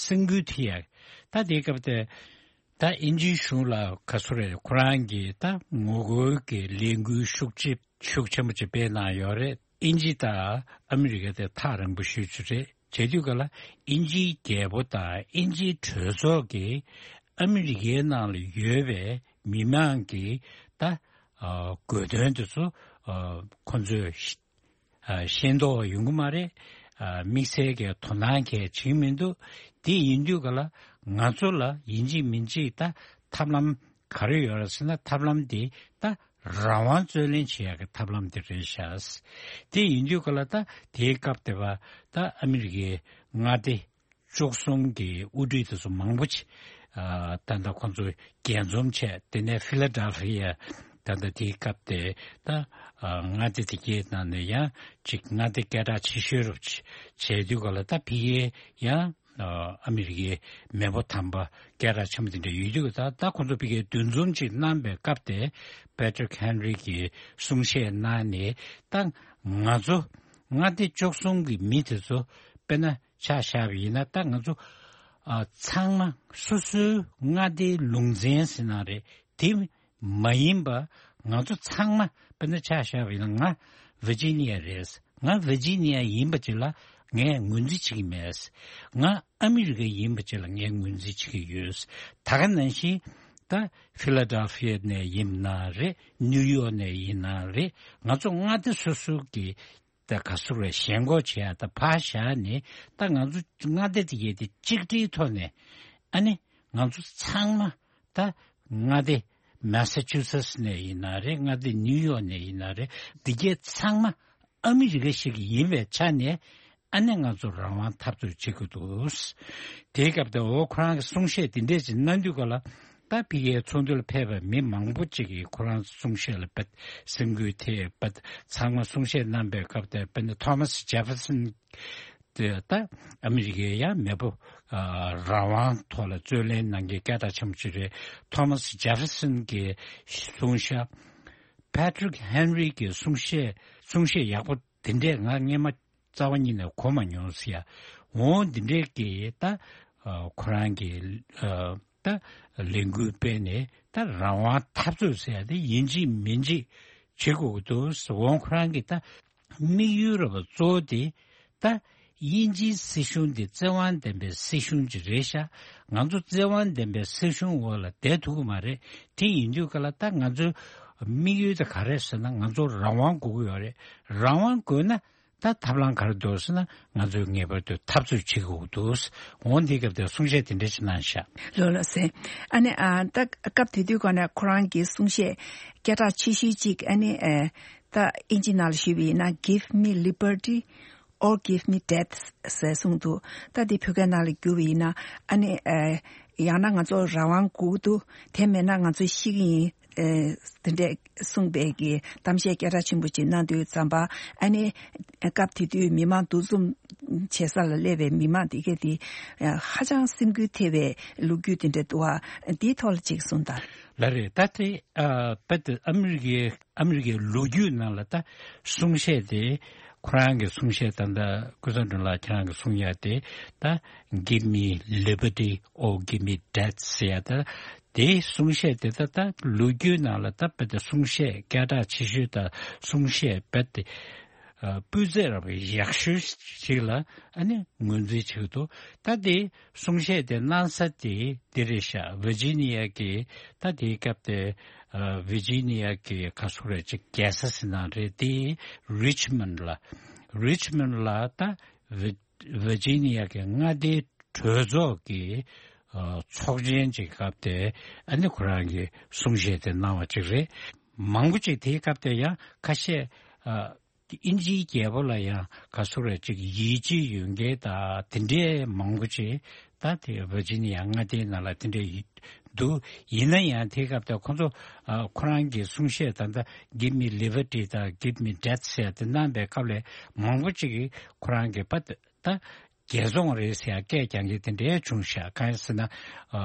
སེམས་འགུལ་ཐེབས་ཡ། ད་དེའི་སྐབས་དེ་ད་དབྱིན་ཇིའི་གཞུང་ལ་ག་ཟེར་རེད། ཁོ་རང་གི་ད་ངོ་རྒོལ་གྱི་ལས་འགུལ་ཤུགས་ཆེ་ཤུགས་ཆེན་པོ་ཅིག་སྤེལ་གནང་ཡོད་རེད། དབྱིན་ཇི་དང་ཨ་མི་རི་ཀ་དེ་ཐག་རིང་པོ་ཞེ་པོ་ཅིག་རེད། བྱེད་དུས་ག་ལ་དབྱིན་ཇིའི་རྒྱལ་པོ་དང་དབྱིན་ཇིའི་གྲོས་ཚོགས་ཀྱིས་ཨ་མི་རི་ཀའི་ནང་ལ་ཡོད་པའི་མི་མང་གི་ད་ཨ་དགོས་དོན་དེ་ཚོ་ཨ་ཁོ་ཚོས་ཤེས་ཨ་ཤེས་རྟོགས་ཡོང་གི་མ་རེད། ཨ་དམིགས་བསལ་གྱི་དོ་སྣང་གང་ཡང་བྱེད་ཀྱི་མི་འདུག་དེ་ཡིན་དུས་ག་ལ་ང་ཚོ་ལ་ཡིན་གཅིག་མིན་གཅིག་ད་ཐབས་ལམ་ག་རེ་ཡོད་རེད་ཟེར་ན། ཐབས་ལམ་དེ་ད་རང་དབང་རྩོད་ལེན་བྱེད་ཡག་གི་ཐབས་ལམ་དེ་རེད་ཤག་དེ་ཡིན་དུས་ག་ལ་ད་དེའི་སྐབས་དེ་བ་ད་ཨ་མི་རི་ཀའི་མངའ་སྡེ་བཅུ་གསུམ་གྱི་དབུ་ཁྲིད་དེ་ཚོ་མང་པོ་ཅིག་ཨ་ད་ལྟ་ཁོང་ཚོ་རྒྱས་འཛོམས་བྱས། དེ་ནས་ཕི་ལ་ཌེལ་ཕི་ཡ་ད་ལྟ་དེའི་སྐབས་དེ་ད་ཨ་མངའ་སྡེ་དེ་གའི་ནང་ནས་ཡང་ཅིག་མངའ་སྡེ་སྐད་གྲགས་ཆེ་ཤོས་རུ་བྱས་དུས་ག་ལ་ད་ཕ་གིའི་ཡང་ཨ་ཨ་མི་རི་ཀའི་མེས་པོ་དམ་པ་སྐད་གྲགས་ཆེན་པོ་དེ་འདྲ་ཡོད་དུས། ད་ད་ཁོང་ཚོ་ཕ་གིའི་འདུ་འཛོམས་ཅིག་གནང་པའི་སྐབས་དེ་པེ་ཊི་རིག་ཧེན་རི་གིས་གསུང་བཤད་གནང་ནས། ད་ང་ཚོ་མངའ་སྡེ་བཅུ་གསུམ་གྱི་མི་དེ་ཚོ་དཔེར་ན་ཆ་བཞག་པ་ཡིན་ན། ད་ང་ཚོ་ཨ་ཚང་མ་སོ་སོའི་མངའ་སྡེའི་ལུང་ཚན་ཟེར་ན་རེད། དེ་མ་ཡིན་པ་ང་ཚོ་ཚང་མ་དཔེར་ན་ཆ་བཞག་པ་ཡིན་ན། ང་ཝི་ཇི་ནི་ཡ་རེད། ང་ཝི་ཇི་ནི་ཡ་ཡིན་པ་ཅིག་ལ་ངས་ངོས་འཛིན་བྱེད་ཀྱི་མེད། ང་ཨ་མི་རི་ཀ་ཡིན་པ་ཅིག་ལ་ངས་ངོས་འཛིན་བྱེད་ཀྱི་ཡོད། ད་ག་ནང་བཞིན་ད་ཕི་ལ་ཌེལ་ཕི་ཡ་ནས་ཡིན་ན་རེད། ནིའུ་ཡོག་ནས་ཡིན་ན་རེད། ང་ཚོ་མངའ་སྡེ་སོ་སོ་གི་ད་ག་ཟེར་རེད། ཞེན་ཁོག་བྱེད་ཡ་ད་ཕར་བཞག་ནས། ད་ང་ཚོ་མངའ་སྡེ་དེ་གའི་དེ་གཅིག་སྒྲིལ་ཐོག་ནས་ཨ་ནི་ང་ཚོ་ཚང་མ་ད་མངའ་སྡེ་མེ་ས་ཆུ་སེ་ཊི་ནས་ཡིན་ན་རེད། མངའ་སྡེ་ནིའུ་ཡོག་ནས་ཡིན་ན་རེད། འདི་གའི་ཚང་མ་ཨ་མི་རི་ཀ་ཞིག་ཡིན་པའི་ཆ་ནས། ཨ་ནི་ང་ཚོ་རང་དབང་འཐབ་རྩོད་བྱེད་དགོས་འདུག། དེའི་སྐབས་དེ་འོ་ཁོ་རང་གི་གསུང་བཤད་དེ་འདྲས་ཅིག་གནང་དུས་ག་ལ། ད་ཕ་གིའི་ཚོགས་འདུ་ལ་ཕེབས་པའི་མི་མང་པོ་ཅིག་གིས་ཁོ་རང་གསུང་བཤད་ལ་དཔེ་སེམས་འགུལ་ཐེབས་པ། ཚང་མ་གསུང་བཤད་གནང་པའི་སྐབས་དེར་དཔེར་ན་ཐོ་མཱས་ཇེ་ཕེར་སན་དེ་ད་ཨ་མི་རི་ཀའི་ཡང་མེས་པོ་ཨ་རང་དབང་ཐོག་ལ་རྩོད་ལེན་གནང་མཁན་སྐད་གྲགས་ཆེན་པོ་ཅིག་རེད། ཐོ་མཱས་ཇེ་ཕེར་སན་གྱིས་གསུངས་ཤག། པེ་ཊི་རིག་ཧེན་རི་གི་གསུང་བཤད་གསུང་བཤད་ཡག་པོ་དེ་འདྲས་ང་སྔས་མ་རྩ་བ་ཉིད་ནས་གོ་མ་མྱོང་ཟེར་ཡ། འོ་འདི་འདྲས་ཀྱི་ད་ཨ་ཁོ་རང་གི་ཨ་ད་ལས་འགུལ་སྤེལ་ནས་ད་རང་དབང་འཐབ་རྩོད་ཟེར་ཡ་དེ་ཡིན་གཅིག་མིན་གཅིག་བྱེད་དགོས་ཀྱི་འདུག། འོ་ཁོ་རང་གི་ད་དམིགས་ཡུལ་ར་བ་གཙོ་བོ་དེ་ད་དབྱིན་ཇིའི་སྲིད་གཞུང་དེ་བཙན་དབང་ལྡན་པའི་སྲིད་གཞུང་ཅིག་རེད་ཤག། ང་ཚོ་བཙན་དབང་ལྡན་པའི་སྲིད་གཞུང་འོག་ལ་བསྡད་ཐུབ་ཀྱི་མ་རེད། དེ་ཡིན་དུས་ག་ལ་ད་ང་ཚོའི་དམིགས་ཡུལ་དེ་ག་རེད་ཟེར་ན། ང་ཚོ་རང་དབང་དགོས་ཀྱི་ཡོད་རེད། རང་དབང་དགོས་ན་ད་ཐབས་ལམ་ག་རེ་འདུག་ཟེར་ན། ང་ཚོས་ངེས་པར་དུ་འཐབ་རྩོད་བྱེད་དགོས་འདུག། འོ་འདི་སྐབས་དེར་གསུང་བཤད་དེ་འདྲ་ཞིག་གནང་ཤག། ལགས་ལགས་སེ། ཨ་ནི་ཨ་ད་སྐབས་དེ་དུས་ག་ནས་ཁོ་རང་གི་གསུང་བཤད་སྐད་གྲགས་ཆེ་ཤོས་གཅིག་ཨ་ནི་ཨ་ད་ཨིན་ཇི་ནང་ལ་ཞུས་པ་ཡིན་ན། Give me liberty or give me death ཟེར་གསུངས་འདུག། ད་དེ་བོད་སྐད་ནང་ལ་བསྒྱུར་བ་ཡིན་ན། ཨ་ནི་ཨ་ཡང་ན་ང་ཚོ་རང་དབང་དགོས་འདུག། དེ་མེད་ན་ང་ཚོ་ཤི་གི་ཡིན། ཨེ་དེ་འདྲས་གསུངས་པའི་གི་གཏམ་བཤད་སྐད་གྲགས་ཆེན་པོ་ཅིག་གནང་དུས་ཙམ་པ། ཨ་ནི་སྐབས་དེ་དུས་མི་མང་འདུ་འཛོམས་བྱེད་ས་ལ་སླེབས་པའི་མི་མང་དེ་གས་དེ་ཧ་ཅང་སེམས་འགུལ་ཐེབས་པའི་ལོ་རྒྱུས་དེ་འདྲས་འདུག་བ། དེའི་ཐོག་ལ་ཅིག་གསུངས་དང་། ལགས་རེད། ད་དེ་ཨ་དཔེ་དེ་ཨ་མི་རི་ཀའི་ཨ་མི་རི་ཀའི་ལོ་རྒྱུས་ནང་ལ་ད་གསུང་བཤད་དེ། ཁོ་རང་གི་གསུང་བཤད་ད་ལྟ་ཀུན་བཟང་སྒྲོན་ལགས་ཁྱེད་རང་གི་གསུང་ཡ་དེ་ད་Give me liberty or give me death ཟེར་ཡ་ད། དེའི་གསུང་བཤད་དེ་ད་ད་ལོ་རྒྱུས་ནང་ལ་ད་དཔེ་དེ་གསུང་བཤད་སྐད་གྲགས་ཆེ་ཤོས་དང་གསུང་བཤད་དཔེ་དེ་ཨ་སྤུས་ཚད་རབ་ཡག་ཤོས་ཤིག་ལ་ཨ་ནི་ངོས་འཛིན་བྱེད་ཀྱི་འདུག། ད་དེ་གསུང་བཤད་དེ་གནང་ས་དེ་དེ་རེད་ཤག། ཝི་ཇི་ནི་ཡ་གི་ད་དེའི་སྐབས་དེ་ཨ་ཝི་ཇི་ནི་ཡ་གི་ག་སུ་རེད་ཅིག་རྒྱལ་ས་ཟེར་ན་རེད། དེ་རི་ཆི་མོན་ལ་རི་ཆི་མོན་ལ་ད་ཝི་ཝི་ཇི་ནི་ཡ་གི་མངའ་སྡེའི་གྲོས་ཚོགས་ཀྱི་ཨ་ཚོགས་ཆེན་གྱི་སྐབས་དེ་ཨ་ནི་ཁོ་རང་གི་གསུང་བཤད་དེ་གནང་བ་ཅིག་རེད། མང་པོ་ཅིག་དེའི་སྐབས་དེ་ཡང་ཁ་ཤས་ཨ་དབྱིན་ཇིའི་རྒྱལ་པོ་ལ་ཡང་ག་སུ་རེད་ཅིག་ཡིད་ཆེས་ཡོད་མཁན་དང་དེ་འདྲའི་མང་པོ་ཅིག་ད་དེ་ཝི་ཇི་ནི་ཡ་མངའ་སྡེའི་ནང་ལ་དེ་འདྲའི་ཡོད་འདུག། ཡིན་ན་ཡང་དེའི་སྐབས་དེ་ཁོ་ཚོ་ཨ་ཁོ་རང་གི་གསུང་བཤད་ད་ལྟ་Give me liberty དང་Give me death ཟེར་དེ་གནང་པའི་སྐབས་ལ་མང་པོ་ཅིག་གིས་ཁོ་རང་གི་པ་ད་རྒྱལ་བཙོང་རེད་ཟེར་ཡ་སྐད་རྒྱག་མཁན་དེ་འདྲའི་བྱུང་ཤག། གང་ཡིན་ཟེར་ན་ཨ་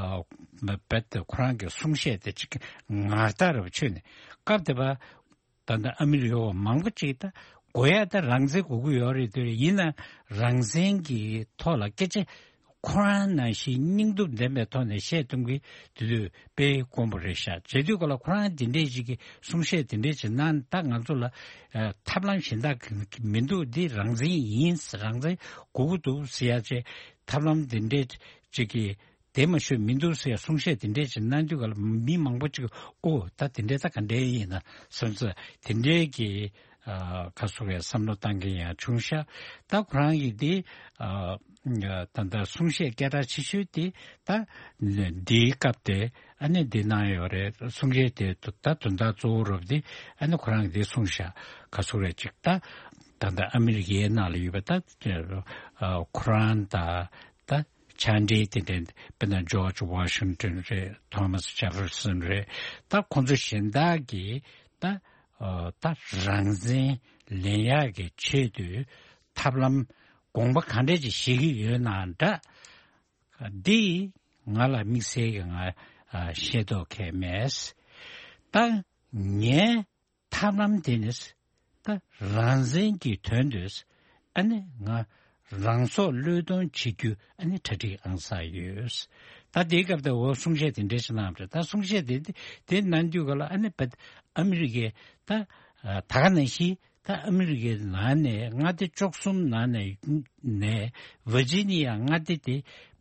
རྦད་དེ་ཁོ་རང་གི་གསུང་བཤད་དེ་ཅིག་ངར་ལྟར་རུ་ཆུད་ནས་སྐབས་དེ་པ་ད་ལྟ་ཨ་མི་རི་ཀ་བ་མང་པོ་ཅིག་ད་དགོས་ཡ་ད་རང་བཙན་དགོས་ཀྱི་ཡོད་རེད། དེ་ཡིན་ན་རང་བཙན་གྱི་ཐོག་ལ་སྐད་ཆ་ཁོ་རང་ནང་བཞིན་སྙིང་སྟོབས་ལྡན་པའི་ཐོག་ནས་བཤད་ཐུབ་མཁན་དེ་དུས་དཔེ་དཀོན་པོ་རེད་ཤག། བྱེད་དུས་ག་ལ་ཁོ་རང་དེ་འདྲས་ཅིག་གི་གསུང་བཤད་དེ་འདྲས་ཅིག་གནང་ད་ང་ཚོ་ལ་ཨ་ཐབས་ལམ་གཞན་དག་གི་མི་འདུག། འདི་རང་བཙན་ཡིན། རང་བཙན་དགོས་ཀྱི་འདུག་ཟེར་ཡ་ཅིག་ཐབས་ལམ་དེ་འདྲས་ཅིག་གི་དེ་མ་ཤོད་མི་འདུག་ཟེར་གསུང་བཤད་དེ་འདྲས་ཅིག་གནང་དུས་ག་ལ་མི་མང་པོ་ཅིག་ཨོ་ད་དེ་འདྲས་ད་ག་འདྲས་ཡིན་ན་བསམ་ཚུལ་དེ་འདྲས་ཀྱི་ཨ་ཁ་སོ་བའི་བསམ་བློ་བཏང་མཁན་ཡང་བྱུང་ཤག། ད་ཁོ་རང་གིས་འདི་ཨ་ད་ལྟ་གསུང་བཤད་སྐད་གྲགས་ཆེ་ཤོས་དེ་ད་འདིའི་སྐབས་དེ་ཨ་ནི་འདི་གནང་ཡོད་རེད། གསུང་བཤད་དེ་ད་དོན་དག་གཙོ་བོ་རུ་དེ་ཨ་ནི་ཁོ་རང་གིས་འདི་གསུངས་ཤག། ཁ་སོ་རེ་ཅིག་ད་ད་ལྟ་ཨ་མི་རི་ཀའི་ནང་ལ་ཡོད་པ་ད་ཁོ་རང་ད། ད་ཕྱག་འབྲེལ་དེ་འདྲ་དཔེར་ན་ཇོརྗ་ཝ་ཤིང་ཏོན་རེད། ཐོ་མཱས་ཇེ་ཕེར་སོན་རེད། ད་ཁོང་ཚོ་གཞན་དག་གིས་ད་ཨ་ད་རང་བཙན་ལེན་ཡག་གི་ཆེད་དུ་ཐབས་ལམ་དགོངས་པ་གང་འདྲ་ཅིག་བཞེས་ཀྱི་ཡོད་ན་འདྲ། འདི་ང་ལ་དམིགས་བསལ་གྱི་ང་ཨ་ཤེས་རྟོགས་གང་ཡང་མེད། ད་ངས་ཐབས་ལམ་དེ་ནི་ད་རང་བཙན་གྱི་དོན་དུ་ཨ་ནི་ང་རང་སྲོག་བློས་གཏོང་བྱེད་རྒྱུ་ཨ་ནི་གྲ་སྒྲིག་ཨང་གསར་ཡོད། ད་དེའི་སྐབས་དེ་འོ་གསུང་བཤད་དེ་འདྲ་ཞིག་གནང་བ་རེད། ད་གསུང་བཤད་དེ་དེ་གནང་དུས་ག་ལ་ཨ་ནི་བད་ཨ་མི་རི་ཀའི་ད་ད་ག་ནང་བཞིན་ད་ཨ་མི་རི་ཀའི་ནང་ནས་མངའ་སྡེ་བཅུ་གསུམ་ནང་ནས་ནས་ཝར་ཇི་ནི་ཡ་མངའ་སྡེ་དེ་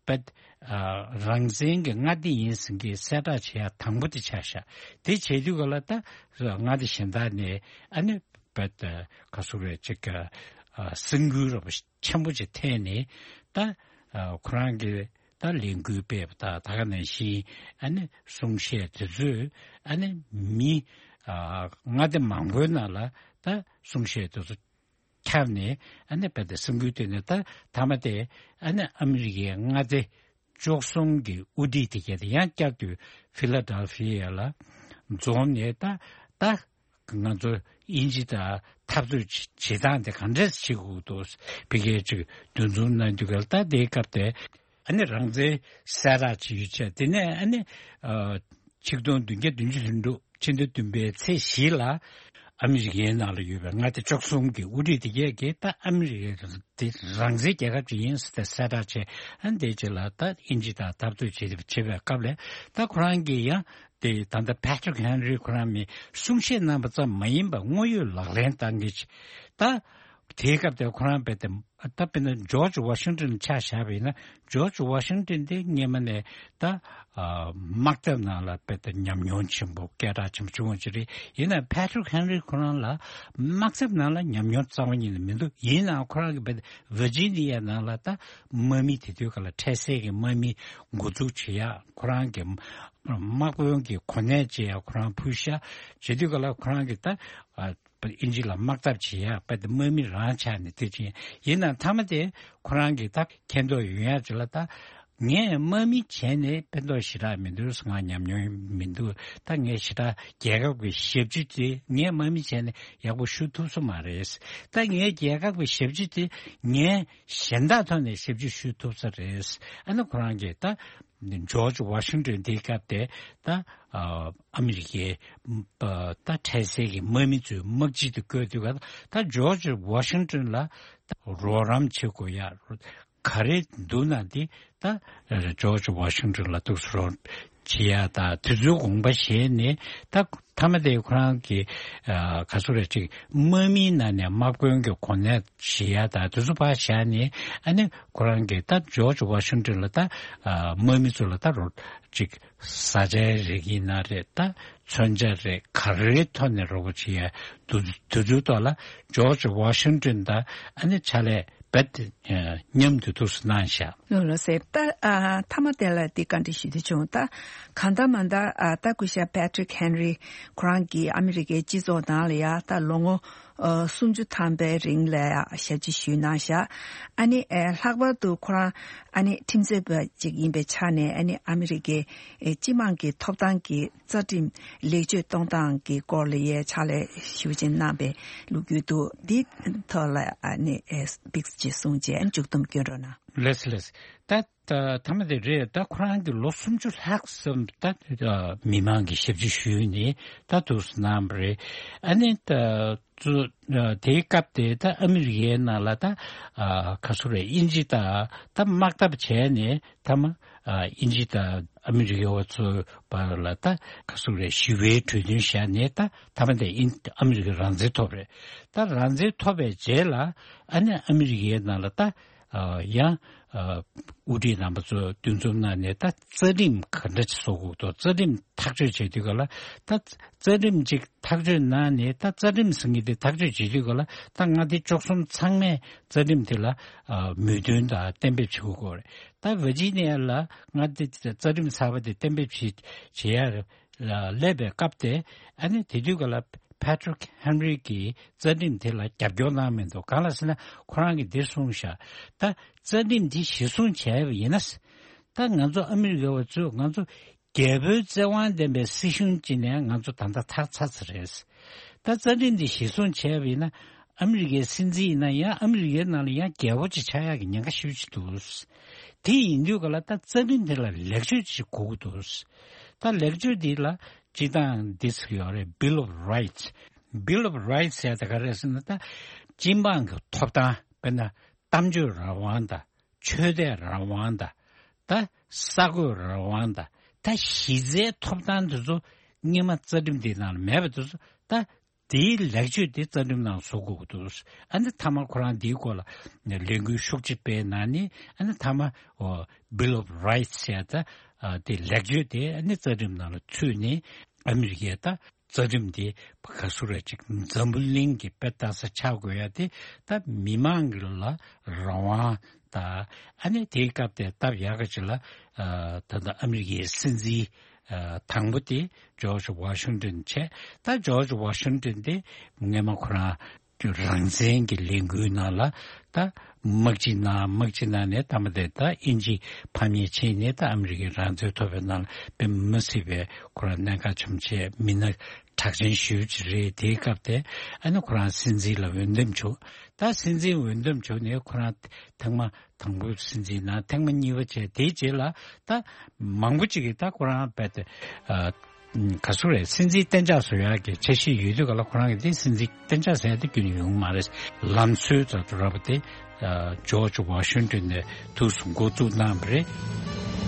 བད་ཨ་རང་བཙན་གྱི་མངའ་སྡེ་ཡིན་ཟེར་མཁན་གསལ་བསྒྲགས་བྱེད་ཡ་དང་པོ་དེ་ཆགས་ཤག། དེ་བྱེད་དུས་ག་ལ་ད་མངའ་སྡེ་གཞན་དག་ནས་ཨ་ནི་བད་ཁ་སུ་རེ་ཅིག་ག་ཨ་སེམས་འགུལ་རབ་ཆེན་པོ་ཅིག་ཐེབས་ནས་ད་ཨ་ཁོ་རང་གི་ད་ལས་འགུལ་སྤེལ་བ་ད་ད་ག་ནང་བཞིན་ཨ་ནི་གསུང་བཤད་དེ་ཚོས་ཨ་ནི་མི་ཨ་མངའ་སྡེ་མང་པོའི་ནང་ལ་ད་གསུང་བཤད་དེ་ཚོ། ཁྱབ་ནས་ཨ་ནི་དཔེ་དེ་སེམས་འགུལ་ཐེབས་ནས། ད་མཐའ་མ་དེ་ཨ་ནི་ཨ་མི་རི་ཀའི་མངའ་སྡེ་བཅུ་གསུམ་གྱི་དབུ་ཁྲིད་དེ་གས་དེ་ཡང་བསྐྱར་དུ་ཕི་ལ་ཌེལ་ཕི་ཡ་ལ་འཛོམས་ནས། ད་ད་ང་ཚོ་དབྱིན་ཇི་དང་འཐབ་རྩོད་བྱེད་སྟངས་དེ་ག་འདྲས་བྱེད་དགོས་འདུག་ཕ་གིར་ཅིག་འདུ་འཛོམས་གནང་དུས་སྐབས། ད་དེའི་སྐབས་དེ་ཨ་ནི་རང་བཙན་གསལ་བསྒྲགས་བྱས་ཡོད་ཚད་དེ་ནས། ཨ་ནི་ཨ་ཆིག་སྟོང་བདུན་བརྒྱ་བདུན་ཅུ་དོན་དྲུག་ཕྱི་ཟླ་བདུན་པའི་ཚེས་བཞི་ལ་ཨ་མི་རི་ཀའི་ནང་ལ་ཡོད་པའི་མངའ་སྡེ་བཅུ་གསུམ་གྱི་དབུ་ཁྲིད་དེ་གས་ཀྱིས་ད་ཨ་མི་རི་ཀ་དེ་རང་བཙན་རྒྱལ་ཁབ་ཅིག་ཡིན་ཟེར་ཏེ་གསལ་བསྒྲགས་བྱས། ཨ་ནི་དེ་རྗེས་ལ་ད་དབྱིན་ཇི་དང་འཐབ་རྩོད་བྱེད་བྱེད་པའི་སྐབས་ལ། ད་ཁོ་རང་གིས་ཡང་དེ་ད་ལྟ་ཕེ་ཏྲིག་ཧན་རི་ཁོ་རང་མིས་གསུང་བཤད་གནང་བ་ཙམ་མ་ཡིན་པར་དངོས་ཡོད་ལག་ལེན་བསྟར་མཁན་ཅིག་ད་དེའི་སྐབས་དེར་ཁོ་རང་རྦད་དེ། ད་དཔེར་ན་ཇོརྗ་ཝ་ཤིང་ཏོན་ཆ་བཞག་པ་ཡིན་ན། ཇོརྗ་ཝ་ཤིང་ཏོན་དེ་སྔོན་མ་ནས་ད་ཨ་དམག་འཐབ་ནང་ལ་རྦད་དེ་ཉམས་མྱོང་ཆེན་པོ་སྐད་གྲགས་ཆེན་པོ་བྱུང་བ་ཅིག་རེད། ཡིན་ནའང་ཕེ་ཏྲིག་ཧན་རི་ཁོ་རང་ལ་དམག་འཐབ་ནང་ལ་ཉམས་མྱོང་རྩ་བ་ཉིད་ནས་མི་འདུག་ཡིན་ནའང་ཁོ་རང་གིས་རྦད་དེ་ཝར་ཇི་ནི་ཡ་ནང་ལ་ད་དམག་མི་དེ་དུས་སྐབས་ལ་འཕྲལ་སེལ་གྱི་དམག་མི་འགོ་འཛུགས་བྱེད་ཡག་ཁོ་རང་གི་དམག་དཔོན་གྱི་གོ་གནས་བཅས་ཡང་ཁོ་རང་ཕུལ་ཤག་བྱེད་དུས་སྐབས་ལ་ཁོ་རང་གིས་ད་ཨ་དབྱིན་ཇི་ལ་དམག་འཐབ་བྱེད་ཡག་རྦད་དེ་དམག་མི་རང་ཆགས་ནས་དེ་བྱས། ཡིན་ནའང་མཐའ་མ་དེ་ཁོ་རང་གིས་ད་མཁྱེན་རྟོགས་ཡོང་ཡག་ཅིག་ལ། ད་ངས་དམག་མི་བྱས་ནས་ཕན་ཐོགས་ཞེ་དྲག་མི་འདུག་ང་ཉམས་མྱོང་མི་འདུག་ད་ངས་ཞེ་དྲག་རྒྱལ་ཁབ་ཀྱི་ཞབས་ཕྱི་དེ་ངས་དམག་མི་བྱས་ནས་ཡག་པོ་ཞུ་ཐུབ་ས་མ་རེད། ད་ངའི་རྒྱལ་ཁབ་ཀྱི་ཞབས་ཕྱི་དེ་ངས་གཞན་དག་ཐོག་ནས་ཞབས་ཕྱི་ཞུ་ཐུབ་ས་རེད། ཨ་ནི་ཁོ་རང་གིས་ད་ཇོརྗ་ཝ་ཤིང་ཏོན་དེའི་སྐབས་དེ་ད་ཨ་ཨ་མི་རི་ཀའི་ཨ་ད་འཕྲལ་སེལ་གྱི་དམག་མི་ཚོའི་དམག་སྤྱི་དུ་བསྐོས་དུས་སྐབས། ད་ཇོརྗ་ཝ་ཤིང་ཏོན་ལ་ད་རོགས་རམ་བྱེད་དགོས་ཡག་ག་རེ་འདུག་ན་དེ་ད་ཇོརྗ་ཝ་ཤིང་ཏོན་ལ་འདུག་སེ་རོགས་བྱེད་ཡག་དང་དེ་ཚོའི་དགོངས་པ་བཞེས་ནས། ད་མཐའ་མ་དེ་ཁོ་རང་གི་ཨ་ག་ཚོད་རེད། ཅིག་དམག་མིའི་ནང་ནས་དམག་དཔོན་གྱི་གོ་གནས་བཞེས་ཡག་དང་དེ་ཚོ་ཕར་བཞག་ནས། ཨ་ནི་ཁོ་རང་གིས་ད་ཇོརྗ་ཝ་ཤིང་ཏོན་ལ་ད་ཨ་དམག་མི་ཚོ་ལ་ད་རོགས་ཅིག་བཟའ་བཅའི་རིགས་ཡིན་ན་རེད། ད་མཚོན་ཆ་རེད། ག་རེའི་ཐོག་ནས་རོགས་པ་བྱེད་ཡག་དུ་དུས་ཚོད་ཐོག་ལ་ཇོརྗ་ཝ་ཤིང་ཏོན་དང་ཨ་ནི་ཕྱག་ལས་རྦད་དེ་མཉམ་དུ་འདུག་སེ་གནང་ཤག་ལགས་སོ། ད་ཨ་མཐའ་མ་དེ་ལ་འདི་བཀའ་འདྲི་ཞུ་འདོད་བྱུང་། ད་གང་ལྟར་མ་ལྟར་ཨ་ད་སྐུ་ཞབས་ཕེ་ཏྲིག་ཧན་རི་ཁོ་རང་གིས་ཨ་མི་རི་ཀའི་སྤྱི་ཚོགས་ནང་ལ་ཡ་ད་ལོ་ངོ་ཨ་སུམ་ཅུ་ཐམ་པའི་རིང་ལ་ཡ་ཞབས་ཕྱི་ཞུས་གནང་ཤག་ཨ་ནི་ཨ་ལྷག་པར་དུ་ཁོ་རང་ཨ་ནི་ཁྲིམས་རྩོད་པ་ཅིག་ཡིན་པའི་ཆ་ནས། ཨ་ནི་ཨ་མི་རི་ཀའི་ཨ་སྤྱི་དམངས་ཀྱི་ཐོབ་ཐང་གི་རྩ་ཁྲིམས་ལེགས་བཅོས་གཏོང་སྟངས་ཀྱི་སྐོར་ལ་ཡའི་ཕྱག་ལས་ཞུ་བ་ཅིག་གནང་པའི་ལོ་རྒྱུས་འདུག་འདི་ཐོག་ལ་ཨ་ནི་ཨེ་ཏིག་ཅིག་གསུངས་རྗེས་མཇུག་བསྡོམས་སྐྱོན་རོགས་གནང་། ལགས་སོ་ལགས་སོ། ད་ད་མཐའ་མ་དེ་རེད། ད་ཁོ་རང་གིས་ལོ་སུམ་ཅུ་ལྷག་ཙམ་ད་མི་མང་གི་ཞབས་ཕྱི་ཞུས་ནས་ད་འདུག་སེ་གནང་བ་རེད། ཨ་ནི་ད་ཚོ་དེའི་སྐབས་དེ་ད་ཨ་མི་རི་ཀའི་ནང་ལ་ད་ཨ་ག་ཚོད་རེད། དབྱིན་ཇི་དང་ད་དམག་འཐབ་བྱས་ནས་མཐའ་མ་ཨ་དབྱིན་ཇི་དང་ཨ་མི་རི་ཀའི་བ་ཚོའི་བར་ལ་ད་ག་ཚོད་རེད། ཞི་བའི་གྲོས་མཐུན་བཞག་ནས་ད་མཐའ་མ་དེ་ཨིན་ཨ་མི་རི་ཀ་རང་བཙན་ཐོབ་རེད། ད་རང་བཙན་ཐོབ་པའི་རྗེས་ལ་ཨ་ནི་ཨ་མི་རི་ཀའི་ནང་ལ་ད་ཨ་ཡང་ཨ་དབུ་ཁྲིད་རྣམ་པ་ཚོ་འདུ་འཛོམས་གནང་ནས། ད་རྩ་ཁྲིམས་ག་འདྲ་ཅིག་བཟོ་དགོས་འདུག་རྩ་ཁྲིམས་ཐག་གཅོད་བྱེད་དུས་སྐབས་ལ། ད་རྩ་ཁྲིམས་ཅིག་ཐག་གཅོད་གནང་ནས། ད་རྩ་ཁྲིམས་ཟེར་མཁན་དེ་ཐག་གཅོད་བྱེད་དུས་སྐབས་ལ་ད་མངའ་སྡེ་བཅུ་གསུམ་ཚང་མས་རྩ་ཁྲིམས་དེ་ལ་ཨ་མོས་མཐུན་དང་གཏན་འབེབས་བྱེད་དགོས་རེད། ད་ཝར་ཇི་ནི་ཡ་ལ་མངའ་སྡེ་རྩ་ཁྲིམས་གསར་པ་དེ་གཏན་འབེབས་བྱེད་བྱེད་ཡ་ལ་སླེབས་པའི་སྐབས་དེ། ཨ་ནི་དེ་དུས་སྐབས་ལ་ཕེ་ཏྲིག་ཧན་རི་གིས་རྩ་ཁྲིམས་དེ་ལ་རྒྱབ་སྐྱོར་གནང་མི་འདུག་གང་ལ་ཟེར་ན་ཁོ་རང་གིས་འདིར་གསུངས་ཤག་ད་རྩ་ཁྲིམས་འདི་གཞིར་བཟུང་བྱས་པ་ཡིན་ན། ད་ང་ཚོ་ཨ་མི་རི་ཀ་བ་ཚོས་ང་ཚོ་རྒྱལ་པོའི་བཙན་དབང་ལྡན་པའི་སྲིད་གཞུང་ཅིག་ནས་ང་ཚོ་ད་ལྟ་ཐར་ཚར་ཚར་རེད། ད་རྩ་ཁྲིམས་འདི་གཞིར་བཟུང་བྱས་པ་ཡིན་ན། ཨ་མི་རི་ཀའི་སྲིད་འཛིན་ཡིན་ན་ཡང་ཨ་མི་རི་ཀའི་ནང་ལ་ཡང་རྒྱལ་པོ་ཅིག་ཆགས་ཡག་གི་ཉེན་ཁ་ཞེ་པོ་ཅིག་འདུག་དེ་ཡིན་དུས་ག་ལ་ད་རྩ་ཁྲིམས་དེ་ལ་ལེགས་བཅོས་ཅིག་དགོས་ཀྱི་འདུག་ད་ལེགས་བཅོས་འདི་ལ་སྤྱིར་བཏང་འདི་ཚོ་ཡོད་རེད། Bill of Rights། Bill of Rights་ཟེར་ཡ་དེ་ག་རེ་རེད་ཟེར་ན། ད་སྤྱི་འབངས་ཀྱི་ཐོབ་ཐང་། དཔེར་ན་གཏམ་བརྗོད་རང་དབང་དང་། ཆོས་དད་རང་དབང་དང་། ད་ས་རྒོད་རང་དབང་དང་། ད་གཞི་རྩའི་ཐོབ་ཐང་དེ་ཚོ་སྔོན་མ་རྩ་ཁྲིམས་འདིའི་ནང་ལ་མེད་པ་དེ་ཚོ། ད་དེའི་ལེགས་བཅོས་དེ་རྩ་ཁྲིམས་ནང་བཟོ་དགོས་ཀྱི་འདུག་ཨ་ནི་མཐའ་མ་ཁོ་རང་འདིའི་སྐོར་ལ་ལས་འགུལ་ཤུགས་ཆེ་སྤེལ་གནང་ནས། ཨ་ནི་མཐའ་མ་ཨོ་Bill of Rights་ཟེར་ཡ་ད་ཨ་དེ་ལེགས་བཅོས་དེ་ཨ་ནི་རྩ་ཁྲིམས་ནང་ལ་ཚུད་ནས། ཨ་མི་རི་ཀའི་ད་རྩ་ཁྲིམས་དེ་ག་ཚོད་རེད། ཅིག་འཛམ་བུ་གླིང་གི་དཔེ་ལྟ་ས་ཆགས་དགོས་ཡ་དེ། ད་མི་མང་གི་ལ་རང་དབང་དང་། ཨ་ནི་དེའི་སྐབས་དེ་སྟབས་ཡག་ག་ཅིག་ལ་ཨ་ད་ལྟ་ཨ་མི་རི་ཀའི་སྲིད་འཛིན་ཨ་དང་པོ་དེ་ཇོརྗ་ཝ་ཤིང་ཏོན་བྱས། ད་ཇོརྗ་ཝ་ཤིང་ཏོན་དེ་སྔོན་མ་ཁོ་རང་ རང་བཙན་གྱི་ལས་འགུལ་ནང་ལ་ད་དམག་སྤྱི་ནང་དམག་སྤྱི་ནང་ནས་ད་མ་དེ་ད་དབྱིན་ཇི་ཕམ་ཉེས་བྱས་ནས་ད་ཨ་མི་རི་ཀའི་རང་བཙན་ཐོབ་པའི་ནང་ལ་དཔེ་མི་སྲིད་པའི་ཁོ་རང་གནད་འགག་ཆེན་པོ་བྱས་མི་སྣ་གྲགས་ཅན་ཞེ་པོ་ཅིག་རེད། དེའི་སྐབས་དེ་ཨ་ནི་ཁོ་རང་སྲིད་འཛིན་ལ་འོས་འདེམས་བྱུང་། ད་སྲིད་འཛིན་འོས་འདེམས་བྱུང་ནས་ཁོ་རང་ཐེངས་མ་དང་པོའི་སྲིད་འཛིན་ནང་ཐེངས་མ་གཉིས་པ་བྱས། དེའི་རྗེས་ལ་ད་མང་པོ་ཅིག་གིས་ད་ཁོ་རང་རྦད་དེ་ཨ། ག་ཚོད་རེད། སྲིད་འཛིན་གཏན་འཇགས་བཟོ་ཡག་གི་འཆར་གཞི་ཡོད་དུས་ག་ལ་ཁོ་རང་གིས་དེ་སྲིད་འཛིན་གཏན་འཇགས་ཟེར་ཡག་དེ་ཁྱོན་ནས་ཡོང་མ་རེད། ལམ་སྲོལ་ལྟར་དུ་ར་བ་དེ་ཨ། ཇོརྗ་ཝ་ཤིང་ཏོན་ནས་དུས་སུ་འགོ་བཙུགས་གནང་བ་རེད།